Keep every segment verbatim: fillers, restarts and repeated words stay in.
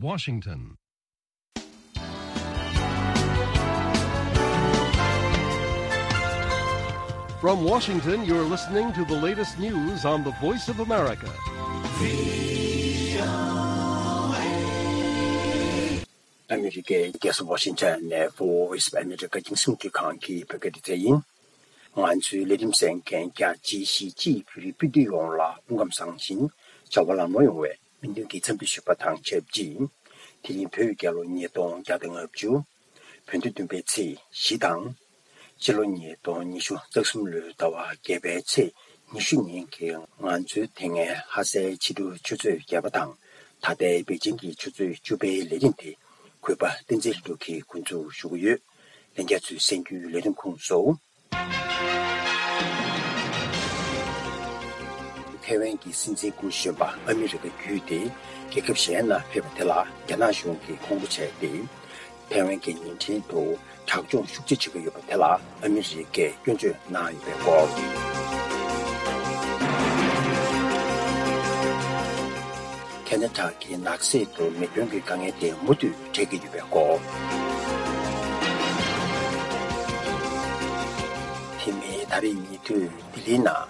Washington. From Washington, you're listening to the latest news on the Voice of America. ཨ་མི་རི་ཀའི་རྒྱལ་ས་ཝ་ཤིང་ཊོན་ནས་Voice of America རྒྱང་སྲིང་རླུང་འཕྲིན་ཁང་གི་བོད་སྐད་སྡེ་ཚན་ཡིན། ང་ཚོའི་ལས་རིམ་གསན་མཁན་རྒྱ་ཆེའི་གཞིས་བྱེས་བོད་རིགས་སྤུན་ཟླ་ཡོངས་ལ་སྐུ་ཁམས་བཟང་ཞིང་བྱ་བ་ལམ་ལྷོང་ཡོང་བའི་སྨོན་འདུན་གྱི་འཚམས་འདྲི་ཞུ་བ་དང་ཆབས་ཅིག་དེ་རིང་བོད་རྒྱལ་ལོ་ཉིས་སྟོང་བརྒྱ་དང་ལྔ་བཅུ། བོད་ཟླ་བདུན་པའི་ཚེས་བཞི་དང་། སྤྱི་ལོ་ཉིས་སྟོང་ཉི་ཤུ་རྩ་གསུམ་ལོའི་ཟླ་བ་བརྒྱད་པའི་ཚེས་ཉི་ཤུ་ཉིན་གྱི་ང་ཚོའི་དེ་སྔའི་ལྷ་སའི་ཕྱི་དྲོའི་ཆུ་ཚོད་བརྒྱད་པ་དང་། ད་ལྟའི་པེ་ཅིང་གི་ཆུ་ཚོད་བཅུ་པའི་ལས་རིམ་དེ་གུས་པ་བསྟན་འཛིན་ལྷུན་གྲུབ་ཀྱིས་འགོ་འཛུགས་ཞུ་གི་ཡོད། ལྷན་རྒྱས་ཚོས་གསན་རྒྱུའི་ལས་རིམ་ཁུངས་སུ། ཐའེ་ཝན་གྱི་སྲིད་འཛིན་སྐུ་གཞོན་པ་ཨ་མི་རི་ཀ་བརྒྱུད་དེ་རྒྱལ་ཁབ་གཞན་ལ་ཕེབས་པ་དེ་ལ་རྒྱ་ནག་གཞུང་གིས་ཁོང་ཁྲོ་བྱས་ཏེ། ཐའེ་ཝན་གྱི་ཉིན་ཁྲིན་དུ་དྲག་སྦྱོང་ཤུགས་ཆེ་བྱེད་ཀྱི་ཡོད་པ་དེ་ལ་ཨ་མི་རི་ཀས་སྐྱོན་བརྗོད་གནང་ཡོད་པའི་སྐོར། ཁེ་ན་ཌ་གི་ནགས་གསེབ་ཏུ་མེ་སྐྱོན་གྱི་དཀའ་ངལ་དེ་མུ་མཐུད་འཕྲད་ཀྱི་ཡོད་པའི་སྐོར། དེ་མིན་ད་རེས་ཉེ་དུས་ལྡི་ལིའི་ནང་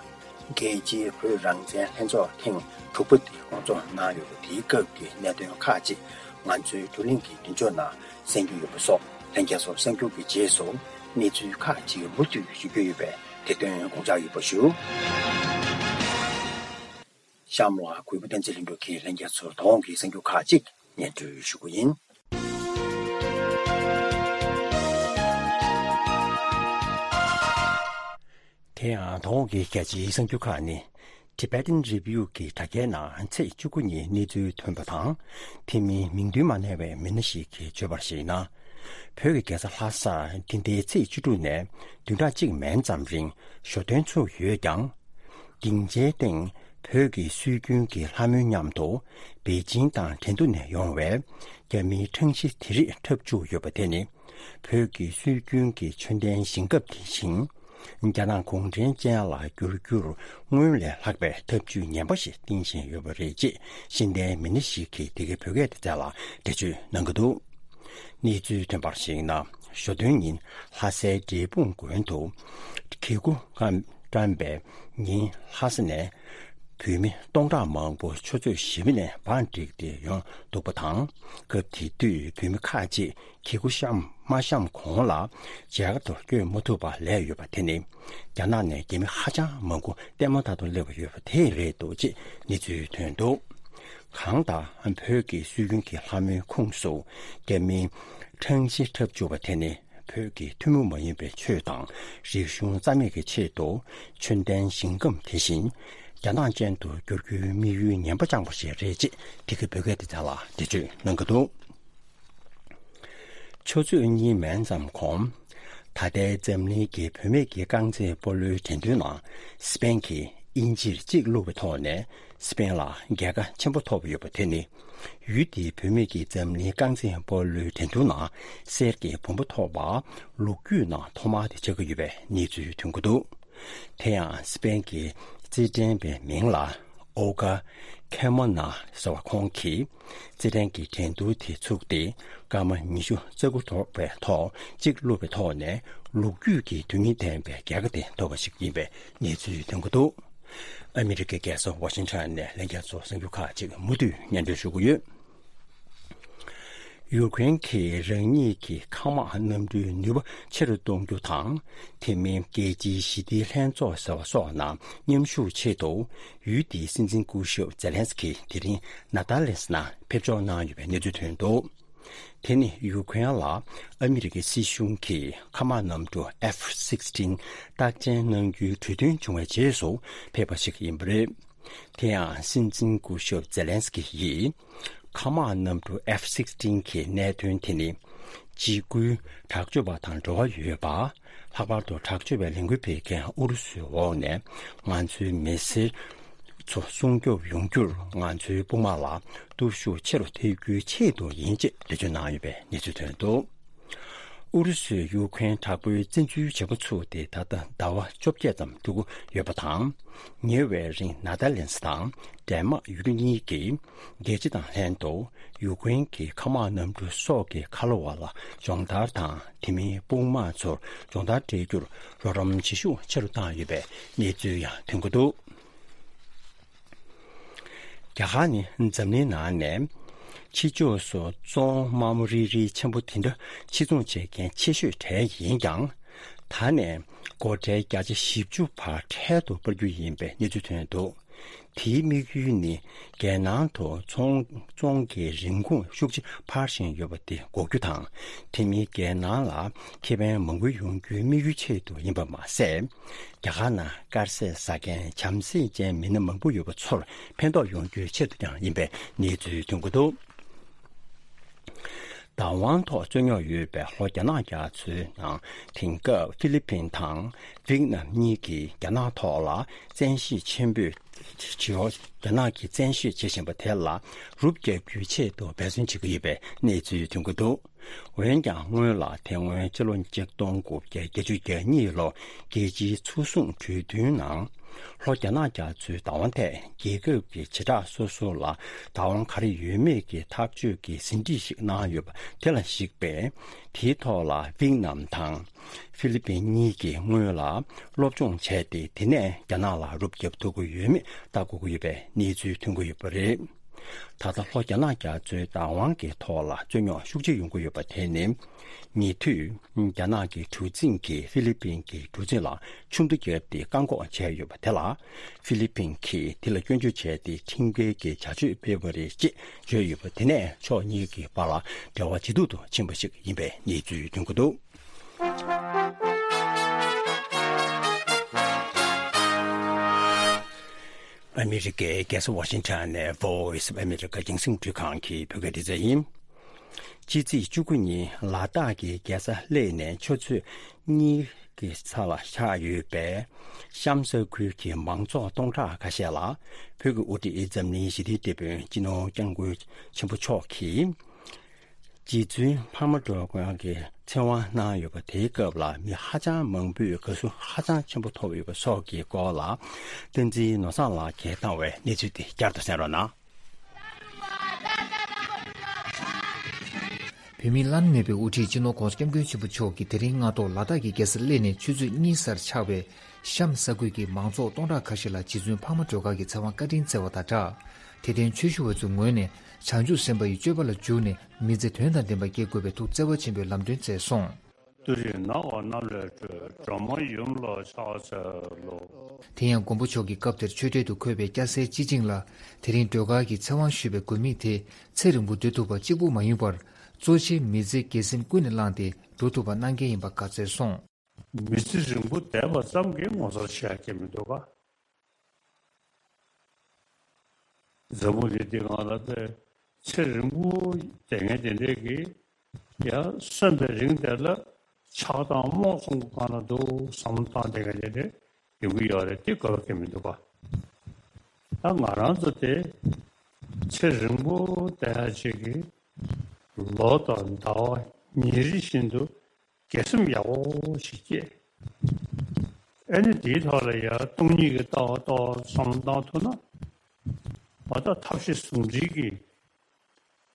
རྒྱལ་སྤྱིའི་བོད་རང་བཙན་ལྷན་ཚོགས་ཐེངས་དྲུག་པ་དེ་སྐོང་ཚོགས་གནང་ཡོད་པ་དེའི་སྐབས་ཀྱི་གནད་དོན་ཁག་ཅིག་ང་ཚོའི་བགྲོ་གླེང་གི་མདུན་ཅོག་ནང་གསན་རྒྱུ་ཡོད་པ་སོགས་ལྷན་རྒྱས་ཚོ་གསར་འགྱུར་གྱི་རྗེས་སུ་གནས་ཚུལ་ཁག་ཅིག་མུ་མཐུད་ཞུ་རྒྱུ་ཡོད་པས་དེ་དོན་དགོངས་འཇགས་ཡོད་པ་ཞུ། གཤམ་ལ་གུས་པ་བསྟན་འཛིན་ལྷུན་གྲུབ་ཀྱིས་ལྷན་རྒྱས་ཚོར་དོ་དགོང་གི་གསར་འགྱུར་ཁག་ཅིག་སྙན་སྒྲོན་ཞུ་རྒྱུ་ཡིན། དེ་ཡང་དོ་དགོང་གི་རྒྱལ་སྤྱིའི་གསར་འགྱུར་ཁག་ནི། Tibetan Review གི་དྲ་རྒྱའི་ནང་ཚེས་བཅུ་དགུ་ཉིན་གནས་ཚུལ་ཐོན་པ་དང་། དེ་མིན་མིང་འདོན་མ་གནང་བའི་མི་སྣ་ཞིག་གིས་བརྗོད་པར་གཞིགས་ན། བོད་ཀྱི་རྒྱལ་ས་ལྷ་སར་འདི་ཟླའི་ཚེས་བཅུ་དྲུག་ནས་བདུན་ཕྲག་གཅིག་མན་ཙམ་རིང་ཞོ་སྟོན་ཚུགས་ཡོད་ཀྱང་། སྡིངས་ཆའི་སྟེང་བོད་ཀྱི་སྲོལ་རྒྱུན་གྱི་ལྷ་མོའི་མཉམ་དུ་པེ་ཅིང་དང་ཁྲེང་ཏུའུ་ནས་ཡོང་བའི་རྒྱ་མིའི་ཁྲང་ཞི་དེ་རིགས་འཁྲབ་བཅུག་ཡོད་པ་དེ་ནི། བོད་ཀྱི་སྲོལ་རྒྱུན་གྱི་མཆོད་རྟེན་བཞེངས་སྐབས་དེ་བཞིན། རྒྱ་ནག་གུང་ཁྲན་ཅན་ལ་བསྒྱུར་རྒྱུར་སྔོན་ལས་ལྷག་པའི་ཐབས་ཇུས་ངན་པ་ཞིག་བསྟེན་བཞིན་ཡོད་པ་རེད་ཅེས་ཤེས་ལྡན་མི་སྣ་ཞིག་གིས་འདི་གའི་བོད་སྐད་སྡེ་ཚན་ལ་འགྲེལ་བརྗོད་གནང་གི་འདུག་གནས་ཚུལ་ཐོན་པར་གཞིགས་ན། ཞོ་སྟོན་ཉིན་ལྷ་སའི་འབྲས་སྤུངས་དགོན་དུ་གྱི་གུ་བཀྲམ་པའི་ཉིན་ལྷ་ས་ནས་བོད་མི་སྟོང་ཕྲག་མང་པོ་ཆུ་ཚོད་བཞི་པ་ནས་བང་བསྒྲིགས་ཏེ་ཡོང་འདུག་པ་དང་། སྐབས་དེ་དུས་བོད་མི་ཁག་ཅིག་གྱི་གུ་བཤམས་མ་བཤམས་གོང་ལ་མཇལ་ཁ་ཐོར་བསྐྱོད་མ་ཐུབ་པ་ལས་ཡོད་པ་དེ་ནི། རྒྱ་ནག་ནས་རྒྱ་མི་ཧ་ཅང་མང་པོ་ལྟད་མོ་ལྟ་དུ་སླེབས་པ་ཡོད་པ་དེ་རེད་འདུག་ཅེས་གནས་ཚུལ་ཐོན་འདུག་གང་ལྟར་བོད་ཀྱི་སྲོལ་རྒྱུན་གྱི་ལྷ་མོའི་ཁོངས་སུ་རྒྱ་མིའི་ཁྲང་ཞི་འཁྲབ་བཅུག་པ་དེ་ནི། བོད་ཀྱི་ཐུན་མོང་མ་ཡིན་པའི་ཆོས་དང་རིག་གཞུང་རྩ་མེད་ཀྱི་ཆེད་དུ་མཆོད་རྟེན་བཞེངས་སྐབས་དེ་བཞིན་རྒྱ་ནག་ཅན་དུ་བསྒྱུར་རྒྱུའི་དམིགས་ཡུལ་ངན་པ་བཅངས་པ་ཞིག་རེད་ཅེས་འདི་གའི་བོད་སྐད་སྡེ་ཚན་ལ་འགྲེལ་བརྗོད་གནང་གི་འདུག་ཆུ་ཚོད་གཉིས་མན་ཙམ་གོང་། ད་ལྟའི་འཛམ་གླིང་གི་བུད་མེད་ཀྱི་རྐང་རྩེད་སྤོ་ལོའི་འགྲན་བསྡུར་ནང་སི་པེན་གྱིས་དབྱིན་ཇིར་གཅིག་བླུགས་པའི་ཐོག་ནས་སི་པེན་ལ་རྒྱལ་ཁ་ཆེན་པོ་ཐོབ་ཡོད་པ་དེ་ནི། ཡུལ་དེའི་བུད་མེད་ཀྱི་འཛམ་གླིང་རྐང་རྩེད་སྤོ་ལོའི་འགྲན་བསྡུར་ནང་གསེར་གྱི་བུམ་པ་ཐོབ་པ་ལོ་རྒྱུས་ནང་ཐོག་མ་དེ་ཆགས་ཀྱི་ཡོད་པའི་གནས་ཚུལ་ཐོན་གྱི་འདུག་དེ་ཡང་སི་པེན་གྱི་རྩེད་འགྲན་པའི་མིང་ལ་ཨོ་ག་ཁེ་མོ་ན་ཟེར་བ་ཁོང་གིས་རྩེད་འགྲན་གྱི་འགྲན་བསྡུར་དེ་ཚུགས་ཏེ་སྐར་མ་ཉི་ཤུ་རྩ་དགུ་འགྲོ་བའི་ཐོག་གཅིག་བླུགས་པའི་ཐོག་ནས་ལོ་རྒྱུས་ཀྱི་དོན་སྙིང་ལྡན་པའི་རྒྱལ་ཁ་དེ་ཐོབ་པ་ཞིག་ཡིན་པའི་གནས་ཚུལ་ཐོན་གྱི་འདུག་ཨ་མི་རི་ཀའི་རྒྱལ་ས་ཝ་ཤིང་ཊོན་ནས་ལྷན་རྒྱས་ཚོར་གསར་འགྱུར་ཁག་ཅིག་མུ་མཐུད་སྙན་སྒྲོན་ཞུ་གི་ཡོད། ཡུ་ཀེ་རེན་གྱིས་རང་ཉིད་ཀྱི་མཁའ་དམག་གནམ་གྲུའི་ནུས་པ་ཆེ་རུ་གཏོང་རྒྱུ་དང་། དེ་མིན་རྒྱལ་སྤྱིའི་ཞི་བདེའི་ལྷན་ཚོགས་ཟེར་བ་སོགས་ནང་མཉམ་ཞུགས་ཆེད་དུ་ཡུལ་དེའི་སྲིད་འཛིན་སྐུ་ཞབས་ཛེ་ལན་སི་ཀི་དེ་རིང་ནེ་དར་ལེན་སི་ནང་ཕེབས་འབྱོར་གནང་ཡོད་པའི་གནས་ཚུལ་ཐོན་འདུག་དེ་ནི་ཡུ་ཀེ་རེན་ལ་ཨ་མི་རི་ཀའི་སྲིད་གཞུང་གིས་མཁའ་དམག་གནམ་གྲུ་F sixteen རྟགས་ཅན་གནང་རྒྱུའི་གྲོས་མཐུན་བྱུང་བའི་རྗེས་སུ་ཕེབས་པ་ཞིག་ཡིན་པ་རེད། དེ་ཡང་སྲིད་འཛིན་སྐུ་ཞབས་ཛེ་ལན་སི་ཀི་ཡིས་མཁའ་དམག་གནམ་གྲུ་F sixteen གི་གནད་དོན་དེ་ནི་འཇིགས་སྐུལ་དྲག་སྤྱོད་པ་དང་འབྲེལ་བ་ཡོད་པ། ལྷག་པར་དུ་དྲག་སྤྱོད་པའི་ལས་འགུལ་སྤེལ་མཁན་ཨུ་རུ་སུའི་འོག་ནས་ང་ཚོའི་མི་སེར་ཚོ་སྲུང་སྐྱོབ་ཡོང་རྒྱུར་ང་ཚོའི་དཔུང་དམག་ལ་སྟོབས་ཤུགས་ཆེ་རུ་ཐེབས་རྒྱུའི་ཆེད་དུ་ཡིན་ཅེས་འགྲེལ་བརྗོད་གནང་ཡོད་པའི་གནས་ཚུལ་ཐོན་འདུག་ཨུ་རུ་སུས་ཡུ་ཁུ་རེན་དྲག་པོའི་བཙན་འཛུལ་བྱེད་འགོ་ཚུགས་ཏེ་ད་ལྟ་ཟླ་བ་བཅོ་བརྒྱད་ཙམ་འགྲོ་གི་ཡོད་པ་དང་། ཉེ་བའི་རིང་ནེ་དར་ལེན་སི་དང་ཌེན་མག་ཡུལ་གྲུ་གཉིས་ཀྱིས་རྒྱལ་སྤྱི་དང་ལྷན་དུ་ཡུ་ཀེ་རེན་གྱི་མཁའ་དམག་གནམ་གྲུ་སོགས་ཀྱི་ཁ་ལོ་བ་ལ་སྦྱོང་བརྡར་དང་། དེ་མིན་དཔུང་དམག་ཚོར་སྦྱོང་བརྡར་སྤྲད་རྒྱུར་རོགས་རམ་བྱེད་ཤུགས་ཆེ་རུ་བཏང་ཡོད་པའི་གནས་ཚུལ་ཡང་ཐོན་གྱི་འདུག། རྒྱ་གར་ནི་འཛམ་གླིང་ནང་ནས་ཕྱི་ཕྱོགས་སུ་བཙོང་དམའ་མོ་རིལ་རིལ་ཆེན་པོ་དེ་འདྲ་ཕྱིར་ཚོང་བྱེད་མཁན་ཆེ་ཤོས་གྲས་ཡིན་ཀྱང་། ད་ནས་སྒོ་ཁྲལ་བརྒྱ་ཆ་བཞི་བཅུ་བར་ཁྲལ་དུ་སྤར་རྒྱུ་ཡིན་པའི་གནས་ཚུལ་ཐོན་འདུག། དེའི་དམིགས་ཡུལ་ནི་རྒྱལ་ནང་དུ་ཚོང་བཙོང་གི་རིན་གོང་ཤུགས་ཆེ་འཕར་བཞིན་ཡོད་པ་དེ་འགོག་རྒྱུ་དང་། དེ་མིན་རྒྱལ་ནང་ལ་ཁེ་ཕན་མང་པོ་ཡོང་རྒྱུའི་དམིགས་ཡུལ་ཆེད་དུ་ཡིན་པ་མ་ཟད། རྒྱ་གར་ནང་དཀར་ཟས་ཟ་མཁན་བྱམས་བརྩེ་ཅན་མི་སྣ་མང་པོ་ཡོད་པ་ཚོར་ཕན་ཐོགས་ཡོང་རྒྱུའི་ཆེད་དུ་ཀྱང་ཡིན་པའི་གནས་ཚུལ་ཐོན་གྱི་འདུག། བདག་དབང་ཐོག་རྩོད་རྙོག་ཡོད་པའི་ལྷོ་རྒྱ་ནག་རྒྱ་མཚོའི་ནང་དེང་སྐབས་ཧྥི་ལི་ཕིན་དང་ཝིཏ་ནམ་གཉིས་ཀྱིས་རྒྱ་ནག་ཐོག་ལ་བཙན་ཤེད་ཆེན་པོས་བྱེད། རྒྱ་ནག་གིས་བཙན་ཤེད་བྱེད་བཞིན་པ་དེ་ལ་རུབ་རྒྱབ་རྒྱུའི་ཆེད་དུ་འབད་བརྩོན་བྱེད་ཀྱི་ཡོད་པའི་གནས་ཚུལ་ཐོན་གྱི་འདུག། འོན་ཀྱང་སྔོན་ལ་དེ་སྔོན་ཕྱི་ལོ་ཆིག་སྟོང་དགུ་བརྒྱ་བརྒྱད་ཅུ་གྱ་གཉིས་ལོ་རྒྱལ་སྤྱིའི་མཚོ་སྲུང་གྲོས་མཐུན་ནང་། ལྷོ་རྒྱ་ནག་རྒྱ་མཚོའི་བདག་དབང་ཐད་རྒྱལ་ཁབ་ཀྱི་བྱེ་བྲག་སོ་སོ་ལ་བདག་དབང་ག་རེ་ཡོད་མེད་ཀྱི་ཐག་གཅོད་ཀྱི་ཟིན་བྲིས་ཤིག་གནང་ཡོད་པ་དེ་ལ་གཞིགས་པས། དེའི་ཐོག་ལ་ཝིཏ་ནམ་དང་ཧྥི་ལི་ཕིན་གཉིས་ཀྱིས་སྔོན་ལ་སློབ་སྦྱོང་བྱས་ཏེ། དེ་ནས་རྒྱ་ནག་ལ་རུབ་རྒྱབ་ཐུབ་ཀྱི་ཡོད་མེད་ལྟ་དགོས་ཀྱི་ཡོད་པའི་གནས་ཚུལ་ཐོན་གྱི་ཡོད་པ་རེད། ད་ལྟ་ལྷོ་རྒྱ་ནག་རྒྱ་མཚོའི་བདག་དབང་གི་ཐོག་ལ་རྩོད་རྙོག་ཤུགས་ཆེ་ཡོང་གི་ཡོད་པ་དེ་ནི། ཉེ་དུས་རྒྱ་ནག་གི་གྲུ་གཟིངས་ཀྱིས་ཧྥི་ལི་ཕིན་གྱི་གྲུ་གཟིངས་ལ་ཆུ་མདའ་བརྒྱབ་སྟེ་བཀག་འགོག་བྱས་ཡོད་པ་དེ་ལ། ཧྥི་ལི་ཕིན་གྱིས་དེ་ལ་སྐྱོན་བརྗོད་བྱས་ཏེ་ཁྲིམས་འགལ་གྱི་བྱ་སྤྱོད་སྤེལ་བ་རེད་ཅེས་བརྗོད་ཡོད་པ་དེ་ནས་ཕྱོགས་གཉིས་ཀྱི་བར་ལ་འབྲེལ་བ་ཇེ་སྡུག་ཏུ་ཕྱིན་པ་ཞིག་ཡིན་པའི་གནས་ཚུལ་ཐོན་གྱི་འདུག། ཨ་མི་རི་ཀའི་རྒྱལ་ས་ཝ་ཤིང་ཊོན་ནས་Voice of America་རྒྱང་སྲིང་རླུང་འཕྲིན་ཁང་གི་བོད་སྐད་སྡེ་ཚན་ཡིན། ཕྱི་ཚེས་བཅུ་དགུ་ཉིན་ལ་དྭགས་ཀྱི་རྒྱལ་ས་གླེ་ནས་ཆུ་ཚོད་གཉིས་ཀྱི་ས་ལ་ཆགས་ཡོད་པའི་ཤམ་ས་ཁུལ་གྱི་མང་ཚོགས་སྟོང་ཕྲག་ཁ་ཤས་ལ་བོད་ཀྱི་དབུ་ཁྲིད་འཛམ་གླིང་ཞི་བདེའི་དེད་དཔོན་སྤྱི་ནོར་༸སྐྱབས་མགོན་ཆེན་པོ་མཆོག་གིས། རྗེ་བཙུན་འཕགས་མ་སྒྲོལ་དཀར་གྱི་ཚེ་དབང་གནང་ཡོད་པ་དེའི་སྐབས་ལ་མི་ཧ་ཅང་མང་པོས་དགའ་བསུ་ཧ་ཅང་ཆེན་པོ་ཐོབ་ཡོད་པ་སོགས་ཀྱི་སྐོར་ལ། བསྟན་འཛིན་ནོར་བཟང་ལགས་ཀྱིས་བཏང་བའི་གནས་ཚུལ་དེ་བསྐྱར་དུ་གསན་རོགས་གནང་། བོད་མིའི་བླ་ན་མེད་པའི་དབུ་ཁྲིད་སྤྱི་ནོར་༸གོང་ས་༸སྐྱབས་མགོན་ཆེན་པོ་མཆོག་གིས་དེ་རིང་སྔ་དྲོ་ལ་དྭགས་ཀྱི་རྒྱལ་ས་གླེ་ནས་ཆུ་ཚོད་གཉིས་སར་ཆགས་པའི་ཤམ་ས་ཁུལ་གྱི་མང་ཚོགས་སྟོང་ཕྲག་ཁ་ཤས་ལ་རྗེ་བཙུན་འཕགས་མ་སྒྲོལ་དཀར་གྱི་ཚེ་དབང་བཀའ་དྲིན་སྩལ་བ་དང་སྦྲགས། དད་ལྡན་ཆོས་ཞུ་བ་ཚོའི་ངོས་ནས་བྱང་ཆུབ་སེམས་དཔའ་ཡི་སྤྱོད་པ་ལ་འཇུག་ནས་མི་ཚེ་དོན་དང་ལྡན་པ་སྐྱེལ་དགོས་པའི་ཐུགས་བརྩེ་བ་ཆེན་པོས་ལམ་སྟོན་མཛད་སོང་། ཏུ་རེ་ན་བ་ན་ལས་སྒྲོལ་སྒྲོལ་མ་ཡུམ་ལ་ཕྱག་འཚལ་ལོ། དེ་ཡང་མགོན་པོ་མཆོག་གིས་སྐབས་དེར་ཆོས་གྲལ་དུ་འཁོད་པའི་སྐྱ་སེར་སྤྱི་བྱིངས་ལ་དེ་རིང་སྒྲོལ་དཀར་གྱི་ཚེ་དབང་ཞུས་པའི་དགོས་དམིགས་དེ་ཚེ་རིང་པོ་སྡོད་ཐུབ་པ་གཅིག་པུ་མ་ཡིན་པར། གཙོ་ཆེ་མི་ཚེ་དགེ་སེམས་ཀུན་ནས་བསླངས་ཏེ་འགྲོ་ཐུབ་པ་གནང་གལ་ཡིན་པ་བཀའ་སྩལ་སོང་། མི་ཚེ་རིང་པོ་བསྡད་པ་ཙམ་གྱིས་ངོ་མཚར་ཆེ་ཡ་གང་མི་འདུག་ག། འཛམ་བུ་གླིང་འདི་སྒང་ལ་དེ་ཚེ་རིང་པོ་བསྡད་མཁན་དེ་འདྲས་ཀྱིས་ཡང་གསོན་པའི་རིང་དེ་ལ་ཆགས་སྡང་རྨོངས་གསུམ་གྱི་སྒང་ལ་འདུག་བསམ་བློ་བཏང་བསྡད་མཁན་དེ་འདྲས་ཡོང་གི་ཡོད་རེད། དེ་དགོས་པ་གང་མི་འདུག་ག། ད་ང་རང་ཚོ་དེ་ཚེ་རིང་པོ་བསྡད་ཡ་ཅིག་གིས་ལོ་དང་ཟླ་བ་ཉིན་རེ་བཞིན་དུ་དགེ་སེམས་ཡག་པོ་ཞིག་སྐྱེས། ཨ་ནི་དེའི་ཐོག་ལ་ཡང་སྟོང་ཉིད་ཀྱི་ལྟ་བ་ཏོག་ཙམ་བསམ་བློ་བཏང་ཐུབ་ན། ང་ད་ཐབས་ཤེས་ཟུང་འབྲེལ་གྱིས་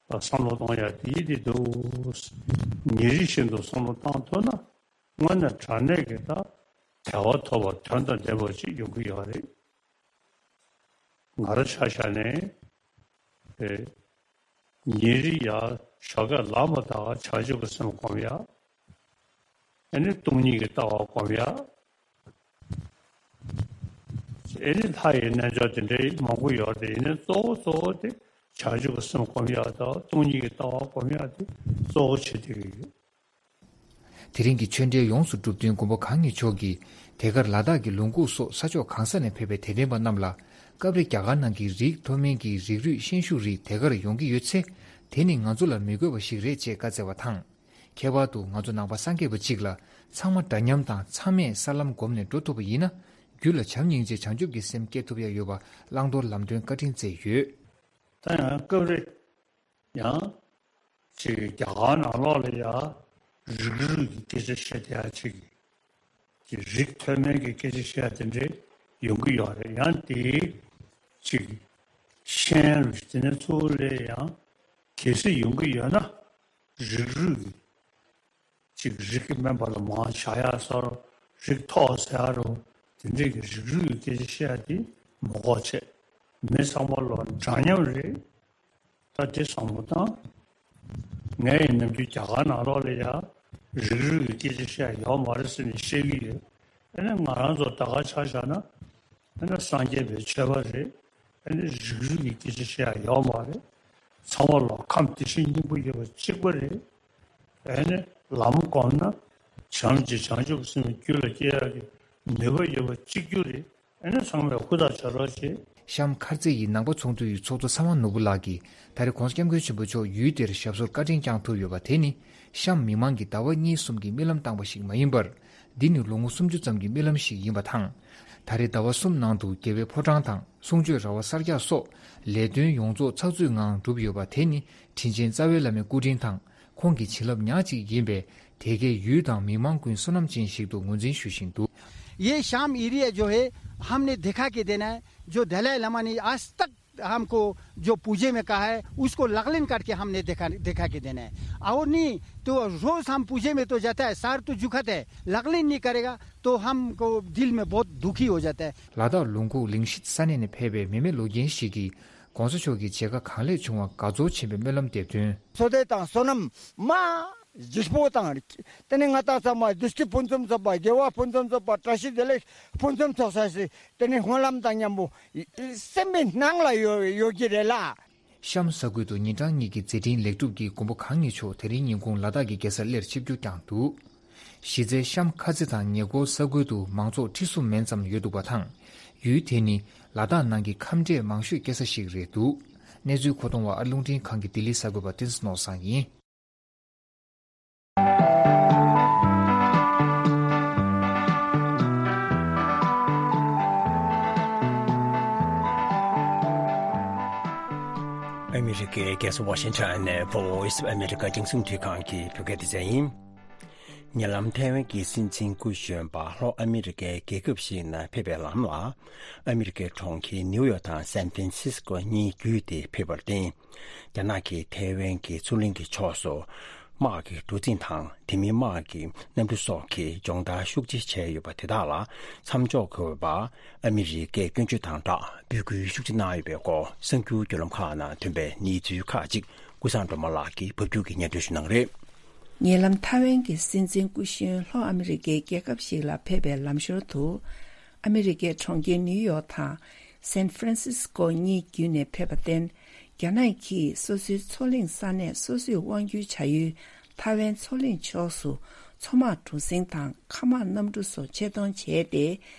བསམ་བློ་གཏོང་ཡ་དེ་དེ་འདུག། ཉིན་རེ་བཞིན་དུ་བསམ་བློ་བཏང་ཐུབ་ན། དངོས་གནས་དྲང་གནས་ཀྱི་ད་བདེ་བ་ཐོབ་པ་དོན་དང་ལྡན་པ་ཅིག་ཡོང་གི་ཡོད་རེད། ང་རང་ཆ་བཞག་ནས། ཨེ། ཉིན་རེ་ཡ་ཞོགས་ཀས་ལངས་པ་དང་བྱང་ཆུབ་ཀྱི་སེམས་སྒོམ་ཡ། ཨ་ནི་སྟོང་ཉིད་ཀྱི་ལྟ་བ་སྒོམ་ཡ། ཨ་ནི་ལྷ་ཡི་རྣལ་འབྱོར་དེ་འདྲའི་མང་པོ་ཡོད་རེད། ཡིན་ནའི་གཙོ་བོ་གཙོ་བོ་དེ་བྱང་ཆུབ་ཀྱི་སེམས་སྒོམ་ཡ་དང་སྟོང་ཉིད་ཀྱི་ལྟ་བ་སྒོམ་ཡ་དེ་གཙོ་བོ་བྱེད་བསྡད་ཀྱི་ཡོད། དེ་རིང་གི་ཆོས་འབྲེལ་ཡོངས་སུ་གྲུབ་བསྟུན་མགོན་པོ་གང་ཉིད་མཆོག་གིས་དེ་གར་ལ་དྭགས་ཀྱི་ལུང་ཁུག་སོགས་ས་ཕྱོགས་གང་ས་ནས་ཕེབས་པའི་དད་ལྡན་པ་རྣམས་ལ་སྐབས་རེ་རྒྱ་གར་ནང་གི་རིགས་མཐོ་དམན་གྱི་རིགས་རུས་ཤན་ཤུགས་རིགས་དེ་གར་ཡོང་གི་ཡོད་ཚེ། དེ་ནི་ང་ཚོ་ལ་མི་དགོས་པ་ཞིག་རེད་ཅེས་བཀའ་སྩལ་བ་དང་། ཁྱད་པར་དུ་ང་ཚོ་ནང་པ་སངས་རྒྱས་པ་གཅིག་ལ་ཚང་མ་འདྲ་མཉམ་དང་ཚང་མས་ས་ལམ་བསྒོམས་ནས་འགྲོ་ཐུབ་པ་ཡིན་ན། རྒྱུད་ལ་བྱམས་སྙིང་རྗེ་བྱང་ཆུབ་ཀྱི་སེམས་སྐྱེ་ཐུབ་ཡ་ཡོད་པ་བླང་དོར་ལམ་སྟོན་བཀའ་དྲིན་སྩལ་ཡོད། ད་ཡང་སྐབས་རེ། ཡང་། ཅིག་རྒྱ་གར་ནང་ལོགས་ལ་ཡ། རིགས་རུས་ཀྱི་སྐད་ཆ་བཤད་བསྡད་ཡ་ཅིག་གི་རིགས་མཐོ་དམན་གྱི་སྐད་ཆ་བཤད་ཡ་དེ་འདྲ་ཡོང་གི་ཡོད་རེད། ཡང་དེའི་ཅིག་ཤན་རུས་དེ་ནས་ཚུར་ལས་ཡང་གལ་སྲིད་ཡོང་གི་ཡོད་ན། རིགས་རུས་ཀྱི་ཅིག་རིགས་ཀྱི་དམན་པ་ལ་མང་བཞག་ཡ་ཟེར་རོ། རིགས་མཐོ་ཟེར་ཡ་རོ། དེ་འདྲས་ཀྱི་རིགས་རུས་ཀྱི་སྐད་ཆ་བཤད་ཡ་དེ་མ་དགོས་བྱས། མི་ཚང་མ་ལོ་འདྲ་མཉམ་རེད། ད་དེ་བསམ་བློ་བཏང་། ངས་ཡིན་ནམ་རྒྱུན་རྒྱ་གར་ནང་ལོགས་ལ་ཡ་རིགས་རུས་ཀྱི་སྐད་ཆ་བཤད་ཡ་ཡོད་མ་རེད་ཟེར་ནས་བཤད་ཀྱི་ཡོད། ཨ་ནི་ང་རང་ཚོ་ད་ག་ཆ་བཞག་ན། ཨ་ནི་སངས་རྒྱས་པའི་ཆོས་པ་རེད། ཨ་ནི་རིགས་རུས་ཀྱི་སྐད་ཆ་བཤད་ཡ་ཡོད་མ་རེད། ཚང་མ་ལོ་ཁམས་དེ་བཞིན་སྙིང་པོ་ཡོད་པ་གཅིག་པ་རེད། ཨ་ནི་ལམ་བསྒོམས་ན་བྱང་ཆུབ་བྱང་ཆུབ་སེམས་རྒྱུད་ལ་སྐྱེ་ཡག་གི་ནུས་པ་ཡོད་པ་གཅིག་གྱུར་རེད། ཨ་ནི་ཚང་མས་ཧུར་ཐག་བྱེད་རོགས་བྱེད། གཤམ་མཁར་རྩེ་ཡི་ནང་པ་ཚོགས་འདུ་ཡི་ཚོགས་གཙོ་ཚེ་དབང་ནོར་བུ་ལགས་ཀྱིས་ད་རེས་༸གོང་ས་༸སྐྱབས་མགོན་ཆེན་པོ་མཆོག་ཡུལ་དེར་ཞབས་སོར་བཀའ་དྲིན་བསྐྱངས་ཐུབ་ཡོད་པ་དེ་ནི་གཤམ་མི་མང་གིས་ཟླ་བ་གཉིས་གསུམ་གྱི་རྨི་ལམ་བཏང་པ་ཞིག་མ་ཡིན་པར། འདི་ནི་ལོ་ངོ་སུམ་ཅུ་ཙམ་གྱི་རྨི་ལམ་ཞིག་ཡིན་པ་དང་། ད་རེས་ཟླ་བ་གསུམ་ནང་དུ་རྒྱལ་བའི་ཕོ་བྲང་དང་གསུང་ཆོས་ར་བ་གསར་རྒྱག་སོགས་ལས་དོན་ཡོངས་རྫོགས་ཚགས་ཚུད་ངང་གྲུབ་ཡོད་པ་དེ་ནི་དྲིན་ཅན་རྩ་བའི་བླ་མའི་སྐུ་དྲིན་དང་། ཁོང་གི་བྱིན་རླབས་ཉག་གཅིག་ཡིན་པས། དེ་གས་ཡུལ་དང་མི་མང་ཀུན་བསོད་ནམས་ཅན་ཞིག་ཏུ་ངོས་འཛིན་ཞུ་བཞིན་འདུག། ये शाम एरिया जो है, हमने दिखा के देना है। जो दलाई लामा ने आज तक हमको जो पूजे में कहा है, उसको लकलिन करके हमने दिखा दिखा के देना है। और नहीं तो रोज हम पूजे में तो जाता है, सर तो झुकाता है, लकलिन नहीं करेगा तो हमको दिल में बहुत दुखी हो जाता है। ལ་དྭགས་ལུང་ཁུག་ལིང་ཤིད་ས་གནས་ནས་ཕེབས་པའི་མེ་མེ་ལོ་རྒན་ཞིག་གིས་༸གོང་ས་མཆོག་གི་མཇལ་ཁ་གང་ལེགས་བྱུང་བ་དགའ་ཚོར་ཆེན་པོས་སྨོན་ལམ་འདེབས་དོན། བསོད་བདེ་དང་བསོད་ནམས་མ་ལྗིད་པོ་དང་། དེ་ནས་ང་དང་ཚང་མ་བདེ་སྐྱིད་ཕུན་སུམ་ཚོགས་པ། དགེ་བ་ཕུན་སུམ་ཚོགས་པ། བཀྲ་ཤིས་བདེ་ལེགས་ཕུན་སུམ་ཚོགས་ས་ཞིག་དེ་ནས་སྨོན་ལམ་དང་མཉམ་པོ་སེམས་པའི་ནང་ལ་ཡོད་ཡོད་ཀྱི་རེད་ལ། གཤམ་ས་ཁུལ་དུ་ཉིན་གྲངས་གཉིས་ཀྱི་མཛད་འཕྲིན་ལེགས་གྲུབ་ཀྱིས་མགོན་པོ་གང་ཉིད་མཆོག་དེ་རིང་ཉིན་གུང་ལ་དྭགས་ཀྱི་རྒྱལ་སར་སླེབས་ཆིབས་བསྒྱུར་བསྐྱངས་འདུག། གཞི་རྩའི་གཤམ་མཁར་རྩེ་དང་ཉེ་འཁོར་ས་ཁུལ་དུ་མང་ཚོགས་ཁྲི་གསུམ་མན་ཙམ་ཡོད་འདུག་པ་དང་། ཡུལ་དེ་ནི་ལ་དྭགས་ནང་གི་ཁམས་འདྲེས་མང་ཤོས་སྐྱེ་ས་ཞིག་རེད་འདུག། གནས་ཚུལ་མཁོ་གཏོང་བ་ཨ་རླུང་འཕྲིན་ཁང་གི་ལྡི་ལི་གསར་འགོད་པ་བསྟན་འཛིན་ནོར་བཟང་ཡིན། ཨ་མི་རི་ཀའི་རྒྱལ་ས་ཝ་ཤིང་ཊོན་ནས་Voice of America་རྒྱང་སྲིང་འཕྲིན་ཁང་གི་བོད་སྐད་སྡེ་ཚན་ཡིན། ཉེ་ལམ་ཐའེ་ཝན་གྱི་སྲིད་འཛིན་སྐུ་གཞོན་པ་ལྷོ་ཨ་མི་རི་ཀའི་རྒྱལ་ཁབ་ཞིག་ནང་ཕེབས་པའི་ལམ་ལ། ཨ་མི་རི་ཀའི་གྲོང་ཁྱེར་ནིའུ་ཡོག་དང་སན་ཧྥ་རན་སིས་ཀོ་གཉིས་བརྒྱུད་དེ་ཕེབས་པར་བརྟེན། རྒྱ་ནག་གིས་ཐའེ་ཝན་གྱི་མཚོ་གླིང་གི་ཕྱོགས་སུ་དམག་གི་གྲུ་གཟིངས་དང་དེ་མིན་དམག་གི་གནམ་གྲུ་སོགས་ཀྱི་སྦྱོང་བརྡར་ཤུགས་ཆེ་བྱས་ཡོད་པ་དེ་དག་ལ་མཚམས་འཇོག་དགོས་པ་ཨ་མི་རི་ཀས་སྐྱོན་བརྗོད་དང་སྦྲགས་འབོད་སྐུལ་ཤུགས་ཆེ་གནང་ཡོད་པའི་སྐོར་གསར་འགྱུར་བརྒྱུད་ལམ་ཁག་ནང་ཐོན་པའི་གནས་ཚུལ་ཁག་ཅིག་ཀུན་བཟང་སྒྲོལ་མ་ལགས་ཀྱིས་ཕབ་སྒྱུར་གྱིས་སྙན་སྒྲོན་ཞུ་གནང་གི་རེད། ཉེ་ལམ་ཐའེ་ཝན་གྱི་སྲིད་འཛིན་སྐུ་གཞོན་ལྷོ་ཨ་མི་རི་ཀའི་རྒྱལ་ཁབ་ཞིག་ལ་ཕེབས་པའི་ལམ་ཞོར་དུ། ཨ་མི་རི་ཀའི་གྲོང་ཁྱེར་ནིའུ་ཡོག་དང་སན་ཧྥ་རན་སིས་ཀོ་གཉིས་བརྒྱུད་ནས་ཕེབས་པར་བརྟེན། རྒྱ་ནག་གིས་སོ་སོའི་མཚོ་གླིང་ས་གནས་སོ་སོས་དབང་སྒྱུར་བྱ་ཡུལ་ཐའེ་ཝན་མཚོ་གླིང་ཕྱོགས་སུ་མཚོ་དམག་གྲུ་གཟིངས་དང་མཁའ་དམག་གནམ་གྲུ་སོགས་ཆེད་གཏོང་བྱས་ཏེ།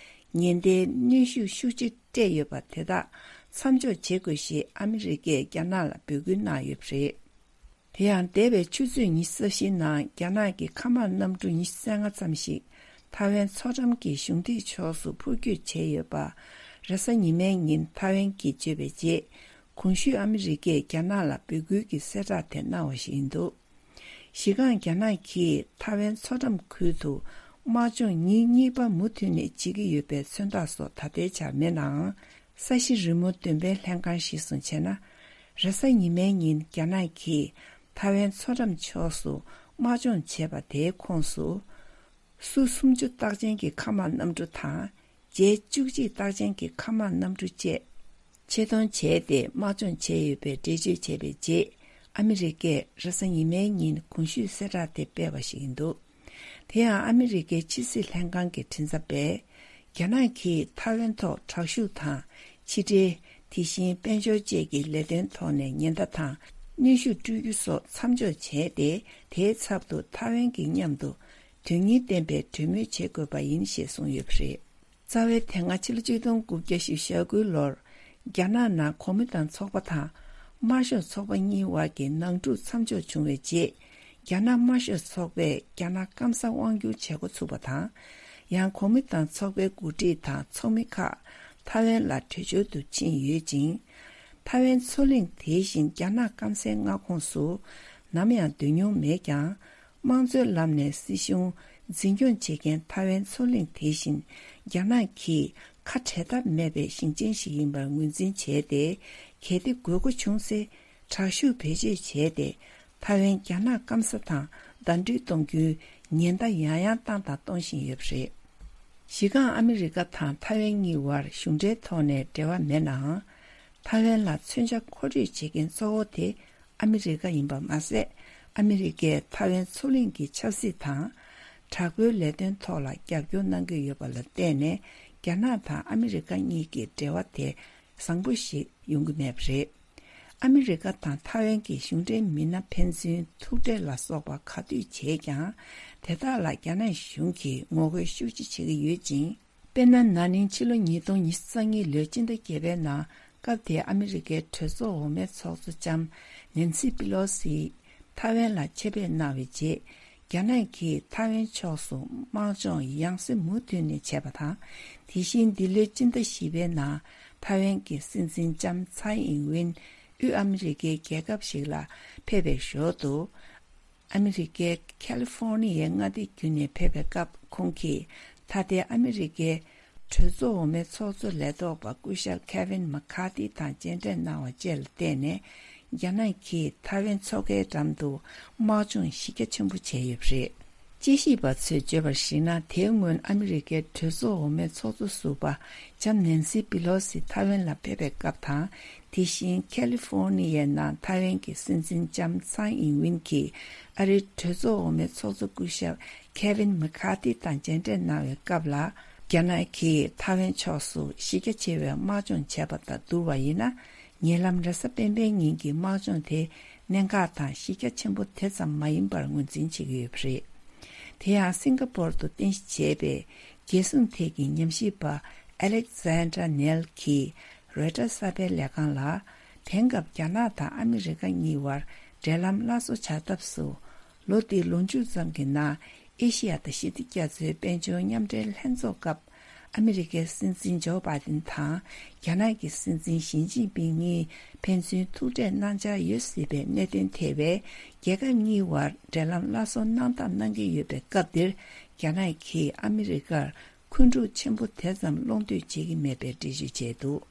ཉེན་བརྡའི་གནོན་ཤུགས་ཤུགས་ཆེ་སྤྲད་ཡོད་པ་དེ་དག་མཚམས་འཇོག་བྱེད་དགོས་ཞེས་ཨ་མི་རི་ཀས་རྒྱ་ནག་ལ་འབོད་སྐུལ་གནང་ཡོད་པ་རེད། དེ་ཡང་འདས་པའི་ཆུ་ཚོད་ཉི་ཤུ་རྩ་བཞིའི་ནང་རྒྱ་ནག་གི་མཁའ་དམག་གནམ་གྲུ་ཉི་ཤུ་རྩ་ལྔ་ཙམ་ཞིག་ཐའེ་ཝན་མཚོ་འགྲམ་གྱི་གཞུང་འདེགས་ཕྱོགས་སུ་འཕུར་སྐྱོད་བྱས་ཡོད་པ། རེས་གཟའ་ཉི་མའི་ཉིན་ཐའེ་ཝན་གྱིས་བརྗོད་པའི་རྗེས། གོང་ཞུས་ཨ་མི་རི་ཀས་རྒྱ་ནག་ལ་འབོད་སྐུལ་གྱི་གསལ་བསྒྲགས་དེ་གནང་བ་ཞིག་ཡིན་འདུག། གཞི་རྐང་རྒྱ་ནག་གིས་ཐའེ་ཝན་མཚོ་འགྲམ་ཁུལ་དུ་དམག་སྦྱོང་ཉིན་གཉིས་པ་མུ་མཐུད་ནས་བྱེད་ཀྱི་ཡོད་པའི་མཚོན་རྟགས་སོགས་ད་ལྟའི་ཆར་མེད་ནའང་། ས་གཞི་རི་མོ་འདོན་སྤེལ་ལྷན་ཁང་གཞིར་བཟུང་བྱས་ན། རེས་གཟའ་ཉི་མའི་ཉིན་རྒྱ་ནག་གིས་ཐའེ་ཝན་མཚོ་འགྲམ་ཕྱོགས་སུ་དམག་སྦྱོང་བྱས་པ་དེའི་ཁོངས་སུ། སུ་སུམ་ཅུ་རྟགས་ཅན་གྱི་མཁའ་དམག་གནམ་གྲུ་དང་། ཇེ་བཅུ་གཅིག་རྟགས་ཅན་གྱི་མཁའ་དམག་གནམ་གྲུ་བཅས་ཆེད་གཏོང་བྱས་ཏེ་དམག་སྦྱོང་བྱས་ཡོད་པའི་འགྲེལ་བརྗོད་བྱས་པའི་རྗེས། ཨ་མི་རི་ཀས་རེས་གཟའ་ཉི་མའི་ཉིན་གོང་ཞུས་གསལ་བསྒྲགས་དེ་སྤེལ་བ་ཞིག་ཡིན་འདུག། དེ་ཡང་ཨ་མི་རི་ཀའི་ཕྱི་སྲིད་ལྷན་ཁང་གི་མགྲིན་ཚབ་པས། རྒྱ་ནག་གིས་ཐའེ་ཝན་ཐོག་དྲག་ཤུགས་དང་། ཕྱི་འབྲེལ། དེ་བཞིན་དཔལ་འབྱོར་བཅས་ཀྱི་ལས་དོན་ཐོག་ནས་ཉེན་བརྡ་དང་། གནོན་ཤུགས་སྤྲོད་རྒྱུ་སོགས་མཚམས་འཇོག་བྱས་ཏེ། དེའི་ཚབ་ཏུ་ཐའེ་ཝན་གྱི་མཉམ་དུ་དོན་སྙིང་ལྡན་པའི་གྲོས་མོལ་བྱེད་དགོས་པ་ཡིན་ཞེས་གསུངས་ཡོད་པ་རེད། རྩ་བའི་དེ་སྔ་ཕྱི་ལོ་ཆིག་སྟོང་དགུ་བརྒྱ་བཞི་བཅུ་ཞེ་དགུའི་ལོར། རྒྱ་ནག་ནང་གོང་མ་དང་ཚོགས་པ་དང་། དམར་ཤོག་ཚོགས་པ་གཉིས་དབར་གྱི་ནང་འཁྲུག་མཚམས་འཇོག་བྱུང་བའི་རྗེས། རྒྱ་ནག་དམར་ཤོག་ཚོགས་པས་རྒྱ་ནག་སྐམ་སར་དབང་བསྒྱུར་བྱེད་འགོ་ཚུགས་པ་དང་། ཡང་གོང་མ་དང་ཚོགས་པའི་འགོ་ཁྲིད་དང་ཚོགས་མི་ཁག་ཐའེ་ཝན་ལ་བྲོས་བྱོལ་དུ་ཕྱིན་ཡོད་ཅིང་། ཐའེ་ཝན་མཚོ་གླིང་དེ་བཞིན་རྒྱ་ནག་སྐམ་སའི་མངའ་ཁོངས་སུ་ནམ་ཡང་སྡོད་མྱོང་མེད་ཀྱང་། དམངས་གཙོའི་ལམ་ནས་སྲིད་གཞུང་འཛིན་སྐྱོང་བྱེད་མཁན་ཐའེ་ཝན་མཚོ་གླིང་དེ་བཞིན་རྒྱ་ནག་གིས་ཁ་བྲལ་ཐབས་མེད་པའི་ཞིང་ཆེན་ཞིག་ཡིན་པར་ངོས་འཛིན་བྱས་ཏེ། གལ་ཏེ་དགོས་མཁོ་བྱུང་ཚེ་དྲག་ཤུགས་བེད་སྤྱོད་བྱས་ཏེ། ཐའེ་ཝན་རྒྱ་ནག་སྐམ་ས་དང་ཟླ་སྒྲིལ་གཏོང་རྒྱུའི་ཉེན་བརྡ་ཡང་ཡང་བཏང་དང་གཏོང་བཞིན་ཡོད་པ་རེད། གཞི་རྐང་ཨ་མི་རི་ཀ་དང་ཐའེ་ཝན་གཉིས་བར་གཞུང་འབྲེལ་ཐོག་ནས་འབྲེལ་བ་མེད་ནའང་། ཐའེ་ཝན་ལ་མཚོན་ཆ་མཁོ་སྤྲོད་བྱེད་མཁན་གཙོ་བོ་དེ་ཨ་མི་རི་ཀ་ཡིན་པ་མ་ཟད། ཨ་མི་རི་ཀས་ཐའེ་ཝན་མཚོ་གླིང་གི་ཆབ་སྲིད་དང་། དྲག་པོའི་ལས་དོན་ཐོག་ལ་རྒྱབ་སྐྱོར་གནང་གི་ཡོད་པ་ལ་བརྟེན་ནས། རྒྱ་ནག་དང་ཨ་མི་རི་ཀ་གཉིས་ཀྱི་འབྲེལ་བ་དེ་བཟང་པོ་ཞིག་ཡོང་གི་མེད་པ་རེད། ཨ་མི་རི་ཀ་དང་ཐའེ་ཝན་གྱི་གཞུང་འབྲེལ་མི་སྣ་ཕན་ཚུན་ཐུག་འཕྲད་ལ་སོགས་པ་ག་དུས་བྱས་ཀྱང་། དེ་དག་ལ་རྒྱ་ནག་གཞུང་གིས་ངོ་རྒོལ་ཤུགས་ཆེ་བྱེད་ཀྱི་ཡོད་ཅིང་། དཔེར་ན། ན་ནིང་ཕྱི་ལོ་ཉིས་སྟོང་ཉི་ཤུ་རྩ་གཉིས་ལོའི་སྤྱི་ཟླ་བརྒྱད་པའི་ནང་སྐབས་དེའི་ཨ་མི་རི་ཀའི་གྲོས་ཚོགས་འོག་མའི་ཚོགས་གཙོ་ལྕམ་ནན་སི་པི་ལོ་སི་ཐའེ་ཝན་ལ་ཆེད་ཕེབས་གནང་བའི་རྗེས། རྒྱ་ནག་གིས་ཐའེ་ཝན་ཕྱོགས་སུ་དམག་སྦྱོང་ཡང་སེ་མུ་མཐུད་ནས་བྱས་པ་དང་། དེ་བཞིན་འདི་ལོའི་སྤྱི་ཟླ་བཞི་པའི་ནང་ཐའེ་ཝན་གྱི་སྲིད་འཛིན་ལྕམ་ཚའེ་ཨིན་ཝིན་དབུས་ཨ་མི་རི་ཀའི་རྒྱལ་ཁབ་ཞིག་ལ་ཕེབས་པའི་ཞོར་དུ། ཨ་མི་རི་ཀའི་ཁ་ལི་ཧྥོ་ནི་ཡའི་མངའ་སྡེ་བརྒྱུད་ནས་ཕེབས་པའི་སྐབས། ཁོང་གིས་ད་ལྟའི་ཨ་མི་རི་ཀའི་གྲོས་ཚོགས་འོག་མའི་ཚོགས་གཙོ་ལས་ཐོག་པ་སྐུ་ཞབས་ཁེ་ཝིན་མ་ཁ་ཏི་དང་མཇལ་འཕྲད་གནང་བ་བཅས་ལ་བརྟེན་ནས། རྒྱ་ནག་གིས་ཐའེ་ཝན་མཚོ་ཁའི་འགྲམ་དུ་དམག་སྦྱོང་གཞི་རྒྱ་ཆེན་པོ་བྱས་ཡོད་པ་རེད། དཔྱད་ཞིབ་པ་ཚོས་བརྗོད་པར་གཞིགས་ན། དེའི་སྔོན་ཨ་མི་རི་ཀའི་གྲོས་ཚོགས་འོག་མའི་ཚོགས་གཙོ་ཟུར་པ་ལྕམ་ནན་སི་པི་ལོ་སི་ཐའེ་ཝན་ལ་ཕེབས་པའི་སྐབས་དང་། དེ་བཞིན་ཁ་ལི་ཧྥོ་ནི་ཡའི་ནང་ཐའེ་ཝན་གྱི་སྲིད་འཛིན་ལྕམ་ཚའེ་ཨིན་ཝིན་གྱིས་ཨ་རིའི་གྲོས་ཚོགས་འོག་མའི་ཚོགས་གཙོ་སྐུ་ཞབས་ཁེ་ཝིན་མེ་ཁ་ཐི་དང་མཇལ་འཕྲད་གནང་བའི་སྐབས་ལ། རྒྱ་ནག་གིས་ཐའེ་ཝན་ཕྱོགས་སུ་གཞི་རྒྱ་ཆེ་བའི་དམག་སྦྱོང་བྱས་པ་དང་བསྡུར་བ་ཡིན་ན། ཉེ་ལམ་རེས་གཟའ་སྤེན་པའི་ཉིན་གྱི་དམག་སྦྱོང་དེ་གནད་འགག་དང་གཞི་རྒྱ་ཆེན་པོ་དེ་ཙམ་མ་ཡིན་པར་ངོས་འཛིན་བྱེད་ཀྱི་ཡོད་པ་རེད། དེ་ཡང་སིང་ག་པོར་དུ་རྟེན་གཞི་བྱས་པའི་རྒྱལ་སྲུང་ཐད་ཀྱི་ཉམས་ཞིབ་པ་ཨེ་ལེག་ཛན་ཌ་ནེལ་གྱིས་རོའི་ཊར་གསར་པའི་ལས་ཁང་ལ། དེང་སྐབས་རྒྱ་ནག་དང་ཨ་མི་རི་ཀ་གཉིས་བར་འབྲེལ་ལམ་སླར་གསོ་བྱ་ཐབས་སུ། ལོ་འདིའི་ལོ་མཇུག་ཙམ་གྱི་ནང་ཨེ་ཤི་ཡ་དང་ཞི་བདེ་རྒྱ་མཚོའི་དཔལ་འབྱོར་མཉམ་འབྲེལ་ལྷན་ཚོགས་སྐབས། ཨ་མི་རི་ཀའི་སྲིད་འཛིན་ཇོ་བྷའི་ཏིན་དང་རྒྱ་ནག་གི་སྲིད་འཛིན་ཞི་ཅིན་ཕིང་གཉིས་ཕན་ཚུན་ཐུག་འཕྲད་གནང་འཆར་ཡོད་སྲིད་པའི་གནད་དོན་ཐེ་བའི་རྒྱལ་ཁབ་གཉིས་བར་འབྲེལ་ལམ་སླར་གསོ་གནང་ཐབས་གནང་གི་ཡོད་པའི་སྐབས་འདིར། རྒྱ་ནག་གིས་ཨ་མི་རི་ཀར་འཁོན་འཁྲུག་ཆེན་པོ་དེ་ཙམ་སློང་འདོད་བྱེད་ཀྱི་མེད་པའི་འགྲེལ་བརྗོད་བྱས་འདུག་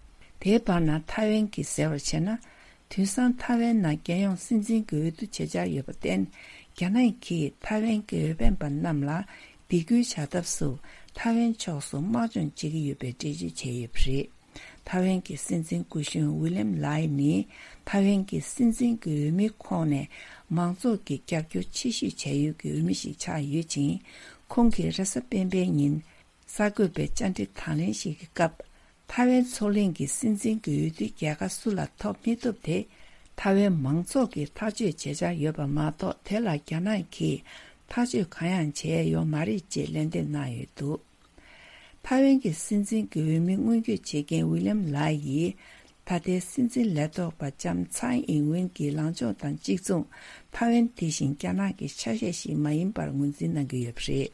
དེའི་བར་ན་ཐའེ་ཝན་གྱིས་ཟེར་བར་བྱས་ན། དུས་སང་ཐའེ་ཝན་ནང་རྒྱལ་ཡོངས་སྲིད་འཛིན་གྱི་འོས་བསྡུ་བྱེད་འཆར་ཡོད་པར་བརྟེན། རྒྱ་ནག་གིས་ཐའེ་ཝན་གྱི་འོས་འཕེན་པ་རྣམས་ལ་སྡིགས་སྐུལ་བྱ་ཐབས་སུ་ཐའེ་ཝན་ཕྱོགས་སུ་དམག་སྦྱོང་བྱེད་ཀྱི་ཡོད་པའི་འགྲེལ་བརྗོད་བྱས་ཡོད་པ་རེད། ཐའེ་ཝན་གྱི་སྲིད་འཛིན་སྐུ་གཞོན་ཝི་ལིམ་ལའི་ནི་ཐའེ་ཝན་གྱི་སྲིད་འཛིན་གྱི་འོས་མིའི་ཁོངས་ནས་མང་ཚོགས་ཀྱི་རྒྱབ་སྐྱོར་ཆེ་ཤོས་བྱ་ཡུལ་གྱི་འོས་མི་ཞིག་ཆགས་ཡོད་ཅིང་། ཁོང་གིས་རེས་གཟའ་སྤེན་པའི་ཉིན། གསར་འགོད་པའི་བཅར་འདྲི་དང་ལེན་ཞིག་གི་སྐབས། ཐའེ་ཝན་མཚོ་གླིང་གི་སྲིད་འཛིན་གྱི་འོས་བསྡུའི་རྒྱལ་ཁ་སུ་ལ་ཐོབ་མི་ཐུབ་དེ། ཐའེ་ཝན་མང་ཚོགས་ཀྱིས་ཐག་གཅོད་བྱེད་འཆར་ཡོད་པ་མ་གཏོགས། དེ་ལ་རྒྱ་ནག་གིས་ཐག་གཅོད་གང་ཡང་བྱས་ཡོད་མ་རེད་ཅེས་ལན་འདེབས་གནང་ཡོད་འདུག་ཐའེ་ཝན་གྱི་སྲིད་འཛིན་གྱི་འོས་མི་སྔོན་སྐྱོད་བྱེད་མཁན་ཝི་ལིམ་ལའི་ཡིས། ད་ལྟའི་སྲིད་འཛིན་ལས་ཐོག་པ་ལྕམ་ཚའེ་ཨིན་ཝིན་གྱི་ལངས་ཕྱོགས་དང་གཅིག་མཚུངས། ཐའེ་ཝན་དེ་བཞིན་རྒྱ་ནག་གི་ཆ་ཤས་ཤིག་མ་ཡིན་པར་ངོས་འཛིན་གནང་གི་ཡོད་པ་རེད།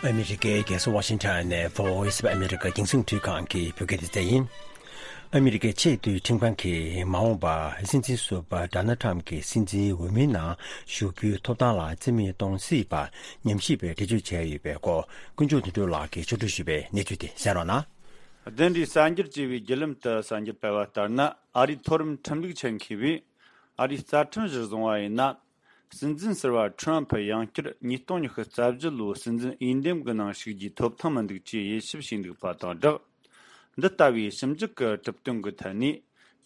ཨ་མི་རི་ཀའི་རྒྱལ་ས་ཝ་ཤིང་ཊོན་ནས་Voice of America རྒྱང་སྲིང་རླུང་འཕྲིན་ཁང་གི་བོད་སྐད་སྡེ་ཚན་ཡིན། ཨ་མི་རི་ཀའི་ཆེས་མཐོའི་ཁྲིམས་ཁང་གིས་མ་འོངས་པར་སྲིད་འཛིན་ཟུར་པ་ཌོ་ནལ་ཊམ་གྱི་སྲིད་འཛིན་འོས་མིའི་ནང་ཞུགས་རྒྱུའི་ཐོབ་ཐང་ལ་རྩིས་མེད་གཏོང་སྲིད་པ་ཉམས་ཞིབ་པས་འགྲེལ་བརྗོད་བྱས་ཡོད་པའི་སྐོར། དཀོན་མཆོག་དོན་གྲུབ་ལགས་ཀྱིས་ཕྱོགས་བསྒྲིགས་ཞུས་པའི་གནས་ཚུལ་དེ་གསན་རོགས་གནང་། བདུན་རེའི་གསར་འགྱུར་ཅེས་པའི་བརྒྱུད་ལམ་དུ་གསར་འགྱུར་སྤེལ་བ་ལྟར་ན། ཨ་རིའི་མཐོ་རིམ་ཁྲིམས་ལུགས་ཆེད་མཁས་པས་ཨ་རིའི་རྩ་ཁྲིམས་གཞིར་བཟུང་བ་ཡིན་ན། སྲིད་འཛིན་ཟུར་པ་ཁྲོམ་ཕུ་ཡང་བསྐྱར་ཉིས་སྟོང་ཉི་ཤུ་རྩ་བཞི་ལོའི་སྲིད་འཛིན་འོས་འདེམས་ཀྱི་ནང་ཞུགས་རྒྱུའི་ཐོབ་ཐང་མི་འདུག་ཅེས་དབྱེ་ཞིབ་བྱས་འདུག་པ་དང་སྦྲགས། འདི་ལྟ་བུའི་ཞིབ་འཇུག་གི་གྲུབ་དོན་གྱི་ཐད་ནས།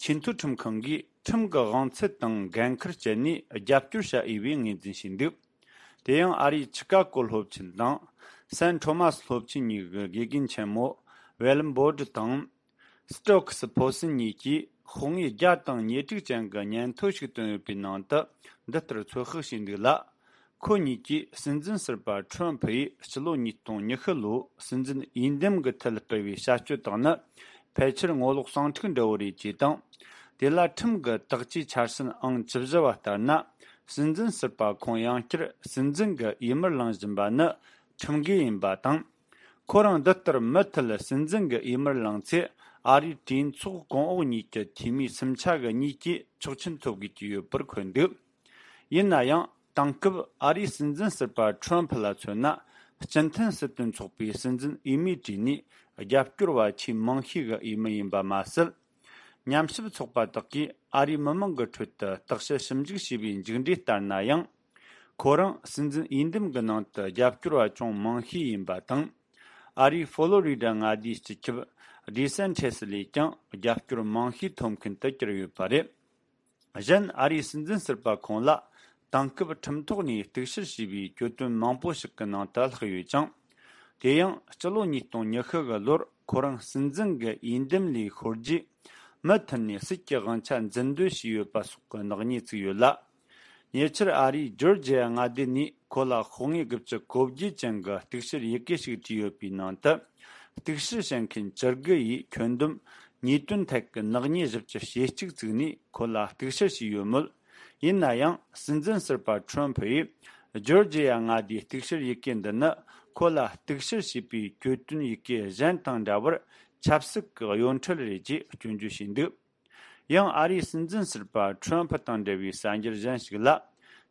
ཆེས་མཐོའི་ཁྲིམས་ཁང་གིས་ཁྲིམས་ཀྱི་དབང་ཚད་དང་འགན་ཁུར་སྤྱད་ནས་རྒྱབ་སྐྱོར་བྱ་འོས་པའི་ངོས་འཛིན་བྱས་འདུག་དེ་ཡང་ཨ་རིའི་ཆི་ཀ་གོ་སློབ་ཆེན་དང་སན་ཁྲོ་མ་སི་སློབ་ཆེན་གཉིས་ཀྱི་དགེ་རྒན་ཆེན་མོ་ཝེ་ལམ་བོ་ཌི་དང་། སི་ཏྲོག་སི་ཕོ་སིན་གཉིས་ཀྱིས་དཔང་ཡིག་བརྒྱ་དང་ཉེར་དྲུག་ཅན་གྱི་སྙན་ཐོ་ཞིག་བཏོན་ཡོད་པའི་ནང་དུ་འདི་ལྟར་ཚོད་དཔག་བྱས་འདུག་ལ། ཁོ་གཉིས་ཀྱིས་སྲིད་འཛིན་ཟུར་པ་ཁྲོམ་ཕུ་ཡིས་སྤྱི་ལོ་ཉིས་སྟོང་ཉི་ཤུ་ལོའི་སྲིད་འཛིན་འོས་འདེམས་ཀྱི་ཐད་སྤེལ་བའི་བྱ་སྤྱོད་དག་ནི་ཕལ་ཆེར་ངོ་ལོག་ཟིང་འཁྲུག་འདྲ་བོ་རེད་ཅེས་དང་། དེ་ལ་ཁྲིམས་ཀྱི་དག་བཅོས་འཆར་ཟིན་ཨང་བཅུ་བཞི་བ་ལྟར་ན། སྲིད་འཛིན་ཟུར་པ་ཁོང་ཡང་བསྐྱར་སྲིད་འཛིན་གྱི་འོས་མིར་ལངས་བཞིན་པ་ནི་ཁྲིམས་འགལ་ཡིན་པ་དང་། ཁོ་རང་འདི་ལྟར་མུ་མཐུད་སྲིད་འཛིན་གྱི་འོས་མིར་ལངས་ཚེ། ཨ་རིའི་གྲོས་ཚོགས་གོང་འོག་གཉིས་ཀྱི་འཐུས་མི་སུམ་ཆ་གི་གཉིས་ཀྱིས་ཆོག་མཆན་ཐོབ་དགོས་ཀྱི་ཡོད་པར་འཁོད་འདུག་ཡིན་ན་ཡང་། དེང་སྐབས་ཨ་རིའི་སྲིད་འཛིན་ཟུར་པ་ཁྲོམ་ཕུ་ལ་མཚོན་ན། སྤྱི་མཐུན་སྲིད་དོན་ཚོགས་པའི་སྲིད་འཛིན་འོས་མིའི་གྲས་ནས་རྒྱབ་སྐྱོར་བ་ཆེས་མང་ཤོས་ཀྱི་འོས་མི་ཡིན་པ་མ་ཟད། ཉམས་ཞིབ་ཚོགས་པ་དག་གིས་ཨ་རིའི་མི་མང་གི་ཁྲོད་དུ་བརྟག་དཔྱད་ཞིབ་འཇུག་བྱས་པའི་མཇུག་འབྲས་ལྟར་ན་ཡང་། ཁོ་རང་སྲིད་འཛིན་འོས་འདེམས་ཀྱི་ནང་དུ་རྒྱབ་སྐྱོར་བ་ཅུང་མང་ཤོས་ཡིན་པ་དང་། ཨ་རིའི་ཧྥོ་ལོ་རི་ཌ་མངའ་སྡེའི་སྤྱི་ཁྱབ་ཌི་སན་ཊི་ཡེས་ལས་ཀྱང་རྒྱབ་སྐྱོར་མང་ཤོས་ཐོབ་མཁན་དུ་གྱུར་ཡོད་པ་རེད། གཞན། ཨ་རིའི་སྲིད་འཛིན་ཟུར་པ་ཁོང་ལ་དེང་སྐབས་ཁྲིམས་ཐོག་ནས་གཏུག་བཤེར་བྱས་པའི་གྱོད་དོན་མང་པོ་ཞིག་གི་ནང་དུ་ལྷག་ཡོད་ཅིང་། དེ་ཡང་སྤྱི་ལོ་ཉིས་སྟོང་ཉི་ཤུ་གི་ལོར་ཁོ་རང་སྲིད་འཛིན་གྱི་འོས་འདེམས་ལས་ཤོར་རྗེས། མུ་མཐུད་ནས་སྲིད་ཀྱི་དབང་ཆ་འཛིན་སྡོད་བྱས་ཡོད་པ་སོགས་ཀྱི་ནག་ཉེས་བཙུགས་ཡོད་ལ། ཉེ་ཆར་ཨ་རིའི་ཇོར་ཇི་ཡ་མངའ་སྡེ་ནས་ཁོ་ལ་ཤོག་ངོས་དགུ་བཅུ་གོ་བརྒྱད་ཅན་གྱི་གཏུག་བཤེར་ཡི་གེ་ཞིག་བྲིས་ཡོད་པའི་ནང་དུ། གཏུག་བཤེར་བྱེད་མཁན་བཅུ་དགུ་ཡིས་ཁྱོན་བསྡོམས་ཉེས་དོན་ཐད་ཀྱི་ནག་ཉེས་བཞི་བཅུ་ཞེ་གཅིག་བཙུགས་ནས་ཁོ་ལ་གཏུག་བཤེར་བྱས་ཡོད་མོད། ཡིན་ན་ཡང་། སྲིད་འཛིན་ཟུར་པ་ཁྲོམ་ཕུ་ཡིས་ཇོར་ཇི་ཡ་མངའ་སྡེའི་གཏུག་བཤེར་ཡི་གེ་འདི་ནི་ཁོ་ལ་གཏུག་བཤེར་བྱས་པའི་གྱོད་དོན་ཡི་གེ་གཞན་དང་འདྲ་བར་ཆབ་སྲིད་ཀྱི་གཡོ་འཕྲུལ་རེད་ཅེས་སྐྱོན་བརྗོད་བྱས་འདུག་ཡང་ཨ་རིའི་སྲིད་འཛིན་ཟུར་པ་ཁྲོམ་ཕུ་དང་འབྲེལ་བའི་གསར་འགྱུར་གཞན་ཞིག་ལ།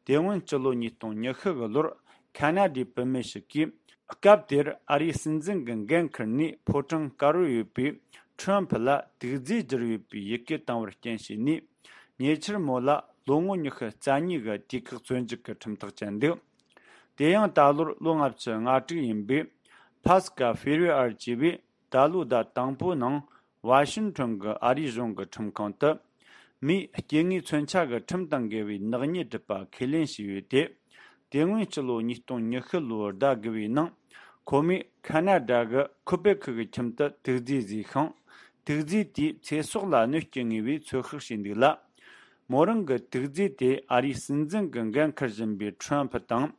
དེ་སྔོན་སྤྱི་ལོ་ཉིས་སྟོང་ཉི་ཤུ་གི་ལོར་ཁ་ན་ཌའི་བུད་མེད་ཞིག་གིས། སྐབས་དེར་ཨ་རིའི་སྲིད་འཛིན་གྱི་འགན་འཁུར་ནས་ཕོ་བྲང་དཀར་པོར་ཡོད་པའི་ཁྲོམ་ཕུ་ལ་དུག་རྫས་བསྒྱུར་ཡོད་པའི་ཡི་གེ་བཏང་བར་རྐྱེན་བྱས་ནས། ཉེ་ཆར་མོ་ལ་ལོ་ངོ་ཉི་ཤུ་རྩ་གཉིས་ཀྱི་དུས་བཀག་བཙོན་འཇུག་གི་ཁྲིམས་ཐག་བཅད་འདུག་དེ་ཡང་ད་ལོར་ལོ་ལྔ་བཅུ་ང་དྲུག་ཡིན་པའི་ཕ་སི་ཀ་ཧྥེ་རི་ཨར་ཅེས་པས། ད་ལོའི་ཟླ་དང་པོའི་ནང་ཝ་ཤིང་ཊོན་གྱི་ཨ་རིའི་གཞུང་གི་ཁྲིམས་ཁང་དུ། མིའི་སྐྱེ་དངོས་མཚོན་ཆ་གི་ཁྲིམས་དང་འགལ་བའི་ནག་ཉེས་སྒྲུབ་པ་ཁས་ལེན་བྱས་ཡོད་དེ། དེ་སྔོན་སྤྱི་ལོ་ཉིས་སྟོང་ཉི་ཤུ་ལོའི་ཟླ་དགུ་པའི་ནང་། ཁོ་མོས་ཁ་ན་ཌ་གི་ཁུ་པེ་ཁི་གི་ཁྱིམ་དུ་དུག་རྫས་བཟོས་ཤིང་། དུག་རྫས་དེས་ཚེ་སྲོག་ལ་གནོད་སྐྱེལ་ངེས་པའི་ཚོད་དཔག་བྱས་འདུག་ལ། མོ་རང་གི་དུག་རྫས་དེ་ཨ་རིའི་སྲིད་འཛིན་གྱི་འགན་འཁུར་བཞིན་པའི་ཁྲོམ་ཕུ་དང་།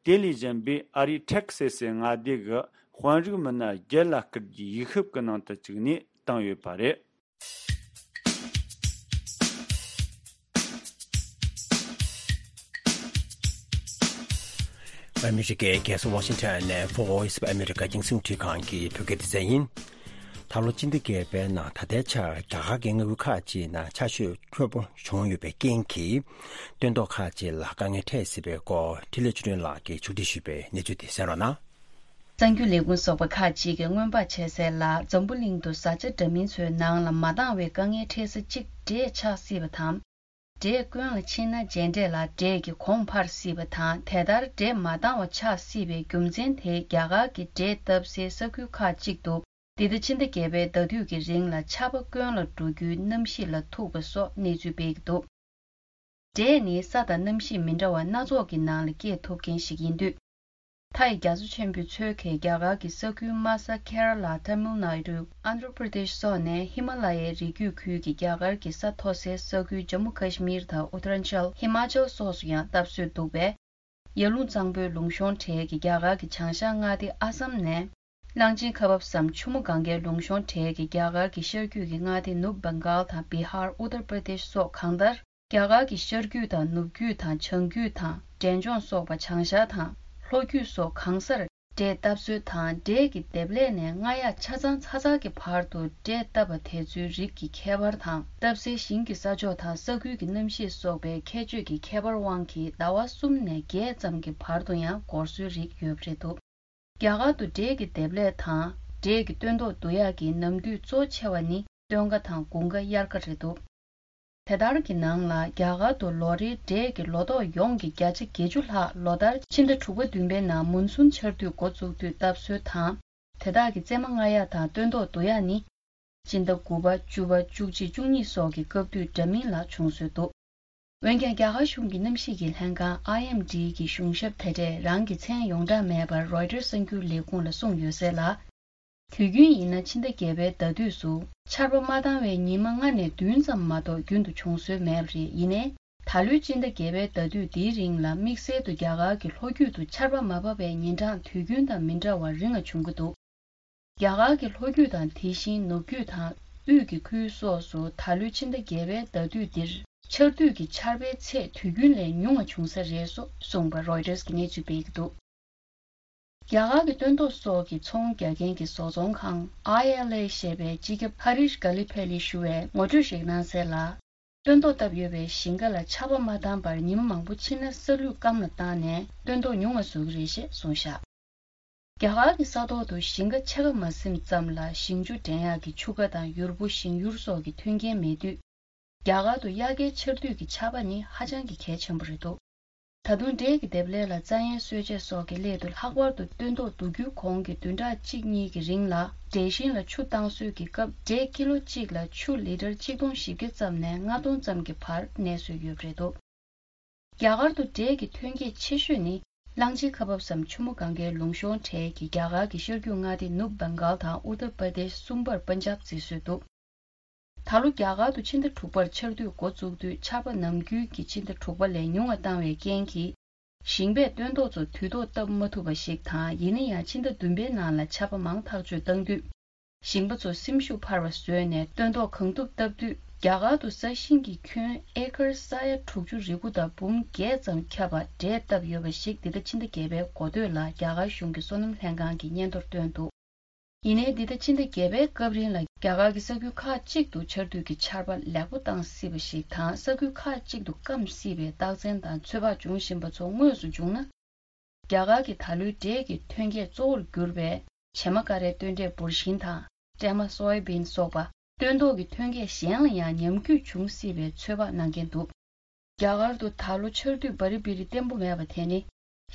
དེ་ལས་གཞན་པའི་ཨ་རིའི་ཊེག་སེ་སི་མངའ་སྡེ་གི་དཔོན་རིགས་མི་སྣ་བརྒྱད་ལ་སྐུལ་རྒྱུའི་ཡིག་ཤུབས་ཀྱི་ནང་དུ་བཅུག་ནས་བཏང་ཡོད་པ་རེད། ཨ་མི་རི་ཀའི་རྒྱལ་ས་ཝ་ཤིང་ཊོན་ནས་Voice of America་རྒྱང་སྲིང་འཕྲིན་ཁང་གི་བོད་སྐད་སྡེ་ཚན་ཡིན། ད་ལོ་སྤྱི་ཟླ་བརྒྱད་པའི་ནང་ད་ལྟའི་ཆར་རྒྱ་གར་གྱི་མངའ་ཁུལ་ཁག་ཅིག་ནང་ཆར་ཞོད་ཁྱོན་པོ་བྱུང་ཡོད་པའི་རྐྱེན་གྱིས། སྟོན་ཐོག་ཁག་ཅིག་ལ་དཀའ་ངལ་འཕྲད་སྲིད་པའི་སྐོར་འཕྲིན་ལས་ཆོས་སྒྲོན་ལགས་ཀྱིས་ཕྱོགས་སྒྲིག་ཞུས་པའི་གནས་ཚུལ་དེ་གསན་རོགས་གནང་། གསར་འགྱུར་ལས་ཁུངས་སོགས་པ་ཁག་ཅིག་གིས་སྔོན་དཔག་བྱས་གསལ་ལ། འཛམ་བུ་གླིང་དུ་བཟའ་བཅའ་འདྲ་མིན་ཚོའི་ནང་ལ་མ་འདང་བའི་དཀའ་ངལ་འཕྲད་ས་གཅིག་འབྲས་ཆགས་སྲིད་པ་དང་། འབྲས་དཀོན་ལ་ཕྱིན་ན་རྗེས་འབྲས་ལ་འབྲས་ཀྱི་གོང་འཕར་སྲིད་པ་དང་། དེ་ལྟར་འབྲས་མ་འདང་བ་ཆགས་སྲིད་པའི་རྒྱུ་མཚན་དེ་རྒྱ་གར་གྱི་འབྲས་བཏབ་སའི་ས་ཁུལ་ཁག་ཅིག་ཏུ། འདི་ཟླ་ཕྱི་ཟླ་བརྒྱད་པའི་ཟླ་དུས་ཀྱི་རིང་ལ་ཆར་པ་དཀོན་ལ་འགྲོ་རྒྱུའི་གནམ་གཤིས་ལ་ཐུག་པ་སོགས་གནས་ཚུལ་སྤེལ་གྱི་འདུག་འབྲས་ནི་ས་དང་གནམ་གཤིས་མི་འདྲ་བ་སྣ་ཚོགས་ཀྱི་ནང་ལ་སྐྱེས་ཐུབ་མཁན་ཞིག་ཡིན་དུས། མཐའ་ཡི་རྒྱ་མཚོ་ཆེན་པོའི་ཚོད་ཀྱིས་རྒྱ་གར་གྱི་ས་ཁུལ་དམའ་ས་ཁེ་ར་ལ། ཏཱ་མིལ་ནཱ་ཌུ། ཨན་དྷྲ་པྲ་དེཤ་སོགས་ནས་ཧི་མ་ལ་ཡའི་རི་རྒྱུད་ཁུལ་གྱི་རྒྱ་གར་གྱི་ས་མཐོ་སའི་ས་ཁུལ་ཇམ་མུ་ཁ་ཤི་མིར་དང་ཨུ་ཏར་ཨན་ཅལ། ཧི་མ་ཅལ་སོགས་སུ་ཡང་བཏབ་སྲོལ་འདུག་པས། ཡར་ཀླུང་གཙང་པོའི་ལུང་གཤོང་གྲས་ཀྱི་རྒྱ་གར་གྱི་བྱང་ཤར་མངའ་སྡེ་ཨ་སམ་ནས། གླང་ཆེན་ཁ་འབབ་སམ་ཆུ་མོ་གངྒཱའི་ལུང་གཤོང་གྲས་ཀྱི་རྒྱ་གར་གྱི་ཤར་རྒྱུད་ཀྱི་མངའ་སྡེ་ནུབ་བྷེང་གཱལ་དང་བི་ཧར། ཨུ་ཏར་པྲ་དེཤ་སོགས་གང་ལྟར། རྒྱ་གར་གྱི་ཤར་རྒྱུད་དང་ནུབ་རྒྱུད་དང་བྱང་རྒྱུད་དང་འབྲས་ལྗོངས་སོགས་པ་བྱང་ཤར་དང་ལྷོ་རྒྱུད་སོགས་གང་སར་འབྲས་བཏབ་སྲོལ་དང་། འབྲས་ཀྱི་འདེབས་ལས་ནས་སྔ་ཡག་ཆ་ཚང་ཚ་ཚང་གི་བར་དུ་འབྲས་བཏབ་པ་དེ་ཚོའི་རིགས་ཀྱི་ཁྱད་པར་དང་། བཏབ་སའི་ཞིང་གི་ས་ཕྱོགས་དང་ས་ཁུལ་གྱི་གནམ་གཤིས་སོགས་པའི་ཁྱད་ཆོས་ཀྱི་ཁྱད་པར་དབང་གིས་ཟླ་བ་གསུམ་ནས་བརྒྱད་ཙམ་གྱི་བར་དུ་ཡང་འགོར་སྲོལ་རིགས་ཡོད་པ་རེད་འདུག་རྒྱ་གར་དུ་འབྲས་ཀྱི་འདེབས་ལས་དང་འབྲས་ཀྱི་སྟོན་ཐོག་བསྡུ་ཡག་གི་ནམ་དུས་གཙོ་ཆེ་བ་ནི་སྟོན་ཁ་དང་དགུན་ཁ་དབྱར་ཁ་རེད་འདུག་དེ་ལྟར་གྱི་ནང་ལ་རྒྱ་གར་དུ་ལོ་རེའི་འབྲས་ཀྱི་ལོ་ཏོག་ཡོངས་ཀྱི་བརྒྱ་ཆ་བརྒྱད་ཅུ་ལྷག་ལོ་ལྟར་ཕྱི་ཟླ་དྲུག་པ་བདུན་པའི་ནང་མུན་སུན་ཆར་དུས་འགོ་བཙུགས་དུས་བཏབ་སྲོལ་དང་། དེ་དག་གི་རྩེ་མོ་རྔ་ཡག་དང་སྟོན་ཐོག་བསྡུ་ཡག་ནི། སྤྱི་ཟླ་དགུ་པ། བཅུ་པ། བཅུ་གཅིག་བཅུ་གཉིས་སོགས་ཀྱི་སྐབས་དུས་འདྲ་མིན་ལ་བྱུང་སྲོལ་འདུག་འོན་ཀྱང་། རྒྱ་གར་གཞུང་གི་གནམ་གཤིས་ཀྱི་ལྷན་ཁང་ཨའི་ཨེམ་ཌི་གི་གཞུང་ཞབས་དེ་གྲས་རང་གི་མཚན་ཡོངས་གྲགས་མེད་པར་རོའི་ཊར་གསར་འགྱུར་ལས་ཁུངས་ལ་གསུངས་ཡོད་གསལ་ལ། དུས་རྒྱུན་ཡིན་ན་ཕྱི་ཟླ་བརྒྱད་པའི་ཟླ་དུས་སུ་ཆར་པ་མ་བཏང་བའི་ཉི་མ་ལྔ་ནས་བདུན་ཙམ་མ་གཏོགས་རྒྱུན་དུ་བྱུང་སྲོལ་མེད་པ་རེད། ཡིན་ནའི། ད་ལོའི་སྤྱི་ཟླ་བརྒྱད་པའི་ཟླ་དུས་འདིའི་རིང་ལ་དམིགས་བསལ་དུ་རྒྱ་གར་གྱི་ལྷོ་རྒྱུད་དུ་ཆར་པ་མ་བབས་པའི་ཉིན་གྲངས་དུས་རྒྱུན་དང་མི་འདྲ་བར་རིང་ང་བྱུང་གི་འདུག་རྒྱ་གར་གྱི་ལྷོ་རྒྱུད་དང་དེ་བཞིན་ནུབ་རྒྱུད་དང་དབུས་ཀྱི་ཁུལ་སོགས་སུ་ད་ལོའི་ཕྱི་ཟླ་བརྒྱད་པའི་ཟླ་དུས་འདིར་ཆར་དུས་ཀྱི་ཆར་པའི་ཚད་དུས་རྒྱུན་ལས་ཉུང་བ་བྱུང་ས་རེད་སོགས་གསུངས་པ་རོའི་ཊར་གྱིས་གནས་ཚུལ་སྤེལ་གྱི་འདུག་རྒྱ་གར་གྱི་སྟོན་ཐོག་སོགས་ཀྱི་ཚོང་རྒྱག་མཁན་གྱི་བཟོ་ཚོང་ཁང་ཨའི་ཨེལ་ཨེ་ཞེས་པའི་སྤྱི་ཁྱབ་ཧ་རིཤ་གྷ་ལི་ཕེ་ལིས་ཞུ་བས་ངོ་སྤྲོད་ཞིག་གནང་གསལ་ལ། སྟོན་ཐོག་བཏབ་ཡོད་པའི་ཞིང་ཁ་ལ་ཆར་པ་མ་བཏང་བར་ཉིན་མ་མང་པོ་ཕྱིན་ན་ས་ལུད་སྐམ་ལ་བཏང་ནས་སྟོན་ཐོག་ཉུང་བ་བཟོ་གི་རེད་ཞེས་གསུངས་བཞག་རྒྱ་གར་གྱི་ས་ཐོག་ཏུ་ཞིང་ཁ་ཕྱེད་ཀ་མ་ཟིན་ཙམ་ལ་ཞིང་ཆུ་འདྲེན་ཡག་གི་ཆུ་རྐ་དང་ཡུར་བུ་ཞིང་ཡུར་སོགས་ཀྱི་མཐུན་རྐྱེན་མེད་དུས། རྒྱ་གར་དུ་དབྱར་ཁའི་ཆར་དུས་ཀྱི་ཆར་པ་ནི་ཧ་ཅང་གི་གལ་ཆེན་པོ་རེད་འདུག་ད་དུང་འབྲས་ཀྱི་འདེབས་ལས་ལ་རྩྭ་ཡན་གསོལ་ཆས་སོགས་ཀྱི་སླད་དུ་ལྷག་པར་དུ་སྟོན་ཐོག་བསྡུ་རྒྱུའི་གོང་གི་བདུན་ཕྲག་གཅིག་གཉིས་ཀྱི་རིང་ལ་འབྲས་ཞིང་ལ་ཆུ་བཏང་སྲོལ་གྱི་སྐབས་འབྲས་ཀི་ལོ་གཅིག་ལ་ཆུ་ལི་ཊར་གཅིག་སྟོང་བཞི་བརྒྱ་ཙམ་ནས་ལྔ་སྟོང་ཙམ་གྱི་བར་གནས་སྲོལ་ཡོད་པ་རེད་འདུག་རྒྱ་གར་དུ་འབྲས་ཀྱི་ཐོན་སྐྱེད་ཆེ་ཤོས་ནི་གླང་ཆེན་ཁ་འབབ་སམ་ཆུ་མོ་གངྒཱའི་ལུང་གཤོང་གྲས་ཀྱི་རྒྱ་གར་གྱི་ཤར་རྒྱུད་མངའ་སྡེ་ནུབ་བྷེང་གཱལ་དང་ཨུ་ཏར་པར་དེཤ་གསུམ་པར་པན་ཇབ་བརྩི་སྲོལ་འདུག་ད་ལོ་རྒྱ་གར་དུ་ཕྱི་ཟླ་དྲུག་པར་ཆར་དུས་འགོ་བཙུགས་དུས་ཆར་པ་ནམ་རྒྱུན་གྱི་ཕྱི་ཟླ་དྲུག་པ་ལས་ཉུང་བ་བཏང་བའི་རྐྱེན་གྱིས། ཞིང་པས་སྟོན་ཐོག་ཚོ་དུས་ཐོག་བཏབ་མ་ཐུབ་པ་ཞིག་དང་ཡིན་ན་ཡང་ཕྱི་ཟླ་བདུན་པའི་ནང་ལ་ཆར་པ་མང་ཐག་གཅོད་བཏང་དུས། ཞིང་པ་ཚོ་སེམས་ཤུགས་འཕར་བ་བཟོས་ནས་སྟོན་ཐོག་གང་ཐུབ་བཏབ་དུས། རྒྱ་གར་དུ་ས་ཞིང་གི་ཁྱོན་ཨེ་ཀར་ས་ཡ་དྲུག་ཅུ་རེ་དགུ་དང་འབུམ་བརྒྱད་ཙམ་ཁྱབ་པ་འབྲས་བཏབ་ཡོད་པ་ཞིག་འདི་ཟླ་ཕྱི་ཟླ་བརྒྱད་པའི་འགོ་སྟོད་ལ་རྒྱ་གར་གཞུང་གི་སོ་ནམ་ལྷན་ཁང་གིས་སྙན་ཐོར་བཏོན་འདུག་ཡིན་ནའི་འདི་ཟླ་ཕྱི་ཟླ་བརྒྱད་པའི་སྐབས་རིང་ལ་རྒྱ་གར་གྱི་ས་ཁུལ་ཁག་ཅིག་ཏུ་ཆར་དུས་ཀྱི་ཆར་པ་ལེགས་པོ་བཏང་སྲིད་པ་ཞིག་དང་། ས་ཁུལ་ཁག་ཅིག་ཏུ་སྐམ་སྲིད་པའི་རྟགས་མཚན་དང་ཚོད་དཔག་བྱུང་བཞིན་པ་ཚོ་དངོས་སུ་བྱུང་ན། རྒྱ་གར་གྱི་ད་ལོའི་འབྲས་ཀྱི་ཐོན་སྐྱེད་གཙོ་བོར་གྱུར་པའི་བྱེ་མ་ཀ་རའི་སྟོན་འབྲས་འབུར་ཤིང་དང་སྲན་མ་སོའི་བིན་སོགས་པ་སྟོན་ཐོག་གི་ཐོན་སྐྱེད་གཞན་ལ་ཡང་ཉམས་རྒུད་འབྱུང་སྲིད་པའི་ཚོད་དཔག་གནང་མཁན་འདུག་རྒྱ་གར་དུ་ད་ལོ་ཆར་དུས་བ་རི་བི་རི་བརྟན་པོ་མེད་པ་དེ་ནི་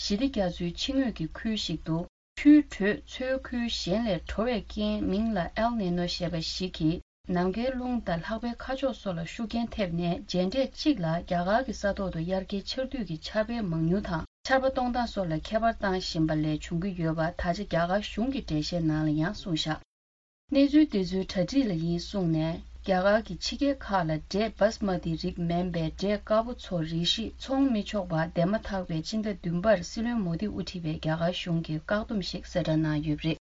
ཞི་བདེ་རྒྱ་མཚོའི་ཕྱི་ངོས་ཀྱི་ཁུལ་ཞིག་ཏུ་ཆུའི་དྲོད་མཚོའི་ཁུལ་གཞན་ལས་དྲོ་བའི་རྐྱེན་མིང་ལ་ཨེལ་ནི་ནོ་ཞེས་པ་ཞིག་གིས་ནམ་མཁའི་རླུང་དང་ལྷགས་པའི་ཁ་ཕྱོགས་སོགས་ལ་ཤུགས་རྐྱེན་ཐེབས་ནས་རྗེས་འབྲས་གཅིག་ལ་རྒྱ་གར་གྱི་ས་ཐོག་ཏུ་དབྱར་ཁའི་ཆར་དུས་ཀྱི་ཆར་པའི་མང་ཉུང་དང་ཆར་པ་གཏོང་སྟངས་སོགས་ལ་ཁྱད་པར་བཏང་བཞིན་པ་ལས་བྱུང་གི་ཡོད་པ་ད་ཆ་རྒྱ་གར་གཞུང་གི་འགྲེལ་བཤད་ནང་ལ་ཡང་གསུངས་བཞག་གནས་ཚུལ་དེ་ཚོའི་གྲ་སྒྲིག་ལ་ཡིན་གསུངས་ནས། རྒྱ་གར་གྱི་ཕྱི་རྒྱལ་ཁག་ལ་འབྲས་བྷ་སི་མ་ཏི་རིགས་མིན་པའི་འབྲས་དཀར་པོ་ཚོ་རེ་ཞིག་འཚོང་མི་ཆོག་པ་འདེམས་མ་ཐག་པའི་ཕྱི་ཟླ་བདུན་པར་སྲིད་བློན་མོ་དི་དབུ་ཁྲིད་པའི་རྒྱ་གར་གཞུང་གིས་བཀག་སྡོམ་ཞིག་གསལ་བསྒྲགས་གནང་ཡོད་པ་རེད།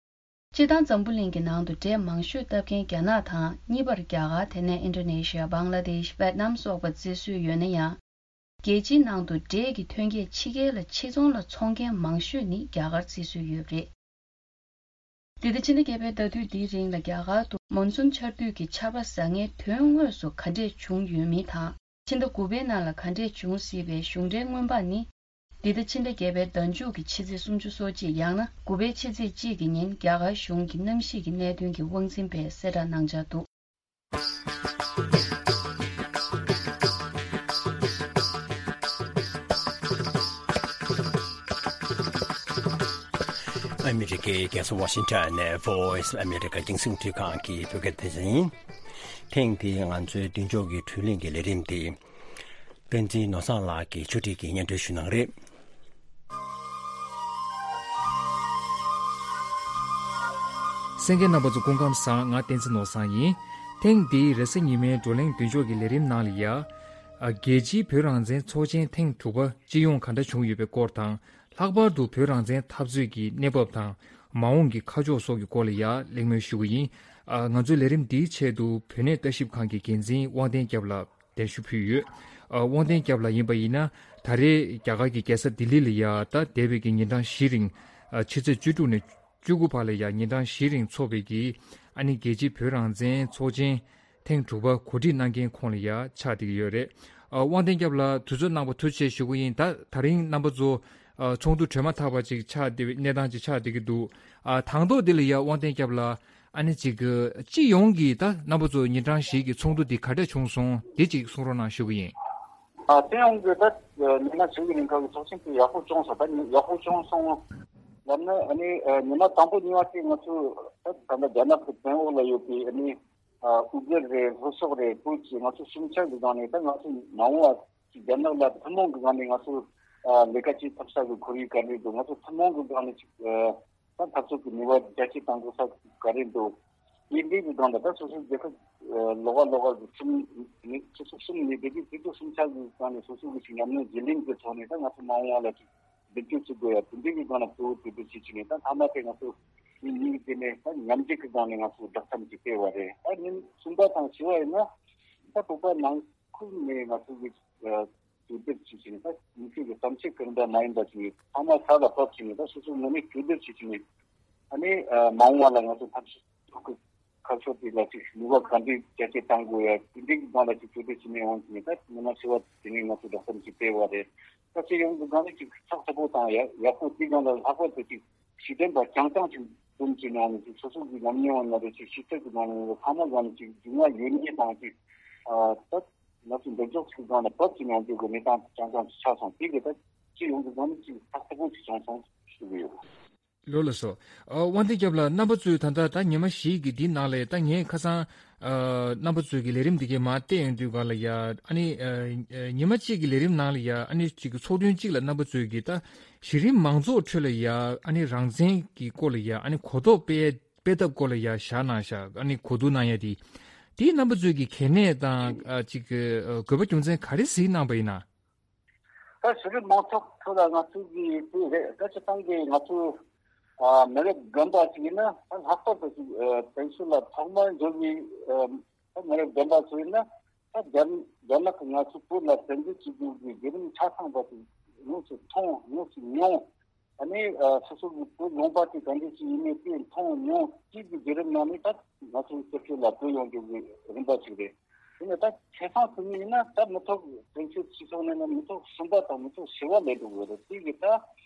སྤྱིར་བཏང་འཛམ་བུ་གླིང་གི་ནང་དུ་འབྲས་མང་ཤོས་བཏབ་མཁན་རྒྱ་ནག་དང་། གཉིས་པར་རྒྱ་གར། དེ་ནས་ཨིན་ཌོ་ནེ་ཤི་ཡ། བང་ལ་དེཤ། ཝེད་ནམ་སོགས་པ་བརྩི་སྲོལ་ཡོད་ན་ཡང་། རྒྱལ་སྤྱིའི་ནང་དུ་འབྲས་ཀྱི་ཐོན་སྐྱེད་ཕྱི་རྒྱལ་ལ་ཕྱིར་ཚོང་ལ་འཚོང་མཁན་མང་ཤོས་ནི་རྒྱ་གར་བརྩི་སྲོལ་ཡོད་པ་རེད། འདི་ཟླ་ཕྱི་ཟླ་བརྒྱད་པའི་ཟླ་དུས་འདིའི་རིང་ལ་རྒྱ་གར་དུ་མོན་སུན་ཆར་དུས་ཀྱི་ཆར་པ་ཟ་མཁན་དོན་དངོས་སུ་ག་འདྲས་བྱུང་ཡོད་མིན་དང་། ཕྱི་ཟླ་དགུ་པའི་ནང་ལ་ག་འདྲས་བྱུང་སྲིད་པའི་གཞུང་འབྲེལ་སྔོན་དཔག་ནི། འདི་ཟླ་ཕྱི་ཟླ་བརྒྱད་པའི་ཟླ་མཇུག་གི་ཕྱི་ཚེས་སུམ་ཅུ་སོ་གཅིག་ཡང་ན་དགུ་པའི་ཕྱི་ཚེས་གཅིག་གི་ཉིན་རྒྱ་གར་གཞུང་གི་གནམ་གཤིས་ཀྱི་གནད་དོན་གྱི་དབང་འཛིན་པས་གསལ་བསྒྲགས་གནང་འཆར་འདུག་ཨ་མི་རི་ཀའི་རྒྱལ་ས་ཝ་ཤིང་ཊོན་ནས་Voice of America་རྒྱང་སྲིང་འཕྲིན་ཁང་གི་བོད་སྐད་སྡེ་ཚན་ཡིན། ཐེངས་འདིའི་ང་ཚོའི་མདུན་ཅོག་གི་དྲུང་ལྷན་གྱི་ལས་རིམ་དེ། བསྟན་འཛིན་ནོར་བཟང་ལགས་ཀྱིས་ཕྱོགས་སྒྲིག་གིས་སྙན་སྒྲོན་ཞུ་གནང་རེད། གསན་མཁན་རྣམ་པ་ཚོ་སྐུ་ཁམས་བཟང་། ང་བསྟན་འཛིན་ནོར་བཟང་ཡིན། ཐེངས་འདིའི་རེས་གཟའ་ཉི་མའི་བགྲོ་གླེང་མདུན་ཅོག་གི་ལས་རིམ་ནང་ལ་ཡ། ཨ། རྒྱལ་སྤྱིའི་བོད་རང་བཙན་ཚོགས་ཆེན་ཐེངས་དྲུག་པ་སྤྱི་ཡོངས་ག་འདྲ་བྱུང་ཡོད་པའི་སྐོར་དང་། ལྷག་པར་དུ་བོད་རང་བཙན་འཐབ་རྩོད་ཀྱི་གནས་བབ་དང་། མ་འོངས་ཀྱི་ཁ་ཕྱོགས་སོགས་ཀྱི་སྐོར་ལ་ཡ་གླེང་མོལ་ཞུ་གི་ཡིན། ཨ། ང་ཚོའི་ལས་རིམ་འདིའི་ཆེད་དུ་བོད་གནས་ལྟ་ཞིབ་ཁང་གི་འགན་འཛིན་དབང་ལྡན་སྐྱབས་ལགས་གདན་ཞུ་ཕུལ་ཡོད། ཨ། དབང་ལྡན་སྐྱབས་ལགས་ཡིན་པ་ཡིན་ན། ད་རེས་རྒྱ་གར་གྱི་རྒྱལ་ས་ལྡི་ལི་ལ་ཡ་ད་འདས་པའི་གི་ཉིན་གྲངས་བཞི་རིང་། ཨ། ཕྱི་ཚེས་བཅུ་དྲུག་ནས་བཅུ་དགུ་བར་ལ་ཡ་ཉིན་གྲངས་བཞི་རིང་འཚོགས་པའི་གི། ཨ་ནི་རྒྱལ་སྤྱིའི་བོད་རང་བཙན་ཚོགས་ཆེན་ཐེངས་དྲུག་པ་གོ་སྒྲིག་གནང་མཁན་ཁོངས་ལ་ཡ་ཆགས་བསྡད་ཀྱི་ཡོད་རེད། ཨ། དབང་ལྡན་སྐྱབས་ལགས་དུས་ཚོད་གནང་བ་ཐུགས་རྗེ་ཆེ་ཞུ་གི་ཡིན། ད་ད་རིང་རྣམ་པ་ཚོ། ཨ། ཚོགས་འདུ་གྲོལ་མ་ཐག་པ་ཅིག་ཆགས་བསྡད་པའི་གནས་སྟངས་ཅིག་ཆགས་བསྡད་ཀྱི་འདུག་ཨ། དང་ཐོག་འདི་ལ་ཡ་དབང་ལྡན་སྐྱབས་ལགས། ཨ་ནི་ཅིག་གི་སྤྱི་ཡོངས་ཀྱི་ད་རྣམ་པ་ཚོ་ཉིན་གྲངས་བཞི་གི་ཚོགས་འདུ་འདི་ག་འདྲ་བྱུང་སོང་། འདི་ཅིག་གསུང་རོགས་གནང་ཞུ་གི་ཡིན། ཨ། སྤྱི་ཡོངས་ཀྱི་ད་ཉི་མ་བཞི་གི་རིང་ག་གི་ཚོགས་ཆེན་དེ་ཡག་པོ་བྱུང་སོང་། ད་ཡག་པོ་བྱུང་སོང་ལབ་ན། ཨ་ནི་ཉི་མ་དང་པོ་གཉིས་པ་དེ་ང་ཚོ་ད་ད་ལྟ་རྒྱ་ནག་གི་བཙན་འོག་ལ་ཡོད་པའི། ཨ་ནི་ཨུ་གུར་རེད། ལྷོ་ཕྱོགས་རེད། བོད་ཀྱི་ང་ཚོ་སུམ་ཆ་གི་སྒང་ནས་ད་ང་ཚོ་མ་འོངས་པ་ཅིག་རྒྱ་ནག་ལ་ཐུན་མོང་གི་སྒང་ནས་ང་ཚོ་ལས་ཀ་བྱེད་ཐུབ་ས་གི་ཁོར་ཡུག་ག་རེ་འདུག་ང་ཚོ་ཐུན་མོང་གི་སྒང་ནས་ཅིག་ད་འཐབ་རྩོད་ཀྱི་ནུས་པ་རྒྱ་སྐྱེད་གཏང་དགོས་ས་ག་རེ་འདུག་ཡིན་འདི་གི་སྒང་ལ་ད་སོ་སོའི་རྒྱལ་ཁབ་ལོགས་ཀ་ལོགས་ཀ་གི་གསུམ་ནི་སོ་སོ་གསུམ་ནི་བདེ་སྐྱིད་སྤྱི་ཚོགས་སུམ་ཆ་གི་སྒང་ནས་སོ་སོ་གི་ཅིག་ཉམས་མྱོང་བརྗེ་ལེན་གྱི་ཐོག་ནས་ད་ང་ཚོ་མ་འོངས་པ་ལ་ཅིག་འདེགས་སྐྱོར་བྱེད་དགོས་ཡ། དེ་འདྲའི་གི་སྒང་ལ་གཙོ་བོ་དེ་འདྲ་བྱེད་ཀྱི་ནས་ད་མཐའ་མ་དེ་ང་ཚོ་མི་གཉིས་དེ་ནས་ད་མཉམ་འབྲེལ་གྱི་སྒང་ནས་ང་ཚོ་བསྒྲགས་གཏམ་ཅིག་སྤེལ་བ་རེད། ད་ཉིན་གསུམ་པ་དང་བཞི་པ་ཡིན་ན་ད་བོད་པ་ནང་ཁུལ་ནས་ང་ཚོ་གི་ཨ་ གྲོས་བསྡུར་བྱས་བྱས་ནས་ད་མི་ཚེ་གི་བསམ་ཚུལ་ཀུན་འདྲ་མ་ཡིན་པ་ཞིག་ཚང་མ་ས་ལ་ཕབ་བྱས་ནས་ད་སོ་སོའི་ངོས་ནས་གྲོས་བསྡུར་བྱས་བྱས་ནས་ཨ་ནི་མ་འོངས་པ་ལ་ང་ཚོ་ཐབས་ཤེས་ཁ་ཕྱོགས་དེ་ལ་ཅིག་ནུས་པ་ག་འདྲས་རྒྱ་སྐྱེད་གཏང་དགོས་ཡ་དེ་འདྲའི་སྒང་ལ་ཅིག་གྲོས་བསྡུར་བྱས་ནས་འོང་བྱས་ནས་ད་མི་མང་ཆེ་བ་དེ་ནས་ང་ཚོ་བསྒྲགས་གཏམ་ཅིག་སྤེལ་བ་རེད། ད་སྤྱི་ཡོངས་ཀྱི་སྒང་ནས་ཅིག་ཚགས་ཚུད་པོ་དང་ཡག་ཡག་པོ་དེའི་སྒང་ལ་ལྷག་པར་དུ་ཅིག་གཞི་རྟེན་པ་རྐྱང་རྐྱང་ཅིག་འཛོམས་ཀྱི་ནང་ནས་ཅིག་སོ་སོ་གི་ཉམས་མྱོང་ན་རེ་ཅིག་ཤེས་ཚད་ཀྱི་ནང་ནས་ཚང་མ་སྒང་ནས་ཅིག་རྒྱུས་མངའ་ཡོད་མཁན་དང་ཅིག་ཨ་ད་ང་ཚོ་འདེགས་འཇོག་ཅིག་སྒང་ལ་བབས་ཀྱི་ནང་འཇུག་གི་གནས་སྟངས་རྐྱང་རྐྱང་ཅིག་ཆགས་སོང་། དེ་གི་ད་སྤྱི་ཡོངས་ཀྱི་སྒང་ནས་ཅིག་ཚགས་ཚུད་པོ་ཅིག་བྱུང་སོང་ཞུ་གི་ཡོད། ལགས་སོ། ཨ་དབང་ལྡན་སྐྱབས་ལགས། རྣམ་པ་ཚོས་ད་ལྟ་ད་ཉི་མ་བཞི་གི་འདི་ནང་ལ་ད་ངས་ཁ་སང་ཨ་རྣམ་པ་ཚོས་ཀྱི་ལས་རིམ་འདི་གའི་མར་བལྟས་ཡོང་དུས་སྒང་ལ་ཡ་ཨ་ནི་ཨ་ཨ་ཉི་མ་གཅིག་གི་ལས་རིམ་ནང་ལ་ཡ་ཨ་ནི་གཅིག་གི་ཚོགས་ཐུན་གཅིག་ལ་རྣམ་པ་ཚོས་ཀྱི་ད་གཞི་རིམ་མང་ཚོགས་ཁྲོད་ལ་ཡ་ཨ་ནི་རང་བཙན་གྱི་སྐོར་ལ་ཡ་ཨ་ནི་གོ་རྟོགས་སྤེལ་སྤེལ་ཐབས་སྐོར་ལ་ཡ་བཞག་གནང་བཞག་ཨ་ནི་གོ་བསྡུར་གནང་ཡ་དེ་དེའི་རྣམ་པ་ཚོས་ཀྱི་གལ་གནད་དང་ཨ་གཅིག་གི་ཨ་དགོས་པ་རྒྱུ་མཚན་ག་རེ་གཟིགས་གནང་པ་ཡིན་ན། ད་གཞི་རིམ་མང་ཚོགས་ཁྲོད་ལ་ང་ཚོའི་གི་དེ་རེད། ད་སྤྱིར་བཏང་གི་ང་ཚོ་ཨ་མི་རབས་རྒན་པ་ཞིག་ཡིན་ན་ད་ལྷག་པར་དུ་ཅིག་ཨ་དེང་སང་ལ་ཐོག་མར་འབྱོར་བའི་ཨ་ད་མི་རབས་རྒན་པ་ཚོ་ཡིན་ན་ད་རྒྱ་རྒྱ་ནག་གིས་ང་ཚོའི་བོད་ལ་བཙན་འཛུལ་བྱེད་རྒྱུ་གི་བརྒྱུད་རིམ་ཆ་ཚང་པ་དེ་དངོས་སུ་མཐོང་དངོས་སུ་མྱོང་། ཨ་ནི་ཨ་སོ་སོ་གི་བོད་ལུང་པ་དེ་ག་འདྲ་ཞིག་ཡིན་མིན་དེ་མཐོང་མྱོང་། དེ་གི་བརྒྱུད་རིམ་ནང་ནས་ད་ང་ཚོའི་སྤྱི་ཚོགས་ལ་བོད་ཡོང་རྒྱུ་གི་རིམ་པ་ཞིག་རེད། དེ་ནས་ད་ཆ་ཚང་དུ་ནི་ཡིན་ན་ད་མི་ཐོག་དོན་གཅོད་སྤྱི་ཚོགས་ནས་ན་མི་ཐོག་གསུམ་པ་དང་མི་ཐོག་བཞི་པ་ལས་འགྲོ་གི་རེད། དེ་གི་ད་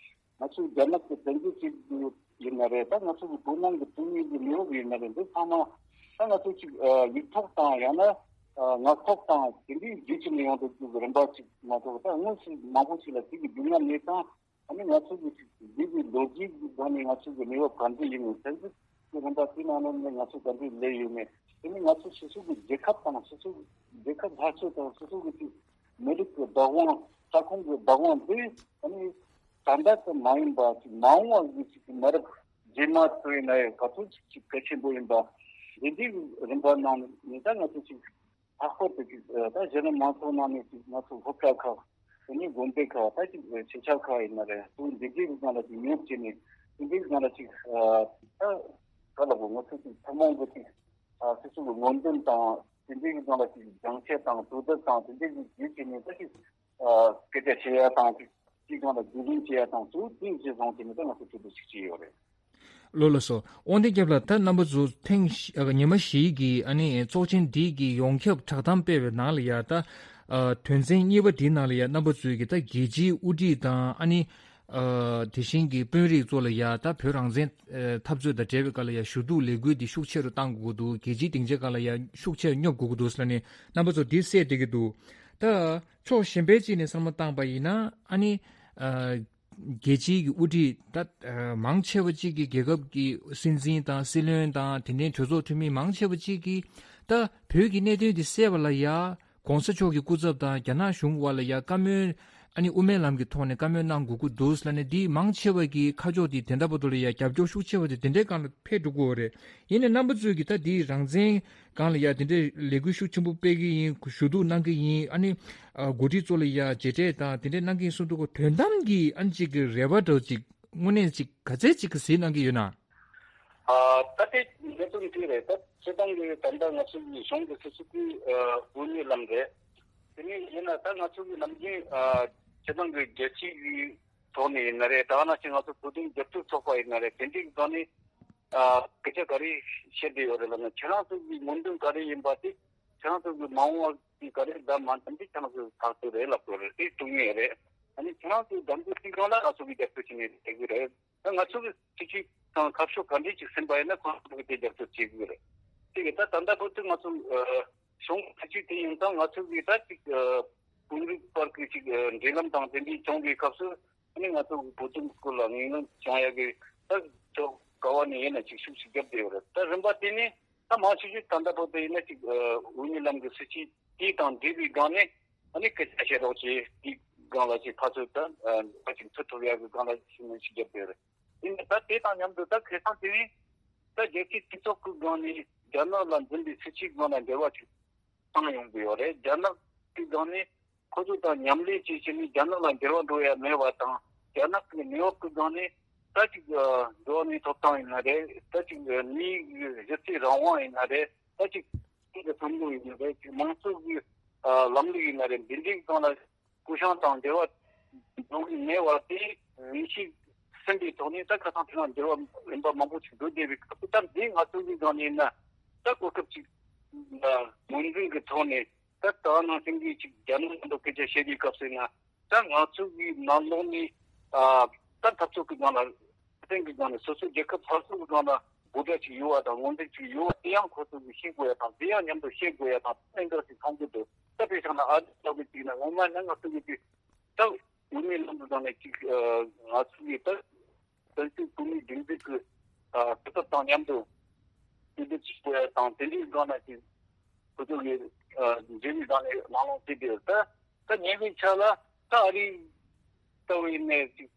ང་ཚོའི་རྒྱ་ནག་གི་བཙན་འཛུལ་བྱེད་རྒྱུ་ཡིན་ན་རེད། ད་ང་ཚོ་གི་བོད་ནང་གི་དོན་དངོས་ཀྱི་གནས་བབ་ཡིན་ན་རེད། འདི་ཚང་མ་ད་ང་ཚོ་ཅིག་ཡིག་ཐོག་དང་ཡང་ན་ངག་ཐོག་དང་དེ་འདྲའི་བརྒྱུད་ཕྱིན་ནས་ཡོང་འགྲོ་རྒྱུ་གི་རིམ་པ་ཅིག་མ་གཏོགས་ད་དངོས་སུ་མང་པོ་ཞིག་ལ་དེ་གི་རྒྱུས་མངའ་མེད་ཙང་། ཨ་ནི་ང་ཚོ་གི་ཅིག་འདི་གི་ལོ་རྒྱུས་ཀྱི་སྒང་ནས་ང་ཚོ་གི་གནས་བབ་ག་འདྲ་ཡིན་མིན། བཙན་འཛུལ་གྱི་རིམ་པ་དེ་ནང་ལོགས་ནས་ང་ཚོ་ག་འདྲ་སླེབས་ཡོད་མེད། དེ་ནི་ང་ཚོ་སོ་སོ་གི་རྒྱལ་ཁབ་དང་སོ་སོ་གི་རྒྱལ་ཁབ་སླར་གསོ་དང་སོ་སོ་གི་ཅིག་མི་རིགས་ཀྱི་བདག་དབང་ས་ཁོངས་ཀྱི་བདག་དབང་འདི་ཨ་ནི་ད་ལྟ་ཙམ་མ་ཡིན་པ་ཅིག་མ་འོངས་པ་གི་ཅིག་གི་མི་རབས་རྗེས་མ་ཚོ་ཡིན་ན་ཡང་ག་ཚོད་ཅིག་ཅིག་གལ་ཆེན་པོ་ཡིན་པ་འདི་འདྲའི་རིམ་པ་ནང་ནས་ད་ང་ཚོ་ཅིག་ལྷག་པར་དུ་ཅིག་ད་གཞི་རིམ་མང་ཚོགས་ནང་ནས་ཅིག་ང་ཚོ་སློབ་གྲྭ་ཁག་དེ་ནས་དགོན་སྡེ་ཁག་ད་ཅིག་ཆོས་ཁྱབ་ཁག་ཡིན་ན་རེད། ཏུ་འདི་འདྲའི་སྒང་ལ་ཅིག་ཉོབ་བྱས་ནས་དེ་འདྲའི་སྒང་ལ་ཅིག་ད་ག་ལ་གོ་ང་ཚོ་ཅིག་ཐུན་མོང་གི་ཅིག་སོ་སོ་གི་ངོས་འཛིན་དང་དེ་འདྲའི་སྒང་ལ་ཅིག་སྦྱང་བཤད་དང་གྲོས་བསྡུར་དང་དེ་འདྲའི་ཅིག་བརྒྱུད་བྱས་ནས་ད་ཅིག་སྐད་ཆ་བཤད་ཡ་དང་ཅིག་ཅིག་སྒང་ལ་རྒྱུས་ལོན་བྱེད་ཡ་དང་ཚུར་དེ་བྱས་སོང་བྱས་ནས་ད་ང་ཚོ་གྲོས་བསྡུར་ཅིག་བྱས་ཡོད་རེད། ལགས་ལགས་སོ། དབང་ལྡན་སྐྱབས་ལགས། ད་རྣམ་པ་ཚོ་ཐེངས་བཞི་ཨ་ཉི་མ་བཞིའི་གི་ཨ་ནི་ཚོགས་ཆེན་འདི་གི་ཡོངས་ཁྱབ་བསྒྲགས་གཏམ་སྤེལ་བའི་ནང་ལ་ཡ་ད་ཨ་དོན་ཚན་གཉིས་པ་འདིའི་ནང་ལ་ཡ་རྣམ་པ་ཚོས་ཀྱི་ད་རྒྱལ་སྤྱིའི་དབུ་ཁྲིད་དང་ཨ་ནི་ཨ་དེ་བཞིན་གྱི་དཔོན་རིགས་ཚོ་ལ་ཡ་ད་བོད་རང་བཙན་ཨ་འཐབ་རྩོད་དང་འབྲེལ་བའི་སྐབས་ལ་ཡ་ཞུ་གཏུག་ལས་འགུལ་འདི་ཤུགས་ཆེ་རུ་གཏང་དགོས་ཀྱི་འདུག་རྒྱལ་སྤྱིའི་སྡིངས་ཆའི་སྒང་ལ་ཡ་ཤུགས་ཆེ་རུ་སྙོབ་དགོས་ཀྱི་འདུག་ཟེར་ནས་རྣམ་པ་ཚོ་འདི་གསལ་བསྡད་ཀྱི་འདུག་ད་ཕྱོགས་གཞན་པའི་ཅིག་ནས་བསམ་བློ་བཏང་པ་ཡིན་ན་ཨ་ནི་ཨ། རྒྱལ་སྤྱིའི་གི་དབུ་ཁྲིད་ད་ཨ་མང་ཆེ་བ་གཅིག་གིས་རྒྱལ་ཁབ་ཀྱི་སྲིད་འཛིན་དང་སྲིད་བློན་དང་དེ་འདྲའི་གྲོས་ཚོགས་འཐུས་མི་མང་ཆེ་བ་གཅིག་གིས་ད་བོད་ཀྱི་གནད་དོན་འདི་སེལ་བ་ལ་ཡ་གོང་ས་མཆོག་གི་སྐུ་ཚབ་དང་རྒྱ་ནག་གཞུང་བར་ལ་ཡ་བཀའ་མོལ་ཨ་ནི་དབུ་མའི་ལམ་གྱི་ཐོག་ནས་བཀའ་མོལ་གནང་དགོས་ཀྱི་འདུག་ཟེར་ནས་འདི་མང་ཆེ་བ་གི་ཁ་ཕྱོགས་འདི་དེ་འདྲ་བར་དུ་ལ་ཡ་རྒྱབ་སྐྱོར་ཤུགས་ཆེ་བ་དེ་དེ་འདྲའི་སྒང་ལ་ཕེབས་འགྲོ་གི་ཡོད་རེད། ཡིན་ནའི་རྣམ་པ་ཚོས་ཀྱིས་ད་འདི་རང་བཙན་སྒང་ལ་ཡ་དེ་འདྲའི་ལས་འགུལ་ཤུགས་ཆེན་པོ་སྤེལ་གི་ཡིན། ཞུ་གཏུག་གནང་གི་ཡིན། ཨ་ནི་ཨ་འགོ་ཁྲིད་ཚོ་ལ་ཡ་མཇལ་འཕྲད་དང་དེ་འདྲའི་གནང་གི་ཡིན་གསུངས་འདུག་གོ། དོན་དམ་གྱི་ཨ་ནི་གཅིག་གི་རེ་བ་འདྲ་བོ་ཅིག་དངོས་གནས་ཅིག་ག་ཚད་ཅིག་གི་གཟིགས་གནང་གི་ཡོད་ན། ཨ་ད་དེ་འདི་ཚོ་འདི་རེད། ད་སྤྱིར་བཏང་གི་ད་ལྟ་ང་ཚོ་གི་གཞུང་གི་སྲིད་ཇུས་དེ་ཨ་དབུ་མའི་ལམ་རེད། དེ་ནས་ཡིན་ན་ད་ང་ཚོ་གི་ནམ་རྒྱུན་ཨ་སྤྱིར་བཏང་གི་རྒྱལ་སྤྱི་གི་ཐོག་ནས་ཡིན་ན་རེད། ད་ག་ནང་བཞིན་ང་ཚོ་བོད་དོན་རྒྱབ་སྐྱོར་ཚོགས་པ་ཡིན་ན་རེད། དེ་འདྲའི་སྒང་ནས་ཨ་སྐད་ཆ་ག་རེ་བཤད་བསྡད་ཡོད་རེད་ལབ་ན། ཁྱེད་རང་ཚོ་གི་སྨོན་འདུན་ག་རེ་ཡིན་པ་དེ་ཁྱེད་རང་ཚོ་གི་མ་འོངས་པ་གི་ག་རེ་ཟླ་མ་འདམ་དེ་ཁྱེད་རང་ཚོ་ཐག་གཅོད་རེད་ལབ་དགོས་རེད། དེ་ཐུག་ངེས་རེད། ཨ་ནི་ཁྱེད་རང་ཚོའི་འདམ་དེ་ཐིག་གང་ལ་ང་ཚོ་གི་རྒྱབ་སྐྱོར་བྱེད་ངེས་རེད་གི་རེད། ད་ང་ཚོ་གི་སྲིད་ཇུས་དང་ཁ་ཕྱོགས་ག་འདྲས་ཅིག་ཟིན་པ་ཡིན་ན་ཁོང་ཚོ་གི་དེ་རྒྱབ་སྐྱོར་བྱེད་དགོས་རེད། དེ་གི་ད་ད་ལྟ་བར་དུ་ང་ཚོ་ཨ་གཞུང་སྲིད་ཇུས་དེ་ཡིན་ཙང་ང་ཚོ་གི་ད་ཅིག་ཨ་དཔོན་རིགས་བར་གི་ཅིག་ཨ་འབྲེལ་ལམ་དང་དེ་འདྲའི་བྱུང་བའི་སྐབས་སུ། ཨ་ནི་ང་ཚོ་བོད་དོན་སྐོར་ལ་ངེས་ངོམ་བྱུང་ཡག་གི་ད་ཚོ་ག་བ་ནས་ཡིན་ན་ཅིག་ཤུགས་ཤིག་བརྒྱབ་བསྡད་ཡོད་རེད། ད་རིམ་པ་དེ་ནས་ད་མང་ཆེ་ཤོས་ད་ལྟ་བར་དུ་ཡིན་ན་ཅིག་ཨ་དབུ་མའི་ལམ་གྱི་སྲིད་ཇུས་དེ་དང་འབྲེལ་བའི་སྒང་ནས་ཨ་ནི་སྐད་ཆ་བཤད་རོགས་བྱེད། དེའི་སྒང་ལ་ཅིག་ཕར་ཚུར་ད་ཨ་ཅིག་ཐུག་ཐུབ་ཡག་གི་སྒང་ལ་ཤུགས་སྣོན་ཞིག་བརྒྱབ་བསྡད་ཡོད་རེད། ཡིན་ན་ད་དེ་དང་མཉམ་དུ་ད་ཁ་སང་དེ་རིང་ད་རྒྱལ་སྤྱིའི་སྤྱི་ཚོགས་ཀྱི་སྒང་ནས་རྒྱ་ནག་ལ་འཛིན་པའི་སྲིད་ཇུས་སྒང་ལ་འབྲེལ་བ་ཅིག་བཏང་ཡོང་གི་ཡོད་རེད། རྒྱ་ནག་གི་སྒང་ནས་ཁོ་ཚོ་དང་མཉམ་ལས་བྱེད་བྱས་ནས་རྒྱ་ནག་ལ་འབྲེལ་བ་འགྲོ་ཡ་མེད་པ་དང་། རྒྱ་ནག་གི་གནས་བབ་ཀྱི་སྒང་ནས་ད་ཅིག་འགྲོ་བ་མིའི་ཐོབ་ཐང་ཡིན་ན་རེད། ད་ཅིག་མིའི་གཞི་རྩའི་རང་དབང་ཡིན་ན་རེད། ད་ཅིག་མི་གི་བསམ་བློ་ཡིན་ན་རེད། ཅིག་མང་གཙོ་གི་ལམ་ལུགས་ཡིན་ན་རེད། འདི་འདྲའི་སྒང་ལ་ སྐུ་ཞབས་དང་འབྲེལ་བ་འགྲོ་གི་མེད་པ་དེ་ངེས་ཤེས་ཟིན་པའི་ཐོག་ནས། ད་ཁ་སང་དེ་རིང་འབྲེལ་བ་རིམ་པ་མང་པོ་ཞིག་འགྲོ་བསྡད་པའི་སྐབས་སུ། ད་འདི་ང་ཚོ་གི་སྒང་ནས་ཡིན་ན་ད་གོ་སྐབས་ཅིག་ངོས་འཛིན་གྱི་ཐོག་ནས། ད་ད་ནང་བཞིན་གྱི་ཅིག་རྒྱ་ནག་མཉམ་དུ་སྐད་ཆ་བཤད་པའི་སྐབས་སུ་ཡིན་ན། ད་ང་ཚོ་གི་ནང་ལོགས་ནས་ཨ་ད་འཐབ་རྩོད་ཀྱི་སྒང་ལ། བསྟན་གྱི་སྒང་ནས་སོ་སོའི་རྒྱལ་ཁབ་སོ་སོ་གི་སྒང་ལ་འབོད་སྒྲ་ཅིག་ཡོད་པ་དང་ངོས་འཛིན་ཅིག་ཡོད་པ་དེ་ཡང་ཁོ་ཚོ་གིས་ཤེས་དགོས་ཡ་དང་། དེ་ཡང་མཉམ་དུ་ཤེས་དགོས་ཡ་དང་། གནད་འགག་ཅིག་མཐོང་གི་འདུག་ད་དཔེ་བཞག་ན་ཨ་རི་ལྟ་བུ་ཅིག་ན་ངོ་མ་ནི་ང་ཚོ་གི་དེ་ད་དབུ་མའི་ལམ་དུ་བཏང་ནས་ཅིག་ཨ་ང་ཚོ་གི་ད་བཙན་བྱོལ་བོད་མིའི་སྒྲིག་འཛུགས་ཀྱི་ཨ་གྲུབ་ཐོབ་དང་མཉམ་དུ་གཅིག་སྡུད་བྱེད་དགོས་ཡ་དང་། དེ་འདྲའི་སྒང་ལ་ཅིག་ཁོ་ཚོ་གི་ཨ་འབྲེལ་བའི་སྒང་ནས་གླེང་སློང་བྱས་ཏེ། ད་ད་ཉེ་བའི་ཆར་ལ་ད་ཨ་རི་ལྟ་བུ་ཡིན་ནའི་ཅིག་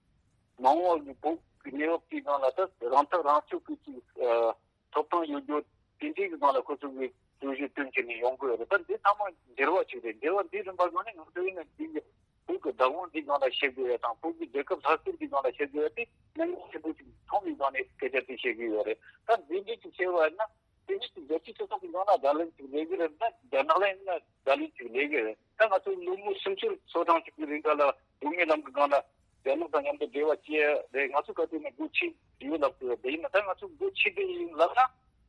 མ་འོངས་པ་གི་བོད་ཀྱི་གནས་བབ་ཀྱི་སྒང་ལ་ད་རང་ཐག་རང་གཅོད་ཀྱི་ཅིག་ཨ་ཐོབ་ཐང་ཡོད་རྒྱུ་དེ་འདྲའི་གི་སྒང་ལ་ཁོ་ཚོ་གི་གྲོས་གཞི་བཏོན་བྱས་ནས་ཡོང་གི་ཡོད་རེད། ད་འདི་ཚང་མ་འགྱུར་བ་ཅིག་རེད། འགྱུར་བ་འདིའི་རིམ་པ་སྒང་ནས་ང་ཚོ་ཡིན་ན་འདི་གི་བོད་ཀྱི་བདག་དབང་འདིའི་སྒང་ལ་བཤད་དགོས་ཡ་དང་། བོད་ཀྱི་རྒྱལ་ཁབ་སླར་གསོ་འདིའི་སྒང་ལ་བཤད་དགོས་ཡ་དེ་གནད་འགག་ཆེན་པོ་ཅིག་མཐོང་བའི་སྒང་ནས་སྐད་ཆ་དེ་བཤད་ཀྱི་ཡོད་རེད། ད་འདི་འདྲའི་ཅིག་བཤད་པ་ཡིན་ན། དེ་ནས་རྒྱལ་སྤྱིའི་སྤྱི་ཚོགས་ཀྱི་ནང་ལ་བརྡ་ལན་ཅིག་སླེབས་ཀྱི་རེད། ད་རྒྱ་ནག་ལ་ཡིན་ན་བརྡ་ལན་ཅིག་སླེབས་ཀྱི་རེད། ད་ང་ཚོ་ལོ་ངོ་སུམ་ཅུ་སོ་གྲངས་ཅིག་གི་རིང་ག་ལ་དབུ་མའི་ལམ་གྱི་སྒང་ལ་རྒྱ་ནག་དང་མཉམ་དུ་འབྲེལ་བ་བྱས་རེད། ང་ཚོ་ག་དུས་ནས་སྒོ་ཕྱེ་ཡོད་ལབ་ཀྱི་ཡོད། དེ་ཡིན་ན་ད་ང་ཚོ་སྒོ་ཕྱེ་བསྡད་ཡིན་ལབ་ན།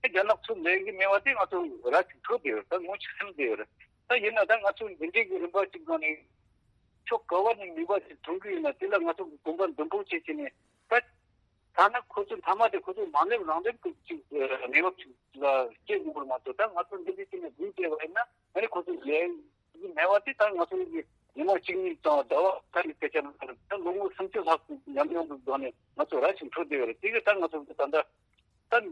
ཨེ་རྒྱ་ནག་ཚུར་ལེན་གྱི་མེད་པ་དེ་ང་ཚོ་ར་ཅིག་འཕྲོད་བསྡད་ཡོད་རེད། ད་ངོ་ཅིག་ཟིན་བསྡད་ཡོད་རེད། ད་ཡིན་ན་ད་ང་ཚོ་འདི་འདྲའི་གི་རིམ་པ་ཅིག་སྒང་ནས་ཕྱོགས་ག་བ་ནས་ནུས་པ་ཅིག་ཐོན་གྱི་ཡོད་ན། དེ་ལ་ང་ཚོ་གི་གོམ་པ་མདུན་སྤོ་བྱེད་ཀྱི་ནས་ད། ཐ་ན་ཁོ་ཚོ་མཐའ་མ་དེ་ཁོ་ཚོ་མ་སླེབས་རང་སླེབས་ཀྱི་ཅིག་ཨ་གནས་བབ་ཅིག་ལ་སྐྱེལ་དགོས་པར་མ་གཏོགས། ད་ང་ཚོ་འདི་འདྲའི་ཅིག་ནས་འཛུལ་བསྡད་པ་ཡིན་ན། ཨ་ནི་ཁོ་ཚོ་ལས་ཀྱི་མེད་པ་དེ་ད་ང་ཚོ་གི་ཉི་མ་གཅིག་གཉིས་དང་ཟླ་བ་ཁ་ལ་སྐད་ཆ་མ་རེད། ད་ལོ་ངོ་སུམ་ཅུ་ལྷག་ཙམ་ཉམས་མྱོང་གི་སྒོ་ནས་ང་ཚོ་ར་ཅིག་འཕྲོད་བསྡད་ཡོད་རེད། དེ་གི་ད་ང་ཚོ་གི་ད་ལྟ་ད་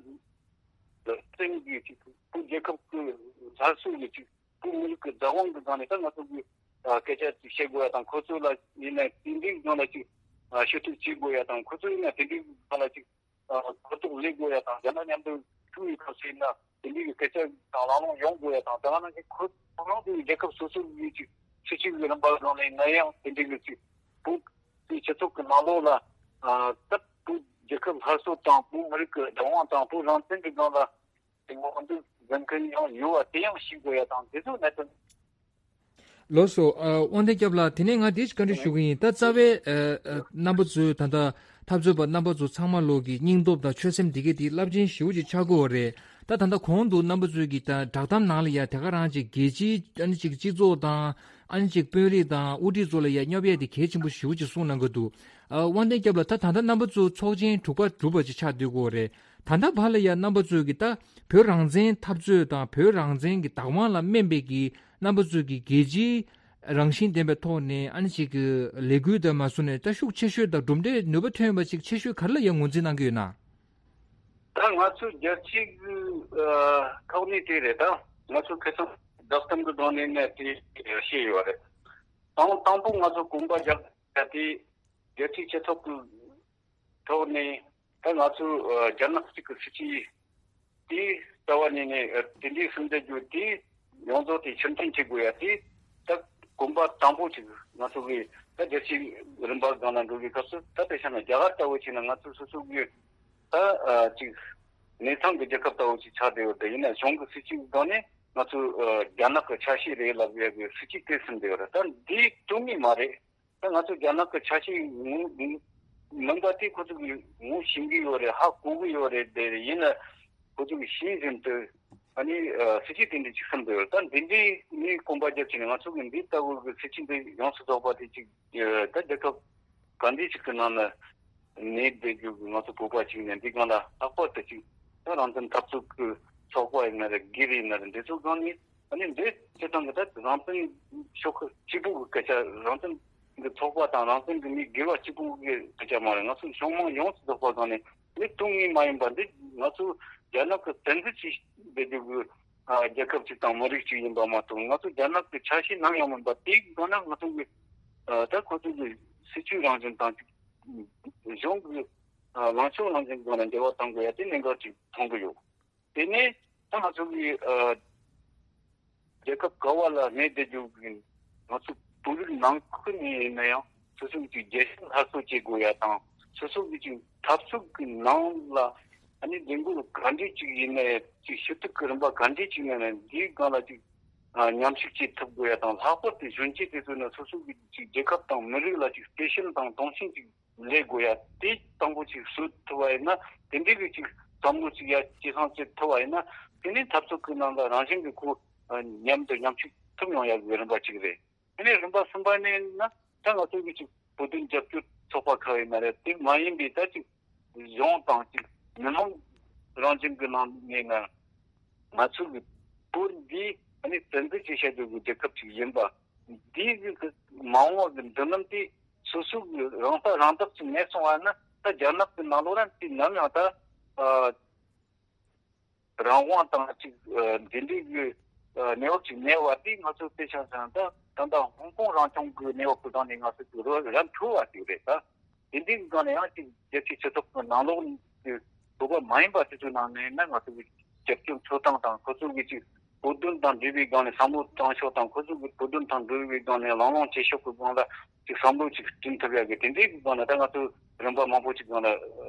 བཙན་གྱི་ཅིག་བོད་རྒྱལ་ཁབ་ཀྱི་སླར་གསོ་ཡི་ཅིག་བོད་མི་རིགས་ཀྱི་བདག་དབང་གི་སྒང་ནས་ད་ང་ཚོ་གི་ཨ་སྐད་ཆ་ཅིག་བཤད་དགོས་ཡ་དང་། ཁོ་ཚོ་ལ་ཡིན་ན་དེ་འདྲའི་སྒང་ལ་ཅིག་ཨ་ཞུ་གཏུག་བྱེད་དགོས་ཡ་དང་། ཁོ་ཚོ་ཡིན་ན་དེ་འདྲའི་སྒང་ལ་ཅིག་ཨ་གོ་རྟོགས་སླེབས་དགོས་ཡ་དང་། རྒྱ་ནག་མཉམ་དུ་ཐུག་ཡོད་སྐབས་སུ་ཡིན་ན་དེ་འདྲའི་གི་སྐད་ཆ་དང་གླེང་སློང་ཡོང་དགོས་ཡ་དང་། དེ་ག་ནང་བཞིན་ཁོ་རང་ཚོའི་རྒྱལ་ཁབ་སོ་སོ་གི་ཅིག་སྲིད་བྱུས་ཀྱི་རིམ་པ་སྒང་ནས་ན་ཡང་དེ་འདྲའི་གི་ཅིག་བོད་ཀྱི་སྤྱི་ཚོགས་ཀྱི་ནང་ལོགས་ལ་ཨ་ད་བོད་རྒྱལ་ཁབ་སླར་གསོ་དང་། བོད་མི་རིགས་ཀྱི་བདག་དབང་དང་། བོད་རང་བཙན་གྱི་སྒང་ལ་དེ་ངོ་འཛིན་འཛིན་མཁན་ཡང་ཡོད་པ་དེ་ཡང་ཤེས་དགོས་ཡ་དང་། དེ་ཚོ་གནད་དོན། ལགས་སོ། ཨ་དབང་ལྡན་སྐྱབས་ལགས། དེ་ནས་ང་འདི་ཞིག་བཀའ་འདྲི་ཞུ་གི་ཡིན། ད་རྩ་བའི་ཨ་ཨ་རྣམ་པ་ཚོས་ད་ལྟ་འཐབ་རྩོད་པ་རྣམ་པ་ཚོ་ཚང་མ་ལོག་གི་སྙིང་སྟོབས་དང་ཆོད་སེམས་འདི་གས་དེ་རླབས་ཆེན་ཞེ་པོ་ཅིག་ཆགས་ཀྱི་ཡོད་རེད། ད་ད་ལྟ་གོང་དུ་རྣམ་པ་ཚོས་ཀྱིས་ད་བསྒྲགས་གཏམ་ནང་ལ་ཡ་དེ་ག་རང་ཅིག་རྒྱལ་སྤྱིའི་ཨ་ནི་ཅིག་སྤྱི་ཚོགས་དང་། ཨ་ནི་ཅིག་དཔོན་རིགས་དང་དབུ་ཁྲིད་ཚོ་ལ་ཡ་སྙོབ་ཡས་དེ་གལ་ཆེན་པོ་ཞེ་པོ་ཅིག་གསུངས་གནང་གི་འདུག་ཨ་དབང་ལྡན་སྐྱབས་ལགས། ད་ད་ལྟ་རྣམ་པ་ཚོ་ཚོགས་ཆེན་དྲུག་པ་གྲུབ་པ་ཅིག་ཆགས་སྡོད་ཀྱི་ཡོད་རེད། ད་ལྟ་བར་ལ་ཡ་རྣམ་པ་ཚོས་ཀྱིས་ད་བོད་རང་བཙན་འཐབ་རྩོད་དང་བོད་རང་བཙན་གྱི་བདག་དབང་ལ་སྨན་པའི་གི་རྣམ་པ་ཚོས་ཀྱིས་རྒྱལ་སྤྱིའི་རང་བཞིན་ལྡན་པའི་ཐོག་ནས་ཨ་ནི་ཅིག་གི་ལས་འགུལ་དང་མ་སུ་ནས་ད་ཤུགས་ཆེ་ཤོས་དང་གྲུབ་འབྲས་ནུས་པ་ཐོན་པ་ཅིག་ཆེ་ཤོས་ག་རེ་ལ་ཡང་ངོས་འཛིན་གནང་གི་ཡོད་ན། ད་ང་ཚོའི་རྒྱལ་སྤྱིའི་ཨ་ཐོག་ནས་དེ་རེད། ད་ང་ཚོ་ཁ་སང་བསྒྲགས་གཏམ་གྱི་སྒང་ནས་ནས་དེ་བཤད་ཡོད་རེད། དང་དང་པོ་ང་ཚོ་གོམ་པ་རྒྱག་ཡ་དེ་རྒྱལ་སྤྱིའི་སྤྱི་ཚོགས་ཀྱི་ཐོག་ནས། ད་ང་ཚོ་ཨ་རྒྱ་ནག་གཅིག་གི་སྲིད་བྱུས་དེའི་རྩ་བ་ཉིད་ནས་ཨ་དེ་འདྲའི་སུན་འབྱིན་རྒྱུ་དེ་ཡོངས་རྫོགས་དེ་ཕྱིར་འཐེན་བྱེད་དགོས་ཡ་དེ། ད་གོམ་པ་དང་པོ་ཅིག་ང་ཚོ་གི་ད་རྒྱལ་སྤྱིའི་རིམ་པ་སྒང་ལ་འགྲོ་བའི་སྐབས་སུ། ད་དཔེ་བཞག་ན་རྒྱ་གར་ལྟ་བུ་བྱས་ན་ང་ཚོ་སོ་སོ་གི་ད་ཨ་ཅིག་གནས་ཚང་གི་རྒྱལ་ཁབ་ལྟ་བུ་ཅིག་ཆགས་བསྡད་ཡོད་དེ། ཡིན་ན་གཞུང་གི་སྲིད་བྱུས་སྒང་ནས་ང་ཚོ་ཨ་རྒྱ་ནག་གི་ཆ་ཤས་རེད་ལབ་ཡ་གི་སྲིད་བྱུས་དེ་ཟིན་བསྡད་ཡོད་རེད། ད་འདི་དོན་ངེས་མ་རེད། ད་ང་ཚོ་རྒྱ་ནག་གི་ཆ་ཤས་ངོ་མིན་པ་དེ་ཁོ་ཚོ་གིས་ངོ་ཤེས་ཀྱི་ཡོད་རེད། ཧ་གོ་གི་ཡོད་རེད། དེ་ཡིན་ན་ཁོ་ཚོ་གིས་ཤེས་བཞིན་དུ་ཨ་ནི་ཨ་སྲིད་བྱུས་དེ་འདྲ་ཅིག་བསམ་གྱི་ཡོད་རེད། ད་འདི་འདྲའི་ནས་གོམ་པ་རྒྱབ་བྱས་ནས་ང་ཚོ་གིས་འདི་ལྟ་བུ་གི་སྲིད་བྱུས་འདི་ཡོངས་སུ་རྫོགས་པ་དེ་ཅིག་ཨ་ད་རྒྱལ་ཁབ་ག་འདྲ་ཅིག་གི་ནང་ན་གནས་བསྡད་རྒྱུ་གི་ང་ཚོ་བོད་པ་ཅིག་ནས་འདི་སྒང་ལ་ལྷག་པར་དུ་ཅིག་ད་རང་བཙན་འཐབ་རྩོད་ཀྱི་ཚོགས་པ་ཡིན་ན་རེད། སྒེར་ཡིན་ན་རེད། འདི་ཚོ་སྒང་ནས། ཨ་ནི་འདི་སྤྱིར་བཏང་གི་ད་རང་བཙན་ཤོག་ཁག་གཅིག་པུ་གི་སྐད་ཆ། རང་བཙན་གི་ཚོགས་པ་དང་རང་བཙན་གི་མི་སྒེར་བ་གཅིག་པུ་གི་སྐད་ཆ་མ་རེད། ང་ཚོ་ཕྱོགས་མང་ཡོངས་སུ་རྫོགས་པ་སྒང་ནས་མི་སྟོང་ཉིད་མ་ཡིན་པ། འདི་ང་ཚོ་རྒྱ་ནག་གི་བཙན་འཛུལ་བྱས་བསྡད་རྒྱུ་གི་ཨ་རྒྱལ་ཁབ་ཅིག་དང་མི་རིགས་ཅིག་ཡིན་པ་མ་གཏོགས། ང་ཚོ་རྒྱ་ནག་གི་ཆ་ཤས་ནམ་ཡང་མིན་པ། དེའི་སྒང་ན་ང་ཚོ་གི་ཨ་ད་ཁོ་ཚོ་གི་སྲིད་བྱུས་རང་བཞིན་དང་གཞུང་གི་ཨ་ལངས་ཕྱོགས་རང་བཞིན་སྒང་ན་འབྲེལ་བ་གཏོང་དགོས་ཡ་དེ་གནད་འགག་ཅིག་མཐོང་གི་ཡོད། དེ་ནས་ད་ང་ཚོ་གི་ཨ་རྒྱལ་ཁབ་ག་བ་ལ་གནས་བསྡད་རྒྱུ་གི་ང་ཚོ་བོད་རིགས་ནང་ཁུལ་ནས་ཡིན་ན་ཡང་སོ་སོ་གི་རྒྱལ་སྤྱི་སླར་གསོ་བྱེད་དགོས་ཡ་དང་། སོ་སོ་གི་ཅིག་འཐབ་རྩོད་ཀྱི་ནང་ལ་ཨ་ནི་ལས་འགུལ་ག་འདྲས་ཅིག་ཡིན་ན་ཡང་། ཅིག་ཞུ་གཏུག་གི་རིམ་པ་ག་འདྲས་ཅིག་ཡིན་ན་ཡང་། འདིའི་སྒང་ལ་ཅིག་ ཨ་མཉམ་ཞུགས་བྱེད་ཐུབ་དགོས་ཡ་དང་། ལྷག་པར་དུ་གཞོན་སྐྱེས་དེ་ཚོ་ནི་སོ་སོ་གི་ཅིག་རྒྱལ་ཁབ་དང་མི་རིགས་ལ་ཅིག་བརྩེ་ཞེན་དང་དུང་ཞེན་ཅིག་ལས་དགོས་ཡ་དེ་དང་པོ་ཅིག་བཟོ་ཐུབ་པ་ཡིན་ན། དེ་འདྲའི་གི་ཅིག་བསམ་བློ་ཅིག་ཡ་སྐྱེད་སྲིང་བྱེད་ཐུབ་པ་ཡིན་ན། དེ་ནས་འཐབ་རྩོད་ཀྱི་ནང་ལ་རང་བཞིན་གྱི་ཁོ་ཨ་མཉམ་དུ་མཉམ་ཞུགས་ཐུབ་ཡོང་ཡ་གི་རིམ་པ་ཅིག་རེད། དེ་ནས་རིམ་པ་གསུམ་པ་ནས་ན། ད་ང་ཚོ་གི་ཅིག་བོད་དོན་རྒྱབ་སྐྱོར་ཚོགས་པ་ཁག་ཡིན་ན་རེད། དེ་མ་ཡིན་པའི་ད་ཅིག་གཞུང་དང་ཅིག་མི་མང་རང་བཞིན་གྱི་ནང་ནས་ན། ང་ཚོ་གི་བོད་འདི་ཨ་ནི་བཙན་འཛུལ་བྱས་བཞག་རྒྱུ་གི་རྒྱལ་ཁབ་ཅིག་ཡིན་པ། འདི་གི་མ་འོངས་པ་གི་མདུན་ལམ་དེ་སོ་སོ་གི་རང་ཐག་རང་བདག་ཅིག་མེད་སོང་བ་ན། ད་རྒྱ་ནག་གི་ནང་ལོགས་ར་དེ་ནམ་ཡང་ད་ཨ་རང་དབང་དང་ཅིག་ཨ་འདི་འདྲའི་གི་ཨ་གནས་བབ་ཅིག་གནས་པ་དེ། ང་ཚོ་དཔེ་ཆ་བཞག་ན་ད་ད་ལྟ་ཧོང་ཀོང་རང་སྐྱོང་གི་གནས་བབ་ཀྱི་སྒང་ནས་ང་ཚོ་གི་རོ་ར་འཕྲོད་པ་ཞིག་རེད། ད་དེ་འདྲའི་གི་སྒང་ནས་ཡང་ཅིག་རྒྱལ་སྤྱིའི་སྤྱི་ཚོགས་ཀྱི་ནང་ལོགས་ཀྱི་བོད་པ་མ་ཡིན་པ་དེ་ཚོའི་ནང་ནས་ན། ང་ཚོ་གི་རྒྱབ་སྐྱོར་འཚོལ་སྟངས་དང་། ཁོ་ཚོ་གི་ཅིག་བོད་དོན་དང་འབྲེལ་བའི་སྒང་ནས་བསམ་བློ་བཏང་ཕྱོགས་དང་། ཁོ་ཚོ་གི་བོད་དོན་དང་འབྲེལ་བའི་སྒང་ནས་ལངས་ལངས་བྱེད་ཕྱོགས་ཀྱི་སྒང་ལ་ཅིག་བསམ་བློ་ཅིག་བསྐྲུན་ཐུབ་ཡ་གི་དེ་འདྲའི་གི་སྒང་ལ། ད་ང་ཚོ་རིམ་པ་མང་པོ་ཅིག་སྒང་ལ་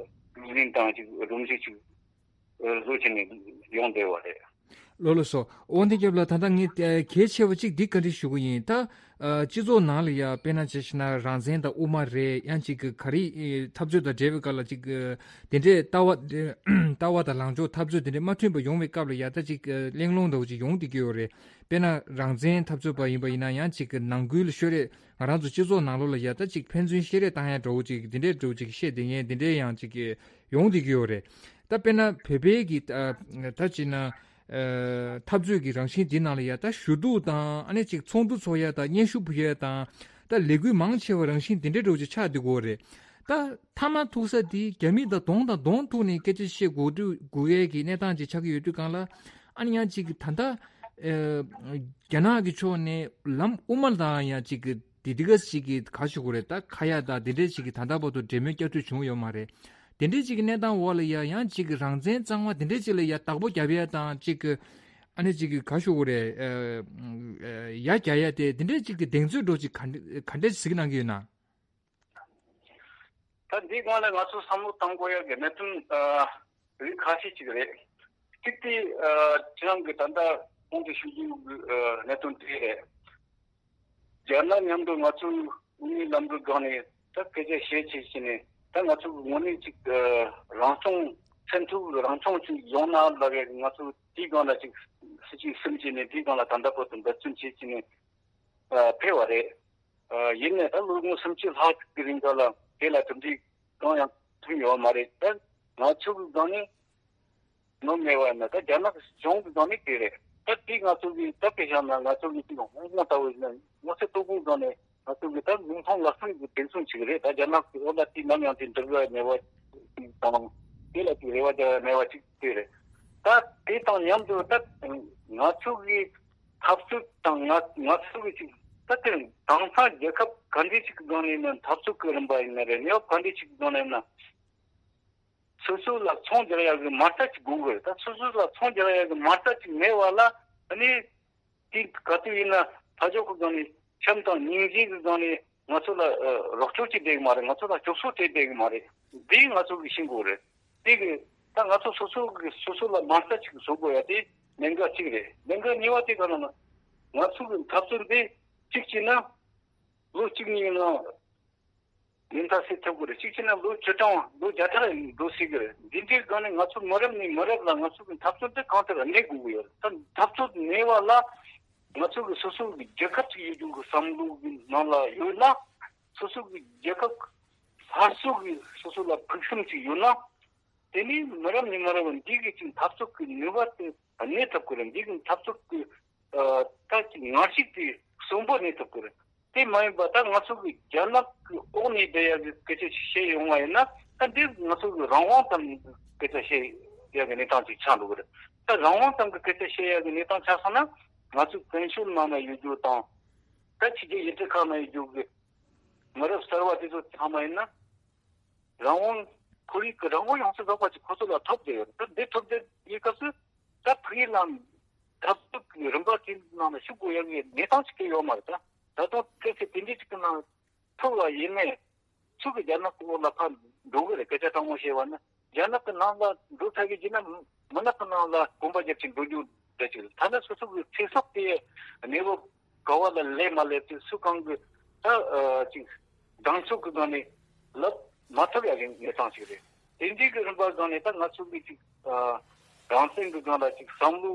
ལག་ལེན་དང་ཅིག་སྒྲོམ་གཞི་ཅིག་བཟོ་བྱས་ནས་ཡོང་བསྡད་པ་རེད། ལགས་ལགས་སོ། དབང་ལྡན་སྐྱབས་ལགས། ད་ལྟ་ངས་ཨ་གལ་ཆེ་བ་གཅིག་འདི་བཀའ་འདྲི་ཞུ་གི་ཡིན། ད་ཨ་སྤྱི་ཚོགས་ནང་ལ་ཡ་དཔེར་ན་ཆ་བཞག་ན་རང་བཙན་དང་དབུ་མ་རེད། ཡང་གཅིག་གི་ག་རེ་ཨེ་འཐབ་རྩོད་དང་འབྲེལ་བའི་སྐབས་ལ་གཅིག་གི་དེ་འདྲའི་ལྟ་བ་ལྟ་བ་དང་ལངས་ཕྱོགས་འཐབ་རྩོད་དེ་འདྲའི་མ་མཐུན་པ་ཡོང་བའི་སྐབས་ལ་ཡ། ད་གཅིག་གི་གླེང་སློང་འདྲ་བོ་ཅིག་ཡོང་བསྡད་ཀྱི་ཡོད་རེད། དཔེར་ན་རང་བཙན་འཐབ་རྩོད་པ་ཡིན་པ་ཡིན་ན། ཡང་གཅིག་གི་ནང་ཁུལ་ལ་ཤོད་རེས། ང་རང་ཚོ་སྤྱི་ཚོགས་ནང་ལོགས་ལ་ཡ་ད་གཅིག་ཕན་ཚུན་བཤད་རེས་བཏང་ཡ་འདྲ་བོ་ཅིག་དེ་འདྲའི་འདྲ་བོ་ཅིག་བཤད་བསྡད་མཁན་དེ་འདྲའི་ཡང་གཅིག་གི་ཡོང་བསྡད་ཀྱི་ཡོད་རེད། ད་དཔེར་ན་བོད་པའི་གི་ཨ་ད་ཅིག་ན་ཨ་འཐབ་རྩོད་ཀྱི་རང་བཞིན་འདི་ནང་ལ་ཡ། ད་ཞུ་གཏུག་དང་། ཨ་ནི་ཅིག་ཚོགས་འདུ་ཚོགས་ཡ་དང་། སྙན་ཞུ་ཕུལ་ཡ་དང་། ད་ལས་འགུལ་མང་ཆེ་བ་རང་བཞིན་འདི་འདྲའི་འདྲ་བོ་ཅིག་ཆགས་བསྡད་ཀྱི་ཡོད་རེད། ད་མཐའ་མ་ཐུག་ས་འདི་རྒྱ་མི་དང་གདོང་དང་གདོང་ཐུག་ནས་སྐད་ཆ་བཤད་དགོས་དུས་དགོས་ཡས་ཀྱི་གནས་སྟངས་ཅིག་ཆགས་ཀྱི་ཡོད་དུས་སྒང་ལ། ཨ་ནི་ཡང་ཅིག་ད་ལྟ་ཨ་རྒྱ་ནག་གི་ཕྱོགས་ནས་ལམ་དབུ་མ་དང་ཡང་ཅིག་གི་དེ་དེ་ག་ཅིག་གི་ག་ཞུ་དགོས་རེད། ད་ཁ་ཡ་དང་དེ་འདྲའི་ཅིག་གི་ད་ལྟ་བར་དུ་འབྲེལ་མོལ་བསྐྱར་ཟློས་བྱུང་ཡོད་མ་རེད། དེ་འདྲའི་ཅིག་གི་གནས་སྟངས་འོག་ལ་ཡ་ཡང་ཅིག་གི་རང་བཙན་གཙང་མ་དེ་འདྲའི་ཅིག་ལ་ཡ་བདག་པོ་རྒྱབ་ཡ་དང་། ཅིག་གི་ཨ་ནི་ཅིག་གི་ག་ཞུ་དགོས་རེད། ཨ་ཡ་རྒྱག་ཡ་དེ་དེ་འདྲའི་ཅིག་གི་གདེང་ཚོད་འདྲ་བོ་ཅིག་ག་འདྲ་ག་འདྲ་གཟིགས་གནང་གི་ཡོད་ན། ད་འདིའི་སྒང་ལ་ང་ཚོ་བསམ་བློ་གཏང་དགོས་ཡ་གི་གནད་དོན་ཨ་རིགས་ཁ་ཤས་ཅིག་རེད། གཅིག་དེ་ཨ་ཁྱེད་རང་གི་ད་ལྟ་གོང་དུ་ཞུ་རྒྱུ་གི་ཨ་གནད་དོན་དེ་རེད། རྒྱ་ནག་མཉམ་དུ་ང་ཚོའི་དབུ་མའི་ལམ་ལུགས་སྒང་ནས་ད་སྐད་ཆ་བཤད་བྱས་བྱས་ནས། ད་ང་ཚོ་གི་དངོས་གནས་ཅིག་ཨ་རང་སྐྱོང་། སེམས་ཐུག་རང་སྐྱོང་ཅིག་ཡོང་ན་ལབ་ཡ་གི། ང་ཚོ་དེའི་སྒང་ལ་ཅིག་སྲིད་ཇུས་བཟུང་བྱས་ནས་དེའི་སྒང་ལ་ད་ལྟ་བར་དུ་འབད་བརྩོན་བྱས་བྱས་ནས་ཨ་ཕེབས་པ་རེད། ཨ་ཡིན་ནའི་ད་ལོ་ངོ་སུམ་ཅུ་ལྷག་གི་རིང་ག་ལ་དེ་ལ་གྲུབ་འབྲས་གང་ཡང་ཐོན་ཡོད་མ་རེད། ད་ང་ཚོ་གི་སྒང་ནས་ནོར་མེད་པ་ཡིན་ན། ད་རྒྱ་ནག་གཞུང་གི་སྒང་ནས་དེ་རེད། ད་དེ་ང་ཚོ་གི་ད་དཔེ་བཞག་ན་ང་ཚོ་གི་དེ་ཧོང་ཀོང་ལྟ་བུ་ཡིན་ན། ང་ཚོ་ལྟོ་གོས་སྒང་ནས་ང་ཚོ་གི་ད་མིག་མཐོང་ལག་ཟིན་གི་དེ་མཚུངས་ཅིག་རེད། ད་རྒྱ་ནག་གི་འོག་ལ་དེ་ནམ་ཡང་དེ་འགྲིག་ཡ་མེད་པ་དང་། དེ་ལ་དེ་རེ་བ་རྒྱག་ཡ་མེད་པ་ཅིག་དེ་རེད། ད་དེ་དང་མཉམ་དུ་ད་ང་ཚོ་གི་འཐབ་རྩོད་དང་། ང་ང་ཚོ་གི་ཅིག་ད་དེ་དེང་སང་རྒྱལ་ཁབ་ག་འདྲ་ཞིག་གི་སྒང་ནས་ན་འཐབ་རྩོད་ཀྱི་རིམ་པ་ཡིན་ན་རེད། གནས་བབ་ག་འདྲ་ཞིག་གི་སྒང་ནས་ན་སོ་སོ་ལ་ཚོང་རྒྱག་ཡ་གི་མ་རྩ་ཅིག་དགོས་གི་རེད། ད་སོ་སོ་ལ་ཚོང་རྒྱག་ཡ་གི་མ་རྩ་ཅིག་མེད་པ་ལ། ཨ་ནི་དེ་ག་དུས་ཡིན་ན་ཕ་ཕྱོགས་ཀྱི་སྒང་ནས་ཁྲིམས་དང་སྙིང་རྗེ་གི་སྒང་ནས་ང་ཚོ་ལ་ཨ་རོགས་སྐྱོར་ཅིག་སྤྲད་གི་མ་རེད། ང་ཚོ་ལ་སྐྱོབ་གསོ་སྤྲད་བསྡད་གི་མ་རེད། འདི་ང་ཚོ་གི་ཤེས་དགོས་རེད། དེ་གི་ད་ང་ཚོ་སོ་སོ་གི་སོ་སོ་ལ་མ་རྩ་ཅིག་བཟོ་དགོས་ཡ་དེ་གནད་འགག་གཅིག་རེད། གནད་འགག་གཉིས་པ་དེ་ག་ལ་ན། ང་ཚོ་གི་འཐབ་རྩོད་འདི་གཅིག་བྱས་ན་ལོ་གཅིག་གཉིས་ནང་ཉེན་ཁ་སེལ་ཐུབ་ཀྱི་རེད། གཅིག་བྱས་ན་ལོ་བཅུ་གྲངས་ལོ་བརྒྱ་ཕྲག་འགྲོ་སྲིད་ཀྱི་རེད། འདི་འདྲའི་སྒང་ནས་ང་ཚོ་མི་རབས་ནས་མི་རབས་ལ་ང་ཚོ་གི་འཐབ་རྩོད་འདི་གང་ལྟར་གནས་དགོས་ཀྱི་ཡོད་རེད། ད་འཐབ་རྩོད་གནས་པ་ལ་ང་ཚོ་གི་སོ་སོ་གི་རྒྱལ་ཁབ་ཅིག་ཡོད་རྒྱུ་གི་བསམ་བློ་གི་ནང་ལ་ཡོད་ན། སོ་སོ་གི་རྒྱལ་ཁབ་སླར་གསོ་གི་སོ་སོ་ལ་ཕུགས་བསམ་ཅིག་ཡོད་ན། དེ་ནས་མི་རབས་ནས་མི་རབས་འདི་གི་ཅིག་འཐབ་རྩོད་ཀྱི་ནུས་པ་དེ་གནས་ཐུབ་ཀྱི་རེད། འདི་གི་འཐབ་རྩོད་ཀྱི་ཨ་ད་ཅིག་ངར་ཤུགས་དེ་གསོན་པོ་གནས་ཐུབ་ཀྱི་རེད། དེ་མ་ཡིན་པ་ད་ང་ཚོ་གི་རྒྱ་ནག་གི་འོག་ནས་བསྡད་ཡ་གི་སྐད་ཆ་ཞིག་བཤད་ཡོང་བ་ཡིན་ན། ད་འདི་ང་ཚོ་གི་རང་དབང་ཙམ་གྱི་སྐད་ཆ་བཤད་ཡ་གི་གནས་སྟངས་ཅིག་ཆགས་འགྲོ་གི་རེད། ད་རང་དབང་ཙམ་གྱི་སྐད་ཆ་བཤད་ཡ་གི་གནས་སྟངས་ཆགས་སོང་ན། ང་ཚོ་བཙན་བྱོལ་ནང་ན་ཡོད་རྒྱུ་དང་། ད་ཕྱི་རྒྱལ་ཡུལ་གྲུ་ཁག་ན་ཡོད་རྒྱུ་གི་མི་རབས་གསར་བ་དེ་ཚོ་ཚང་མ་ཡིན་ན། རང་དབང་། ཁོར་ཡུག་གི་རང་དབང་ཡོང་ས་རྫོགས་པ་ཅིག་ཁོ་ཚོ་ལ་ཐོབ་བསྡད་ཡོད། ད་འདི་ཐོབ་བསྡད་ཡོད་སྐབས་སུ། ད་ཕ་གི་ལ་འཐབ་རྩོད་ཀྱི་རིམ་པ་དེ་ནང་ལ་ཞུགས་དགོས་ཡ་གི་གནས་སྟངས་ཅིག་གི་ཡོད་མ་རེད། ད་ད་དུང་གལ་སྲིད་དེ་འདྲའི་ཅིག་གི་ནང་ཐུག་པ་ཡིན་ནའི། ཚུར་གི་རྒྱ་ནག་གི་འོག་ལ་ཕར་འགྲོ་གི་རེད། སྐད་ཆ་དྲང་མོ་བཤད་པ་ན། རྒྱ་ནག་གི་ནང་ལ་འགྲོ་ཚར་གི་བྱས་ན། མུན་ནག་གི་ནང་ལ་གོམ་པ་རྒྱབ་ཅིག་འགྲོ་རྒྱུ་ རེད་ཅིག་ཐ་ན་སོ་སོ་གི་ཚེ་སྲོག་དེ་གནས་བབ་ག་བ་ལ་སླེབས་མ་སླེབས་དེ་སུ་གང་གི་ད་ཅིག་གདེང་ཚོད་ཀྱི་སྒང་ནས་ལབ་མ་ཐུབ་ཡ་གི་གནས་སྟངས་ཤིག་རེད། དེ་འདྲའི་གི་རིམ་པ་སྒང་ནས་ད་ང་ཚོ་གི་ཅིག་རང་བཙན་གི་སྒང་ལ་ཅིག་བསམ་བློ་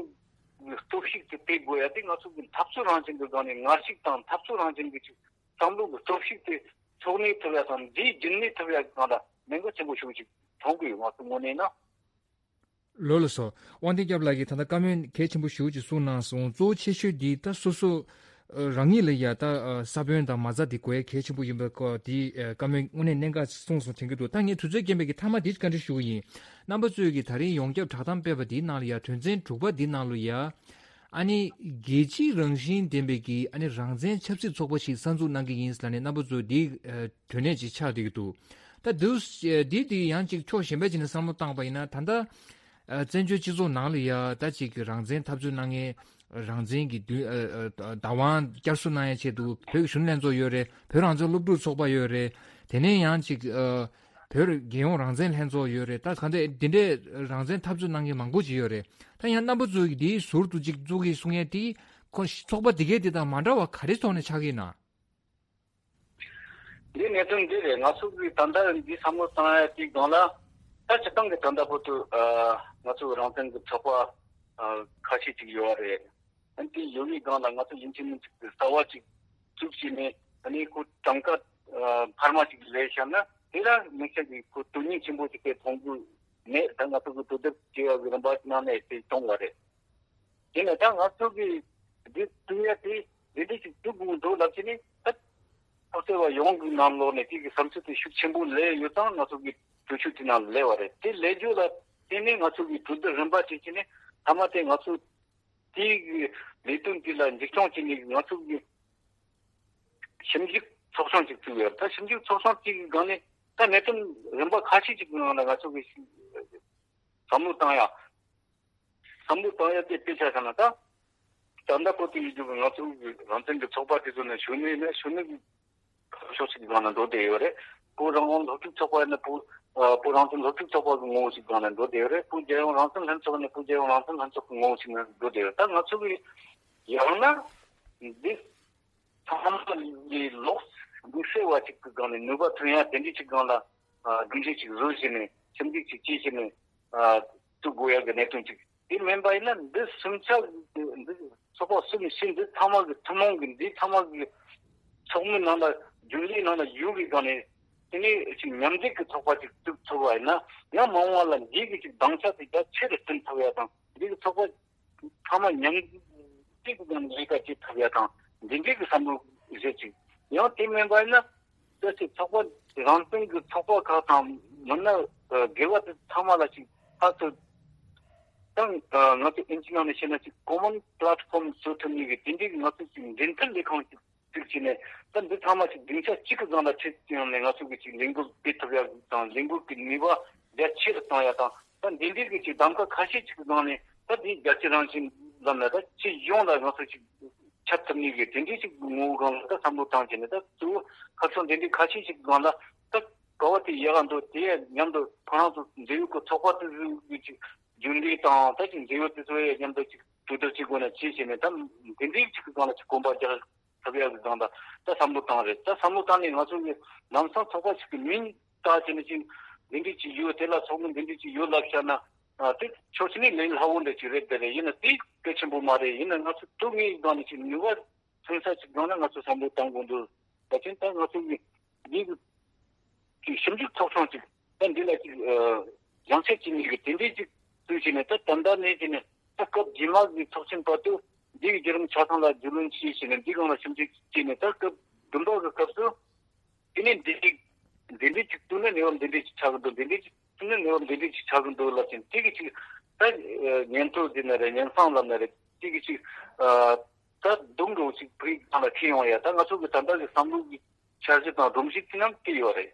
གི་སྟོབས་ཤུགས་དེ་སྤེལ་དགོས་ཡ་དེ་ང་ཚོ་གི་འཐབ་རྩོད་རང་བཞིན་གི་སྒང་ནས་ངར་ཤུགས་དང་འཐབ་རྩོད་རང་བཞིན་གི་ཅིག་བསམ་བློ་གི་སྟོབས་ཤུགས་དེ་ཚོགས་གནས་ཐུབ་ཡ་དང་འདིའི་རྒྱུན་གནས་ཐུབ་ཡ་གི་སྒང་ལ་གནད་འགག་ཆེན་པོ་ཞིག་ཅིག་མཐོང་གི་ཡོད། ང་ཚོ་དངོས་གནས་ན། ལགས་སོ། དབང་ལྡན་སྐྱབས་ལགས་ཀྱིས་ད་ལྟ་བཀའ་མོལ་གལ་ཆེན་པོ་ཞེ་པོ་ཅིག་གསུངས་གནང་སོང་། གཙོ་བོ་ཆེ་ཤོས་འདི་ད་སོ་སོ་རང་ཉིད་ལ་ཡ་ད་ས་བོན་དང་མ་རྩ་འདི་དགོས་ཡ་གལ་ཆེན་པོ་ཡིན་པའི་སྐོར་འདི་བཀའ་མོལ་དངོས་གནས་གནད་འགག་གསུངས་སོང་དྲན་གྱི་འདུག་ད་ངས་དུས་ཚོད་རྐྱེན་པས་ཀྱི་མཐའ་མ་འདི་བཀའ་འདྲི་ཞུ་གི་ཡིན། རྣམ་པ་ཚོས་ཀྱི་ད་རིང་ཡོངས་ཁྱབ་བསྒྲགས་གཏམ་སྤེལ་བ་འདིའི་ནང་ལ་ཡ་དོན་ཚན་དྲུག་པ་འདི་ནང་ལ་ཡ། ཨ་ནི་རྒྱལ་སྤྱིའི་རང་བཞིན་ལྡན་པའི་གི་ཨ་ནི་རང་བཙན་ཆབ་སྲིད་ཚོགས་པ་ཞིག་གསར་འཛུགས་གནང་གི་ཡིན་ལབ་ནས་རྣམ་པ་ཚོས་འདི་དོན་གནད་ཅིག་ཆགས་བསྡད་ཀྱི་འདུག་ད་འདི་འདི་འདི་ཡང་ཅིག་ཕྱོགས་གཞན་པ་ཅིག་ནས་བསམ་བློ་བཏང་པ་ཡིན་ན་ད་ལྟ་བཙན་བྱོལ་སྤྱི་ཚོགས་ནང་ལ་ཡ་ད་ཅིག་རང་བཙན་འཐབ་རྩོད་གནང་མཁན་རང་བཙན་གྱི་བདུན་བདག་དབང་བསྐྱར་གསོ་གནང་ཡ་ཆེད་དུ་བོད་ཀྱི་གཞོན་ནུ་ལྷན་ཚོགས་ཡོད་རེད། བོད་རང་བཙན་སློབ་ཕྲུག་ཚོགས་པ་ཡོད་རེད། དེ་ནས་ཡང་ཅིག་བོད་རྒྱལ་ཡོངས་རང་བཙན་ལྷན་ཚོགས་ཡོད་རེད། ད་ག་འདྲ་འདི་འདྲའི་རང་བཙན་འཐབ་རྩོད་གནང་མཁན་མང་པོ་ཅིག་ཡོད་རེད། ད་ཡང་རྣམ་པ་ཚོས་ཀྱིས་འདིའི་ཟུར་དུ་ཅིག་བཙུགས་ཀྱི་གསུང་ཡས་དེ་ཁོ་ཚོགས་པ་དེ་གའི་དེ་དང་མ་འདྲ་བ་ག་རེ་ཐོག་ནས་ཆགས་ཀྱི་ཡིན་ན། འདི་གནད་དོན་འདི་རེད། ང་ཚོ་གིས་ད་ལྟ་འདི་བསམ་བློ་བཏང་ཡ་དེའི་སྒང་ལ་ད་སྤྱིར་བཏང་གི་ད་ལྟ་བར་དུ་ང་ཚོ་རང་བཙན་གྱི་ཚོགས་པ་ཁ་ཤས་ཅིག་ཡོད་རེད། ཨ་ནི་དེ་ཡོད་པའི་སྒང་ལ་ང་ཚོ་ཡིན་གཅིག་མིན་གཅིག་གི་རྩ་བ་ཅིག་བཙུགས་བྱས་ནས་ཨ་ནི་ཁོ་གྲངས་ཀ་འཕར་མ་ཅིག་ལས་བཞག་ན་དེ་ལ་དམིགས་བསལ་གྱི་ཁོ་དོན་སྙིང་ཆེན་པོ་ཅིག་དེ་མཐོང་གི་མེད། ད་ང་ཚོ་གི་གྲོས་བསྡུར་བྱེད་ཡག་གི་རིམ་པ་ནང་ནས་དེ་བྱུང་བ་རེད། དེ་ནས་ད་ང་ཚོ་གི་འདི་བཙུགས་ཡ་དེ་འདི་འདྲ་ཞིག་བཙུགས་དགོས་འདུག་ལབ་བྱས་ནས་ད་ཁོ་ཚོ་བ་ཡོངས་ཀྱི་ནང་ལོགས་ནས་དེ་གི་བསམ་ཚུལ་དེ་ཤུགས་ཆེན་པོ་སླེབས་ཡོད་ཙང་ང་ཚོ་གི་གྲོས་ཆོད་དེ་ནང་སླེབས་པ་རེད། དེ་སླེབས་རྒྱུ་ལ་བརྟེན་ནས་ང་ཚོ་གི་གྲོས་བསྡུར་རིམ་པ་བྱས་བྱས་ནས་མཐའ་མ་དེ་ང་ཚོ་དེའི་གི་ལས་དོན་དེ་ལ་འཛིན་སྐྱོང་བྱས་ནས་ང་ཚོ་གི་ཞིབ་འཇུག་ཚོགས་ཆུང་ཅིག་བཙུགས་ཡོད། ད་ཞིབ་འཇུག་ཚོགས་ཆུང་དེ་གི་སྒང་ནས་ད་གནད་དོན་རིམ་པ་ཁ་ཤས་ཅིག་གི་ནང་ལ་ང་ཚོ་གི་བསམ་བློ་བཏང་ཡ། བསམ་བློ་བཏང་ཡ་དེ་དཔེ་ཆ་བཞག་ན་ད། ད་ལྟ་བོད་དུ་ཡོད་རྒྱུ་གི་ང་ཚོ་གི་རང་བཙན་གྱི་ཚོགས་པ་དེ་ཚོ་ནས་གཞོན་ནུ་ཡིན་ན་གཞོན་ནུ་གི་ཕྱོགས་གཅིག་གི་སྒང་ནས་འགྲོ་བསྡད་ཡོད་རེད། བོད་རང་དབང་སློབ་ཕྲུག་ཚོགས་པ་ཡིན་ན་བོད་ཨ་བོད་རང་བཙན་སློབ་ཕྲུག་ཚོགས་པ་གི་ངོ་བོ་ཞིག་སྒང་ནས་འགྲོ་བསྡད་ཡོད་རེད། བོད་རྒྱལ་ཡོངས་རང་བཙན་ལྷན་ཚོགས་ཡིན་ན་བོད་རྒྱལ་ཡོངས་རང་བཙན་ལྷན་ཚོགས་ཀྱི་ངོ་བོ་ཞིག་ནས་འགྲོ་བསྡད་ཡོད། ད་ང་ཚོ་གི་ཡང་ན་འདི་ཚང་མ་ལས་ལོག་དམིགས་བསལ་བ་ཅིག་གི་སྒང་ནས་ནུས་པ་ཐོན་ཡ་དེ་འདྲ་ཅིག་སྒང་ལ་ཨ་སྒྲིག་གཞི་ཅིག་བཟོས་བྱས་ནས་ཞིབ་འཇུག་ཅིག་བྱས་བྱས་ནས་ཨ་བཙུགས་དགོས་ཡ་གི་གནད་དོན་ཅིག་དེ་མིན་པ་ཡིན་ན་འདི་གསུམ་ཆ་འདི་ཚོགས་པ་གསུམ་བཞི་འདི་ཚང་མ་གི་ཐུན་མོང་གི་འདི་ཚང་མ་གི་ཚོགས་མི་ནང་ལ་རྒྱུན་ལས་ནང་ལ་ཡོད་པའི་སྒང་ནས་དེ་ནས་ཅིག་མཉམ་འབྲེལ་གྱི་ཚོགས་པ་ཅིག་བཙུགས་ཐུབ་པ་ཡིན་ན་ཡང་མ་འོངས་པ་ལ་འདི་གི་ཅིག་དམ་བཅའ་དེ་རྒྱ་ཆེ་རུ་བཏོན་ཐུབ་ཡ་དང་འདི་གི་ཚོགས་པ་ཚང་མ་མཉམ་འབྲེལ་གྱི་སྒང་ནས་ལས་ཀ་བྱེད་ཐུབ་ཡ་དང་འདི་འདྲའི་གི་བསམ་བློ་བཞེས་ཅིག་ཡང་དེ་མིན་པ་ཡིན་ན། ད་ཅིག་ཚོགས་པ་རང་བཙན་གྱི་ཚོགས་པ་ཁག་དང་མིན་ན་ཨ་སྒེར་བ་དེ་ཚང་མ་ལ་ཅིག་ཕར་ཚུར་དང་ཨ་ང་ཚོ་ཨིན་ཇི་ནང་ནས་བཤད་ན་ཅིག་common platform བཟོ་ཐུབ་མཁན་གྱི་དེ་འདྲའི་ང་ཚོ་ཅིག་འབྲེལ་མཐུད་ལས་ཁང་ཅིག་བཙུགས་བྱས་ནས་ད་འདི་ཚང་མ་ཅིག་སྡིངས་ཆ་གཅིག་གི་སྒང་ལ་ཁྲིད་ཡོང་ནས་ང་ཚོ་གི་ཅིག་ལས་འགུལ་སྤེལ་ཐུབ་ཡ་དང་ལས་འགུལ་གྱི་ནུས་པ་རྒྱ་ཆེ་རུ་གཏོང་ཡ་དང་ད་འདི་འདྲའི་གི་ཅིག་གདམ་ག་ཁ་ཤས་ཅིག་གི་སྒང་ནས་ད་འདི་རྒྱལ་སྤྱི་རང་བཞིན་ལམ་ནས་ད་སྤྱི་ཡོངས་ལ་ང་ཚོ་ཅིག་ཁྱབ་ཐུབ་ནི་གི་དེ་འདྲའི་ཅིག་ངོ་བོ་སྒང་ལ་ད་བསམ་བློ་བཏང་བྱས་ནས་ད་གཙོ་བོ་ཁ་ཕྱོགས་འདི་འདྲའི་ཁ་ཤས་ཤིག་སྒང་ལ་ད་ག་བ་དེ་ཡག་ག་འདུག་དེ་མཉམ་དུ་ཁོ་རང་ཚོ་འབྲེལ་ཡོད་ཀྱི་ཚོགས་པ་དེ་ཚོའི་ཅིག་རྒྱུན་ལས་དང་ད་ཅིག་འབྲེལ་ཡོད་དེ་ཚོ་ཡང་མཉམ་དུ་ཅིག་གྲོས་བསྡུར་བྱེད་དགོས་ན་བྱེད་བྱས་ནས་ད་དེ་འདྲའི་ཅིག་གི་སྒང་ལ་ཅིག་གོམ་པ་རྒྱག་ཐུབ་ཡག་གི་སྒང་ལ་ད་བསམ་བློ་བཏང་རེད། ད་བསམ་བློ་བཏང་ནས་ང་ཚོ་གི་ལམ་སང་ཚོགས་པ་ཞིག་གི་མིང་བཏགས་བྱས་ནས་ཅིག་འདི་འདྲའི་ཅིག་ཡོད་དེ་ལ་ཚོགས་མི་འདི་འདྲའི་ཅིག་ཡོད་ལབ་བཞག་ན། ཨ་དེ་ཕྱོགས་གཅིག་ནས་ལས་སླ་བོ་འདྲ་ཅིག་རེད། དེ་རེད་ཡིན་ན་དེ་གལ་ཆེན་པོ་མ་རེད། ཡིན་ན་ང་ཚོ་ཐུག་ངེས་སྒང་ནས་ཅིག་ནུས་པ་ཐོན་ས་ཅིག་སྒང་ན་ང་ཚོ་བསམ་བློ་བཏང་དགོས་འདུག་ད་ཕྱིན་ད་ང་ཚོ་གི་འདི་གི་ཅིག་ཞིབ་འཇུག་ཚོགས་ཆུང་ཅིག་ད་འདི་ལ་ཅིག་ཨ་ཡང་ཆད་ཅིག་ནས་གི་དེ་འདྲའི་ཅིག་བཙུགས་བྱས་ནས་ད་ད་ལྟ་ནས་བྱས་ནས་ད་སྐབས་རྗེས་མ་གི་ཚོགས་ཆེན་བར་དུ་འདི་གི་བརྒྱུད་རིམ་ཆ་ཚང་ལ་རྒྱུས་ལོན་བྱས་བྱས་ནས་འདི་སྒང་ལ་ཞིབ་འཇུག་བྱས་ནས་ད་སྐབས་བདུན་པ་གི་སྐབས་སུ། དེ་ནས་འདི་འདི་འདྲའི་ཅིག་བཏོན་ན་གནས་བབ་འདི་འདྲའི་ཅིག་ཆགས་ཀྱི་འདུག་འདི་འདྲའི་ཅིག་བཏོན་ན་གནས་བབ་འདི་འདྲའི་ཅིག་ཆགས་ཀྱི་འདུག་ལབ་ཅིང་དེ་གི་ཅིག་ད་ཉན་ཐོས་ཟེར་ན་རེད། ཉན་བསམ་ལབ་ན་རེད། དེ་གི་ཅིག་ད་སྡོམ་འགྲོ་ཅིག་བོད་ཡིག་ནང་ལ་ཁྱེར་ཡོང་ཡ་ད་ང་ཚོ་གི་ད་ལྟ་གི་བསམ་བློ་གི་འཆར་གཞི་དང་སྒྲོམ་གཞི་དེ་རྣམས་སྐྱེ་ཡོད་རེད།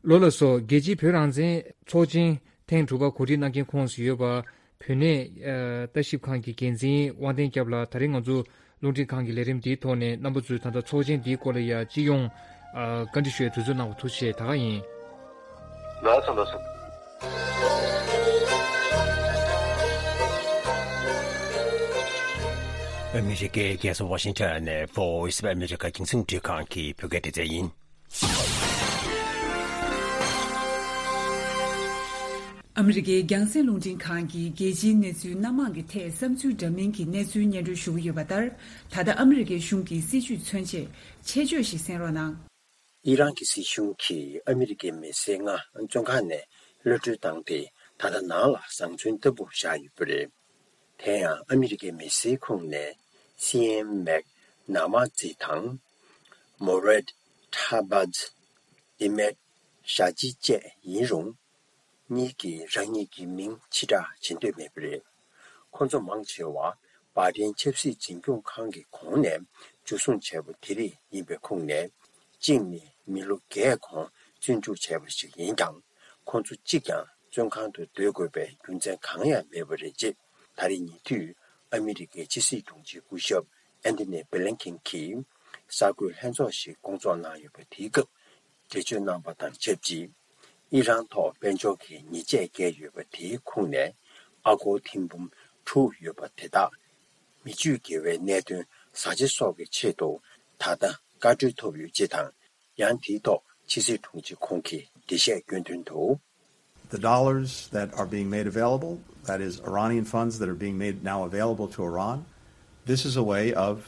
ལགས་སོ། རྒྱལ་སྤྱིའི་བོད་རང་བཙན་ཚོགས་ཆེན་ཐེངས་དྲུག་པ་གོ་སྒྲིག་གནང་མཁན་ཁོངས་སུ་ཡོད་པ། བོད་གནས་ཨ་ལྟ་ཞིབ་ཁང་གི་འགན་འཛིན་དབང་ལྡན་སྐྱབས་ལགས་ད་རེས་ང་ཚོ་རླུང་འཕྲིན་ཁང་གི་ལས་རིམ་འདིའི་ཐོག་ནས་རྣམ་པ་ཚོས་ད་ལྟ་ཚོགས་ཆེན་འདིའི་སྐོར་ལ་ཡ་སྤྱི་ཡོངས་ཨ་བཀའ་འདྲི་ཞུ་བའི་དུས་ཚོད་གནང་བ་ཐུགས་རྗེ་ཆེ། ད་ག་ཡིན། ལགས་སོ་ལགས་སོ། ཨ་མི་རི་ཀའི་རྒྱལ་ས་ཝ་ཤིང་ཊོན་ནས་Voice of America རྒྱང་སྲིང་འཕྲིན་ཁང་གི་བོད་སྐད་སྡེ་ཚན་ཡིན། ཨ་མི་རི་ཀའི་རྒྱང་སྲིང་རླུང་འཕྲིན་ཁང་གིས་རྒྱལ་སྤྱིའི་གནས་ཚུལ་སྣ་མང་གི་ཐད་བསམ་ཚུལ་འདྲ་མིན་གྱི་གནས་ཚུལ་སྙན་སྒྲོན་ཞུ་གི་ཡོད་པ་ལྟར། ད་ལྟ་ཨ་མི་རི་ཀའི་གཞུང་གི་སྲིད་བྱུས་མཚོན་ཆེད་ཆེད་བརྗོད་ཞིག་གསན་རོགས་གནང་། ཨི་རན་གྱི་སྲིད་གཞུང་གིས་ཨ་མི་རི་ཀའི་མི་སེར་ལྔ་བཙོན་ཁང་ནས་གློད་གྲོལ་བཏང་སྟེ། ད་ལྟ་ནང་ལ་བཟང་བཙོན་ལྟ་བུར་བཞག་ཡོད་པ་རེད། དེ་ཡང་ཨ་མི་རི་ཀའི་མི་སེར་ཁོངས་ནས་སི་ཨེམ་མེག་ན་མ་ཛི་དང་། མོ་རེད་ཐ་བཱཛ། ཨི་མེད་ཞ་ཅི་བཅས་ཡིན་རུང་། གཉིས་ཀྱིས་རང་ཉིད་ཀྱི་མིང་ཕྱིར་བསྒྲགས་བྱེད་འདོད་མེད་པ་རེད། ཁོ་ཚོ་མང་ཆེ་བ་བྷའི་ཌེན་ཆབ་སྲིད་འཛིན་སྐྱོང་ཁང་གི་གོང་ནས་འཇུ་བཟུང་བྱས་པ་དེ་རིགས་ཡིན་པའི་ཁོངས་ནས། གཅིག་ནི་མི་ལོ་བརྒྱད་གོང་བཙོན་འཇུག་བྱས་པ་ཞིག་ཡིན་ཀྱང་། ཁོ་ཚོ་གཅིག་ཀྱང་བཙོན་ཁང་དུ་སྡོད་དགོས་པའི་རྒྱུ་མཚན་གང་ཡང་མེད་པ་རེད། ཅེས་ད་རེས་ཉེ་དུས་ཨ་མི་རི་ཀའི་ཕྱི་སྲིད་དྲུང་ཆེ་སྐུ་ཞབས་ཨན་ཐོ་ནི་བྷི་ལིན་ཁིན་གྱིས་གསར་འགོད་ལྷན་ཚོགས་ཤིག་བསྐོང་ཚོགས་གནང་ཡོད་པ་དེའི་སྐབས། འགྲེལ་བརྗོད་གནང་པ་དང་ཆབས་ཅིག་ཨི་རན་ཐོག་དཔལ་འབྱོར་གྱི་ཉེས་ཆད་བཀལ་ཡོད་པ་དེའི་ཁོངས་ནས་ཨ་སྒོར་ཐེར་འབུམ་དྲུག་ཡོད་པ་དེ་དག་མི་སྤྱོད་དགེ་བའི་གནད་དོན་བཟའ་བཅའ་སོགས་ཀྱི་ཆེད་དུ་ད་ལྟ་བཀའ་འཁྲོལ་ཐོབ་ཡོད་ཅེས་དང་། ཡང་དེའི་ཐོག་ཕྱི་སྲིད་དྲུང་ཆེ་ཁོང་གིས་འགྲེལ་བཤད་སྐྱོན་དོན་དུ། The dollars that are being made available, that is Iranian funds that are being made now available to Iran, this is a way of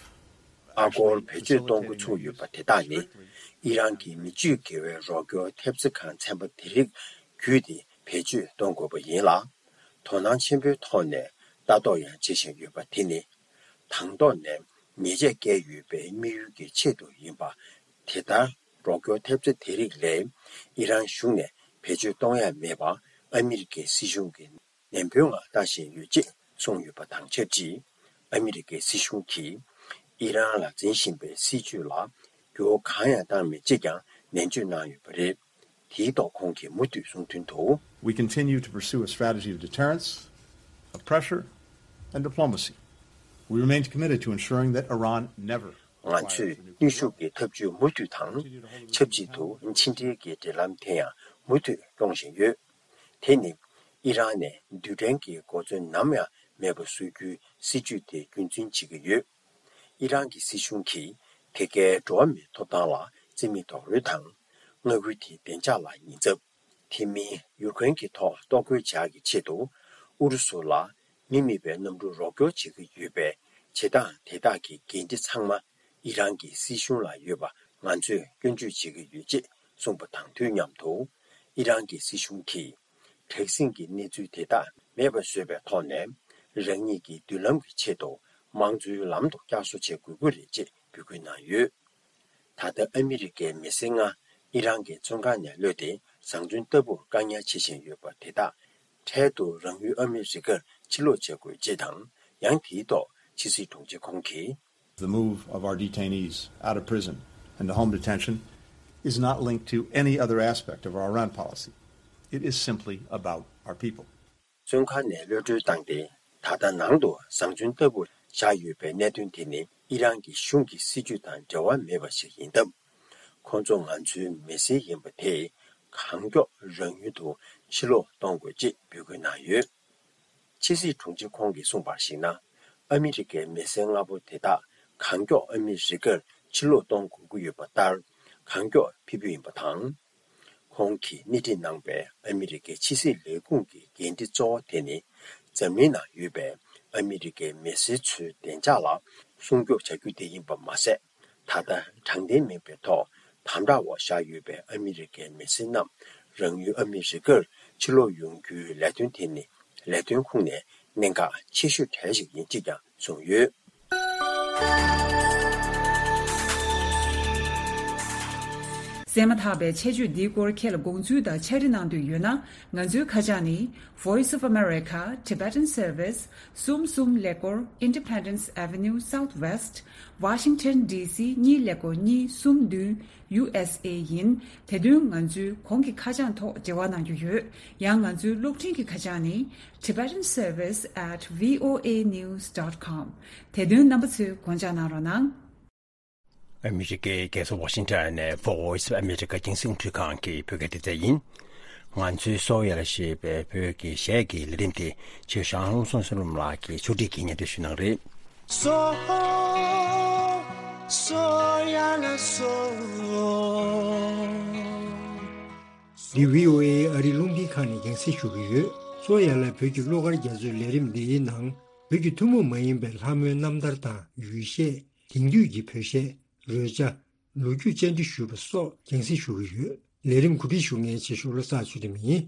ཨ་སྒོར་བེད་སྤྱོད་གཏོང་འགོ་ཚུགས་ཡོད་པ་དེ་དག་ནི། ཨི་རན་གྱི་མི་སྤྱོད་དགེ་བའི་རོགས་སྐྱོར་ཐེབས་རྩ་ཁང་ཚན་པ་དེ་རིགས་བརྒྱུད་དེ་བེད་སྤྱོད་གཏོང་དགོས་པ་ཡིན་ལ། དོ་སྣང་ཆེན་པོའི་ཐོག་ནས་ལྟ་རྟོག་ཡང་བྱེད་བཞིན་ཡོད་པ་དེ་ནི། དང་ཐོག་ནས་ཉེས་ཆད་བཀལ་ཡོད་པའི་དམིགས་ཡུལ་གྱི་ཆེད་དུ་ཡིན་པ། དེ་ལྟར་རོགས་སྐྱོར་ཐེབས་རྩ་དེ་རིགས་ལས་ཨི་རན་གཞུང་ནས་བེད་སྤྱོད་གཏོང་ཡ་མེད་པ་ཨ་མི་རི་ཀའི་སྲིད་གཞུང་གིས་ནན་པོའི་ངང་ལྟ་བཞིན་ཡོད་ཅེས་གསུངས་ཡོད་པ་དང་ཆབས་ཅིག་ཨ་མི་རི་ཀའི་སྲིད་གཞུང་གིས་ཨི་རན་ལ་འཛིན་བཞིན་པའི་སྲིད་བྱུས་ལ་འགྱུར་བ་གང་ཡང་བཏང་མེད་ཅེས་ཀྱང་ནན་བརྗོད་གནང་ཡོད་པ་རེད། དེའི་ཐོག་ཁོང་གིས་མུ་མཐུད་གསུངས་དོན་དུ། We continue to pursue a strategy of deterrence, of pressure, and diplomacy. We remain committed to ensuring that Iran never ང་ཚོས་གནོན་ཤུགས་ཀྱི་ཐབས་ཇུས་མུ་མཐུད་དང་ཆབས་ཅིག་ཏུ་ཕྱི་འབྲེལ་གྱི་འབྲེལ་ལམ་དེ་ཡང་མུ་མཐུད་སྐྱོང་བཞིན་ཡོད། དེ་ནི་ཨི་རན་ནས་རྡུལ་ཕྲན་གྱི་གོ་མཚོན་ནམ་ཡང་མེད་པ་བཟོ་རྒྱུའི་སྲིད་ཇུས་དེ་རྒྱུན་འཛིན་བྱེད་ཀྱི་ཡོད། ཨི་རན་གྱི་སྲིད་གཞུང་གིས་དེ་གའི་འགྲོ་བ་མིའི་ཐོབ་ཐང་ལ་བརྩི་མེད་རྡོག་རོལ་དང་། མངའ་ཁུལ་དེའི་བདེ་འཇགས་ལ་ཉེན་ཚབས། དེ་མིན་ཡུཀ་རེན་གྱི་ཐོག་གཏོར་རྒོལ་བྱ་ཡག་གི་ཆེད་དུ་ཨུ་རུ་སུ་ལ་མི་མེད་པའི་གནམ་གྲུ་རོགས་སྐྱོར་བྱེད་ཀྱི་ཡོད་པའི་བྱེད་སྟངས་དེ་དག་གི་འགན་འཁྲི་ཚང་མ་ཨི་རན་གྱི་སྲིད་གཞུང་ལ་ཡོད་པ་ང་ཚོས་སྐྱོན་བརྗོད་བྱེད་ཀྱི་ཡོད་ཅེས་གསུངས་པ་དང་དུས་མཉམ་དུ། ཨི་རན་གྱི་སྲིད་གཞུང་གིས་དྲག་ཟིང་གི་གནས་ཚུལ་དེ་དག་མེད་པར་བཟོས་པའི་ཐོག་ནས། རང་ཉིད་ཀྱི་མདུན་ལམ་གྱི་ཆེད་དུ་དམངས་གཙོའི་ལམ་དུ་བསྐྱར་གསོ་བྱེད་དགོས་ཀྱི་རེད་ཅེས་འབོད་སྐུལ་གནང་ཡོད། ད་ལྟ་ཨ་མི་རི་ཀའི་མི་སེར་ལྔ་ཨི་རན་གྱི་བཙོན་ཁང་ནས་གློད་དེ་བཟང་བཙོན་ལྟ་བུར་བཀག་ཉར་བྱེད་བཞིན་ཡོད་པ་དེ་དག་འཕྲལ་དུ་རང་ཡུལ་ཨ་མི་རི་ཀར་ཕྱིར་ལོག་བྱེད་དགོས་ཅེས་དང་། ཡང་དེའི་ཐོག་ཕྱི་སྲིད་དྲུང་ཆེ་ཁོང་གིས། The move of our detainees out of prison and to home detention is not linked to any other aspect of our Iran policy. It is simply about our people. བཙོན་ཁང་ནས་གློད་གྲོལ་བཏང་སྟེ། ད་ལྟ་ནང་དུ་བཟང་བཙོན་ལྟ་བུར་བཞག་ཡོད་པའི་གནད་དོན་དེ་ནི་ཨི་རན་གྱི་གཞུང་གི་སྲིད་བྱུས་དང་འབྲེལ་བ་མེད་པ་ཞིག་ཡིན་སྟབས། ཁོང་ཚོ་ང་ཚོའི་མི་སེར་ཡིན་པ་དེས་གང་མགྱོགས་རང་ཡུལ་དུ་ཕྱིར་ལོག་གཏོང་དགོས་ཅེས་འབོད་སྐུལ་གནང་ཡོད། ཕྱི་སྲིད་དྲུང་ཆེ་ཁོང་གིས་གསུངས་པར་གཞིགས་ན། ཨ་མི་རི་ཀའི་མི་སེར་ལྔ་པོ་དེ་དག་གང་མགྱོགས་ཨ་མི་རི་ཀར་ཕྱིར་ལོག་གཏོང་དགོས་ཀྱི་ཡོད་པ་ལྟར། གང་མགྱོགས་ཕེབས་རྒྱུ་ཡིན་པ་དང་། ཁོང་གིས་སྣེ་ཁྲིད་གནང་པའི་ཨ་མི་རི་ཀའི་ཕྱི་སྲིད་ལས་ཁུངས་ཀྱི་འགན་འཁྲི་གཙོ་བོ་དེ་ནི། འཛམ་གླིང་ནང་ཡོད་པའི་ཨ་མི་རི་ཀའི་མི་སེར་ཚོའི་བདེ་འཇགས་ལ་སྲུང་སྐྱོབ་བྱ་རྒྱུ་དེ་ཡིན་པ་མ་ཟད། ད་ལྟ་དྲང་བདེན་མིན་པའི་ཐོག་དམ་དྲག་འོག་བཞག་ཡོད་པའི་ཨ་མི་རི་ཀའི་མི་སེར་རྣམས་རང་ཡུལ་ཨ་མི་རི་ཀར་ཕྱིར་ལོག་ཡོང་རྒྱུའི་ལས་དོན་དེ་ནི་ལས་དོན་ཁུངས་ནས་གནད་འགག་ཆེ་ཤོས་གྲས་ཤིག་ཡིན་ཅེས་ཀྱང་གསུངས་ཡོད། གསན་མ་ཐག་པའི་ཆེད་བརྗོད་འདིའི་སྐོར་ཁྱེད་ལ་དགོངས་ཚུལ་དང་ཕྱག་བྲིས་གནང་འདོད་ཡོད་ན། ང་ཚོའི་ཁ་བྱང་ནི། Voice of America, Tibetan Service, གསུམ་གསུམ་ཀླད་ཀོར། Independence Avenue Southwest, Washington D C གཉིས་ཀླད་ཀོར་གཉིས་གསུམ་བདུན། ཡུ་ཨེས་ཨེ་ཡིན། དེ་དོན་ང་ཚོའི་གོང་གི་ཁ་བྱང་ཐོག་འབྲེལ་བ་གནང་རྒྱུ་ཡོད། ཡང་ང་ཚོའི་གློག་འཕྲིན་གྱི་ཁ་བྱང་ནི། Tibetan Service at V O A news dot com། དེ་དོན་རྣམ་པ་ཚོས་དགོངས་འཇགས་གནང་རོགས་གནང་། ཨ་མི་རི་ཀའི་རྒྱལ་ས་ཝ་ཤིང་ཊོན་ནས་Voice of America རྒྱང་སྲིང་འཕྲུལ་ཁང་གི་བོད་སྐད་སྡེ་ཚན་ཡིན། ང་ཚོའི་གསོ་བ་ཡར་ཞེས་པའི་བོད་ཀྱི་གཞས་ཀྱི་ལས་རིམ་དེ་ཆེ་ཞང་ལྷུན་སོང་སེ་རུམ་ལགས་ཀྱིས་ཕྱོགས་སྒྲིག་གིས་སྙན་སྒྲོན་ཞུ་གནང་རེད། སོ། སོ་ཡ་ལ་སོ། འདི་བྷི་ཨོ་ཨེ་ཨ་རིའི་རླུང་འཕྲིན་ཁང་ནས་རྒྱང་སྲིང་ཞུ་གི་ཡོད། སོ་ཡ་ལ་བོད་ཀྱི་གླུ་གར་རྒྱ་མཚོའི་ལས་རིམ་འདིའི་ནང་། བོད་ཀྱི་ཐུན་མོང་མ་ཡིན་པའི་ལྷ་མོའི་རྣམ་ཐར་དང་ཡུལ་གཞས། དེང་དུས་ཀྱི་བོད་གཞས། རོལ་ཆ། ལོ་རྒྱུས་བཅར་འདྲི་ཞུས་པ་སོགས་རྒྱང་སྲིང་ཞུ་གི་ཡོད། ལས་རིམ་གོ་སྒྲིག་ཞུ་མཁན་ཆེ་ཤོས་བློ་བཟང་ཚུལ་ཁྲིམས་ཡིན།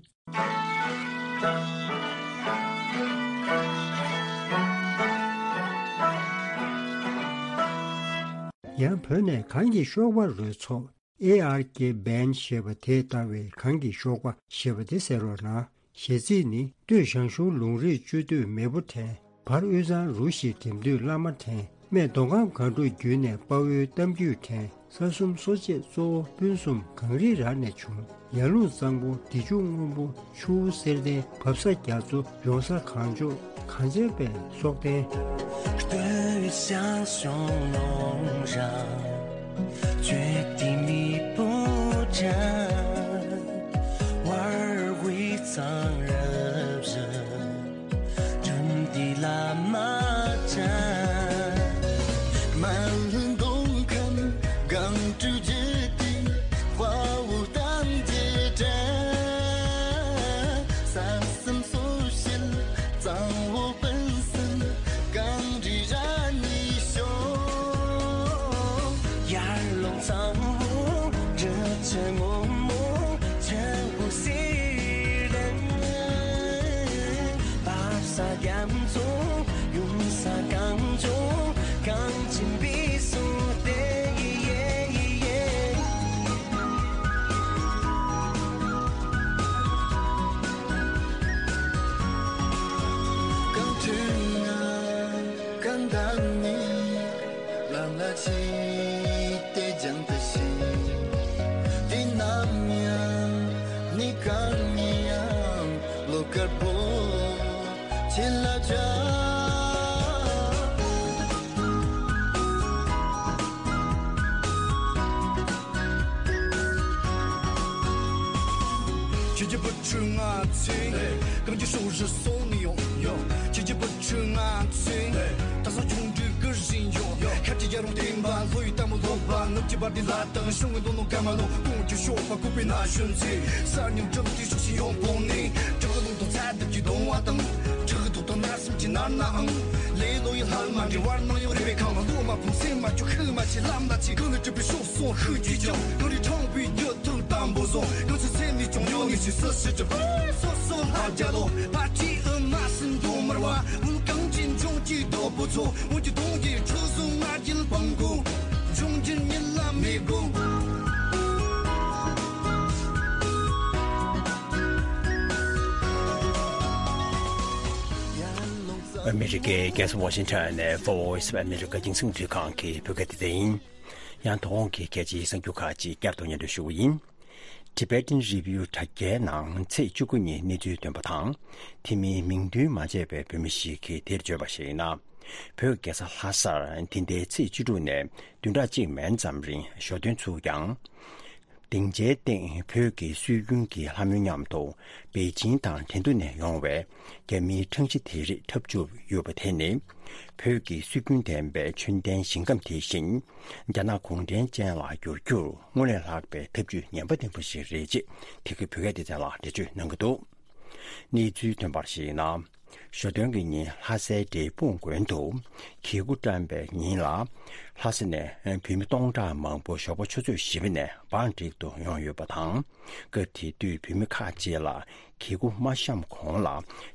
ཡང་བོད་ནས་གངས་ཀྱི་གཤོག་པ་རོལ་ཚོགས། ཨེ་ཨར་ཀེ་བན་ཞེས་པ་དེས་བཏང་བའི་གངས་ཀྱི་གཤོག་པ་ཞེས་པ་དེ་གསན་རོགས་གནང་། གཞས་ཚིག་ནི། སྟོད་ཞང་ཞུང་ལུང་རིགས་གཅོད་དུས་མེས་པོ་དྲན། བར་དབུས་གཙང་རུ་བཞི་འགྲིམ་དུས་བླ་མ་དྲན། སྨད་མདོ་ཁམས་སྒང་དྲུག་བརྒྱུད་ནས་དཔའ་བོའི་གཏམ་རྒྱུད་དྲན། ས་གསུམ་སོ་བཅད་གཙོ་བོ་སྤུན་གསུམ་གངས་རི་ར་ནས་བྱུང་། ཡར་ཀླུང་གཙང་པོ་བདེ་ཆུ་སྔོན་པོ་ཆུ་བོ་གསེར་ལྡན་བབས་ས་རྒྱ་མཚོ་ཡོང་ས་གངས་ལྗོངས་གངས་ཅན་པའི་སྲོག་ལྡན། སྟོད་ཞང་ཞུང་ལུང་ར་གཅོད་དུས་མེས་པོ་དྲན། བར་དབུས་གཙང་རུ་བཞི་འགྲིམ་དུས་བླ་མ་དྲན། སྨད་མདོ་ཁམས་སྒང་དྲུག་བརྒྱུད་དེ་དཔའ་བོའི་གཏམ་རྒྱུད་དྲན། ས་གསུམ་སོ་བཞི་གཙང་བོ་སྤུན་གསུམ་གངས་རི་ར་ནས་བྱུང་། ཡར་ཀླུང་གཙང་པོ་རི་ཆུ་སྔོན་མོ་ཆུ་བོ་གསེར་ལྡན། བབས་ས་རྒྱ་མཚོ་ཡོང་ས་གངས་ལྗོངས་གངས་ཅན་པའི་སྲོག་ལྡན། གངས་ཁྲོད་ན་གངས་འདབས་ནས་ལམ་ལ་ཆས་ཏེ་རྒྱང་དུ་ཕྱིན། དུས་ནམ་ཡང་ནི་གངས་ཉི་ཡང་བློ་དཀར་པོ་ཆེ་ལ་བྱ། ཁྱེད་ཀྱི་བུ་ཕྲུག་ང་ཚོས་གངས་ཀྱི་ཕྱོགས་རིས་སོང་ནས་ཡོང་། ཡོང་། ཁྱེད་ཀྱི་བུ་ཕྲུག་ང་ཚོས་དེང་སང་ཆུང་དུས་ཀྱི་རིང་ཡོང་། ཡོང་། ཤར་གྱི་ཡར་ཀླུང་བསྟན་པ་ལྷོ་ཡི་རྟ་མོ་ལོ་པ། ནུབ་ཀྱི་བར་དེ་ལ་དྭགས་ཤང་གི་མདོ་ནོ་ཀ་མ་ལོ། དགུང་གི་གཤོག་པ་ལྐུགས་པའི་ན་གཞོན་ཚོས་གསར་རྙིང་འགྲིམ་དུས་ཕྱོགས་ཤིག་ཡོང་བོ་ནས། བྲག་རླུང་དང་ཚ་དུག་གི་གདུང་བ་དང་། བྲག་རྡོ་དང་ནར་སེམས་ཀྱི་ནར་ནའང་། ལེ་ལོ་ཡི་ལྷ་མ་འདྲེ་བར་སྣང་ཡང་རེ་བའི་ཁང་བ། ལོ་མ་ཕུང་སེམས་མ་བཅུག་ཤུགས་མ་ཆེ་ལམ་ལ་ཆས། གངས་ལས་གྲུབ་པའི་ཕྱོགས་སོང་ཤུགས་ཀྱིས་ཀྱང་། གངས་རི་ཕྲེང་བའི་རྒྱུད་ཐུག་དམ་པོ་བཟུང་། གངས་ཆུ་ཚན་ནས་ཀྱང་ཡོད་ངེས་ཤིག་སུ་ཞིག་གྲུབ། སོ་སོ་ལྷ་རྒྱལ་ལོ་ཕ་ཁྲིའི་ཨུ་མ་སྲིན་འགྲོ་མར་བ། འུན་གངས་ཅན་ལྗོངས་ཀྱི་རྡོ་པོ་ཚོ། འོན་ཀྱང་གདོང་གི་ཁྲག་བཟུང་ང་རྒྱལ་སྤང་དགོས། འབྱུང་འགྱུར་ཉིད་ལ་མི་དགོས། ཨ་མི་རི་ཀའི་རྒྱལ་ས་ཝ་ཤིང་ཊོན་ནས་Voice of America རྒྱང་སྲིང་རླུང་འཕྲིན་ཁང་གི་བོད་སྐད་སྡེ་ཚན་ཡིན། ཡང་དོ་དགོང་གི་རྒྱལ་སྤྱིའི་གསར་འགྱུར་ཁག་ཅིག་བསྐྱར་དུ་སྙན་སྒྲོན་ཞུ་གི་ཡིན། Tibetan Review དྲ་རྒྱའི་ནང་ཚེས་བཅུ་དགུ་ཉིན་གནས་ཚུལ་བཏོན་པ་དང་། དེ་མིན་མིང་འདོན་མ་བྱས་པའི་བོད་མི་ཞིག་གིས་དེར་བརྗོད་པར་གཞིགས་ན། བོད་རྒྱལ་ས་ལྷ་སར་འདི་ཟླའི་ཚེས་བཅུ་དྲུག་ནས་བདུན་ཕྲག་གཅིག་མན་ཙམ་རིང་ཞོ་སྟོན་ཚུགས་ཀྱང་། སྡིངས་ཆའི་སྟེང་བོད་ཀྱི་སྲོལ་རྒྱུན་གྱི་ལྷ་མོའི་མཉམ་དུ་པེ་ཅིང་དང་ཁྲེང་ཏུའུ་ནས་ཡོང་བའི་རྒྱ་མིའི་ཁྲང་ཞི་དེ་རིགས་འཁྲབ་བཅུག་ཡོད་པ་དེ་ནི། བོད་ཀྱི་སྲོལ་རྒྱུན་ལྡན་པའི་མཆོད་རྟེན་ཞིང་ཁམས་དེ་བཞིན་རྒྱ་ནག་གུང་ཁྲན་ཅན་ལ་བསྒྱུར་རྒྱུར་སྔོན་ལས་ལྷག་པའི་ཐབས་ཇུས་ངན་པ་ལྡན་པ་ཞིག་རེད་ཅེས་དེ་གའི་བོད་སྐད་སྡེ་ཚན་ལ་འགྲེལ་བརྗོད་གནང་གི་འདུག་གནས་ཚུལ་ཐོན་པར་གཞིགས་ན། ཞོ་སྟོན་གྱི་ཉིན་ལྷ་སའི་འབྲས་སྤུངས་དགོན་དུ་གོས་སྐུ་བཀྲམ་པའི་ཉིན་ལ། ལྷ་ས་ནས་བོད་མི་སྟོང་ཕྲག་མང་པོ་ཞོགས་པ་ཆུ་ཚོད་བཞི་པ་ནས་བང་སྒྲིག་ཏུ་ཡོང་ཡོད་པ་དང་། སྐབས་དེ་དུས་བོད་མི་ཁག་ཅིག་ལ་གོས་སྐུ་མ་བཤམས་གོང་ལ་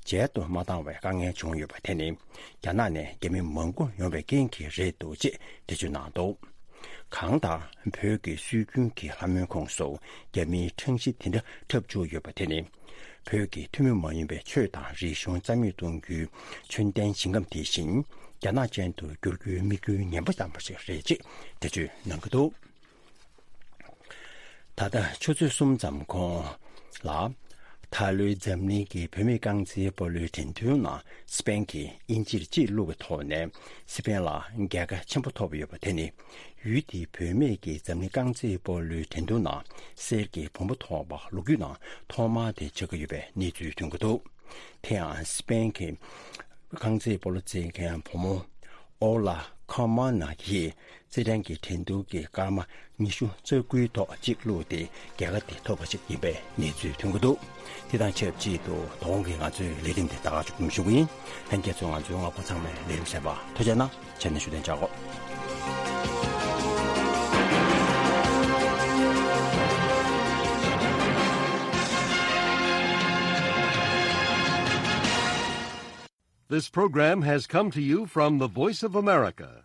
མཇལ་དུ་མ་བཏང་བའི་དཀའ་ངལ་བྱུང་ཡོད་པ་དེ་ནི། རྒྱ་ནག་ནས་རྒྱ་མི་མང་པོ་ཡོང་བའི་རྐྱེན་གྱིས་རེད་འདུག་ཅེས་འགྲེལ་བརྗོད་གནང་འདུག་གང་ལྟར་བོད་ཀྱི་སྲོལ་རྒྱུན་གྱི་ལྷ་མོའི་ཁོངས་སུ་རྒྱ་མིའི་ཁྲང་ཞི་དེ་འདྲ་འཁྲབ་བཅུག་ཡོད་པ་དེ་ནི། བོད་ཀྱི་ཐུན་མོང་མ་ཡིན་པའི་ཆོས་དང་རིག་གཞུང་རྩ་མེད་གཏོང་རྒྱུའི་མཆོད་རྟེན་ཞིང་ཁམས་དེ་བཞིན་རྒྱ་ནག་ཅན་དུ་བསྒྱུར་རྒྱུའི་དམིགས་ཡུལ་ངན་པ་བརྩམས་པ་ཞིག་རེད་ཅེས་འགྲེལ་བརྗོད་གནང་གི་འདུག་ད་ལྟ་ཆུ་ཚོད་གསུམ་ཙམ་གོང་ལ། ད་ལོའི་འཛམ་གླིང་གི་བུད་མེད་རྐང་རྩེད་སྤོ་ལོའི་འགྲན་བསྡུར་ནང་སི་པེན་གྱིས་དབྱིན་ཇིར་གཅིག་བླུགས་པའི་ཐོག་ནས་སི་པེན་ལ་རྒྱལ་ཁ་ཆེན་པོ་ཐོབ་ཡོད་པ་དེ་ནི། ཡུལ་དེའི་བུད་མེད་ཀྱི་འཛམ་གླིང་རྐང་རྩེད་སྤོ་ལོའི་འགྲན་བསྡུར་ནང་གསེར་གྱི་བུམ་པ་ཐོབ་པ་ལོ་རྒྱུས་ནང་ཐོག་མ་དེ་ཆགས་ཀྱི་ཡོད་པའི་གནས་ཚུལ་ཐོན་གྱི་འདུག་དེ་ཡང་སི་པེན་གྱི་རྐང་རྩེད་སྤོ་ལོ་རྩེད་མཁན་བུ་མོ་ ཨོ་ལ་ཁ་མ་ན་གྱིས་རྩེད་འགྲན་གྱི་འགྲན་བསྡུར་གྱི་སྐར་མ་ཉི་ཤུ་རྩ་དགུའི་ཐོག་གཅིག་བླུགས་ཏེ་རྒྱལ་ཁ་དེ་ཐོབ་པ་ཞིག་ཡིན་པའི་གནས་ཚུལ་ཐོན་གྱི་འདུག་དེ་དང་ཆབས་ཅིག་ཏུ་དོ་དགོང་གི་ང་ཚོའི་ལས་རིམ་དེ་ད་ག་ཅིག་སྒྲུབ་ཞུ་གི་ཡིན། ལྷན་རྒྱས་ཚོས་ང་ཚོའི་རྔ་པ་ཚང་མའི་ལས་རིམ་གསན་པར་ཐུགས་རྗེ་གནང་། ཆ་ནས་ཞུ་དོན་བྱ་གོ། This program has come to you from the Voice of America,